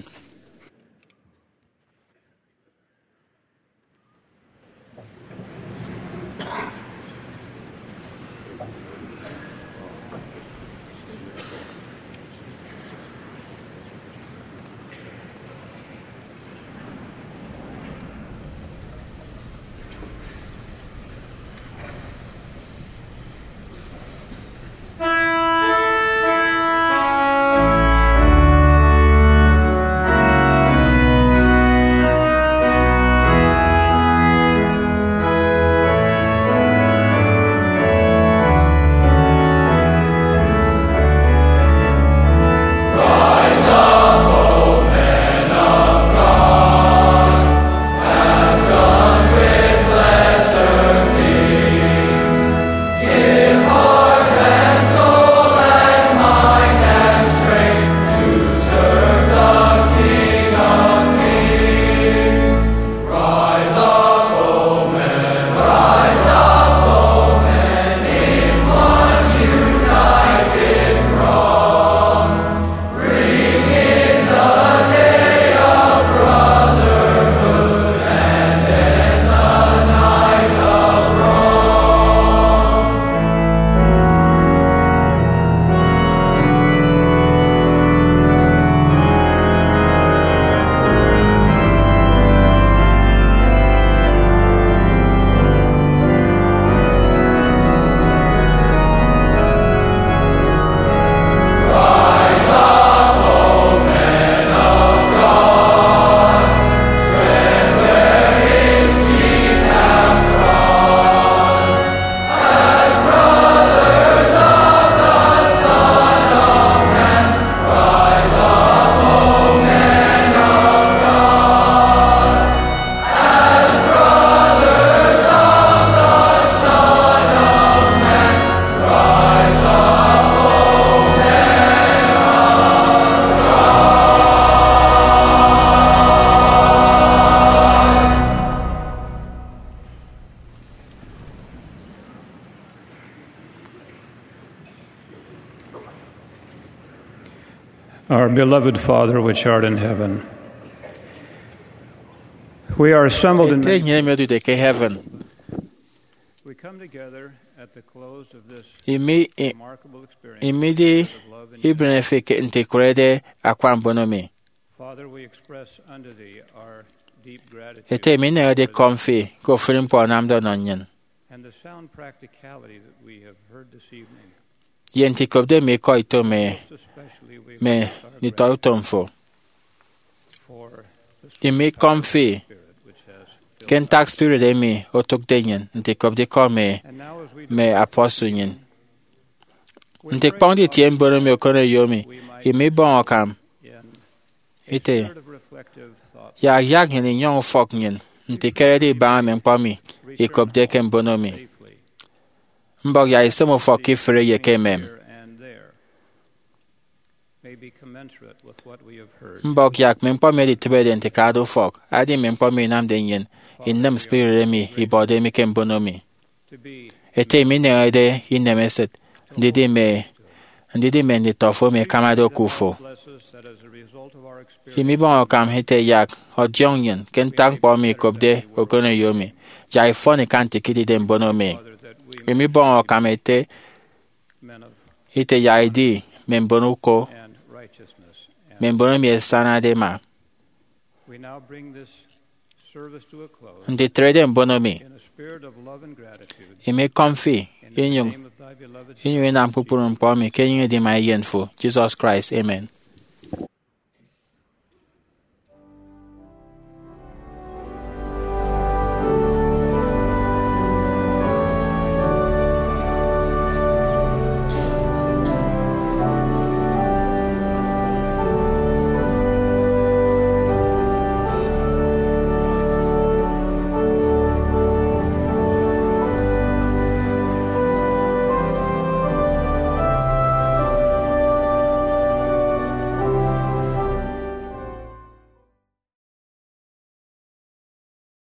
Our beloved Father, which art in heaven, we are assembled in Ete Enye emi odude ke heaven. We come together at the close of this Imi, i, remarkable experience imidi of love and ibren fi ke nte ikurede akwa mbono mi. Father, we express unto thee our deep gratitude Ete mi ineñede ikọm fi ke ofụri ñkpọ anamde ọnọ nnyịn. And the sound practicality that we have heard this evening. Ye nte ikopde mi ikọ ito mi, Most especially we me bless our nditọ utom fo. For the Imi ikọm fi spirit which has ke ntak spirit emi otụkde nnyịn nte ikopde ikọ mi And now as we mme depart apọsụl nnyịn. Nte ikpọñde itie mbono mi okoneyo mi, imi ibọñ akam ite yak yak nnyịn inyọñ ufọk nnyịn nte ikerede ibaña mme ñkpọ mi ikopde ke mbono mi. Mbọk yak isem ufọk ke ifụre ye ke emem. Mbọk yak mme ñkpọ mi ẹditịbede nte ke ada ufọk, adi mme ñkpọ mi inamde nnyịn inịm spirit emi ibọde mi ke mbono mi. Ete mi ineñede inem esịt ndidi mme ndidi mme nditọ fo emi ẹkamade oku fo. Imi ibọñ akam ite yak ọdiọñ nnyịn ke ntak ñkpọ emi ikopde okoneyo mi, yak ifọn ikan nte ikidide mbono mi. Imi ibọñ akam ete ite yak idi mme mbon uko, mme mbon emi ẹsanade ẹma. Nte itrede mbono mi, imi ikọm fi inyụñ inyụñ inam kpukpru ñkpọ emi ke enyịñ edima Eyen fo, Jesus Christ. Amen.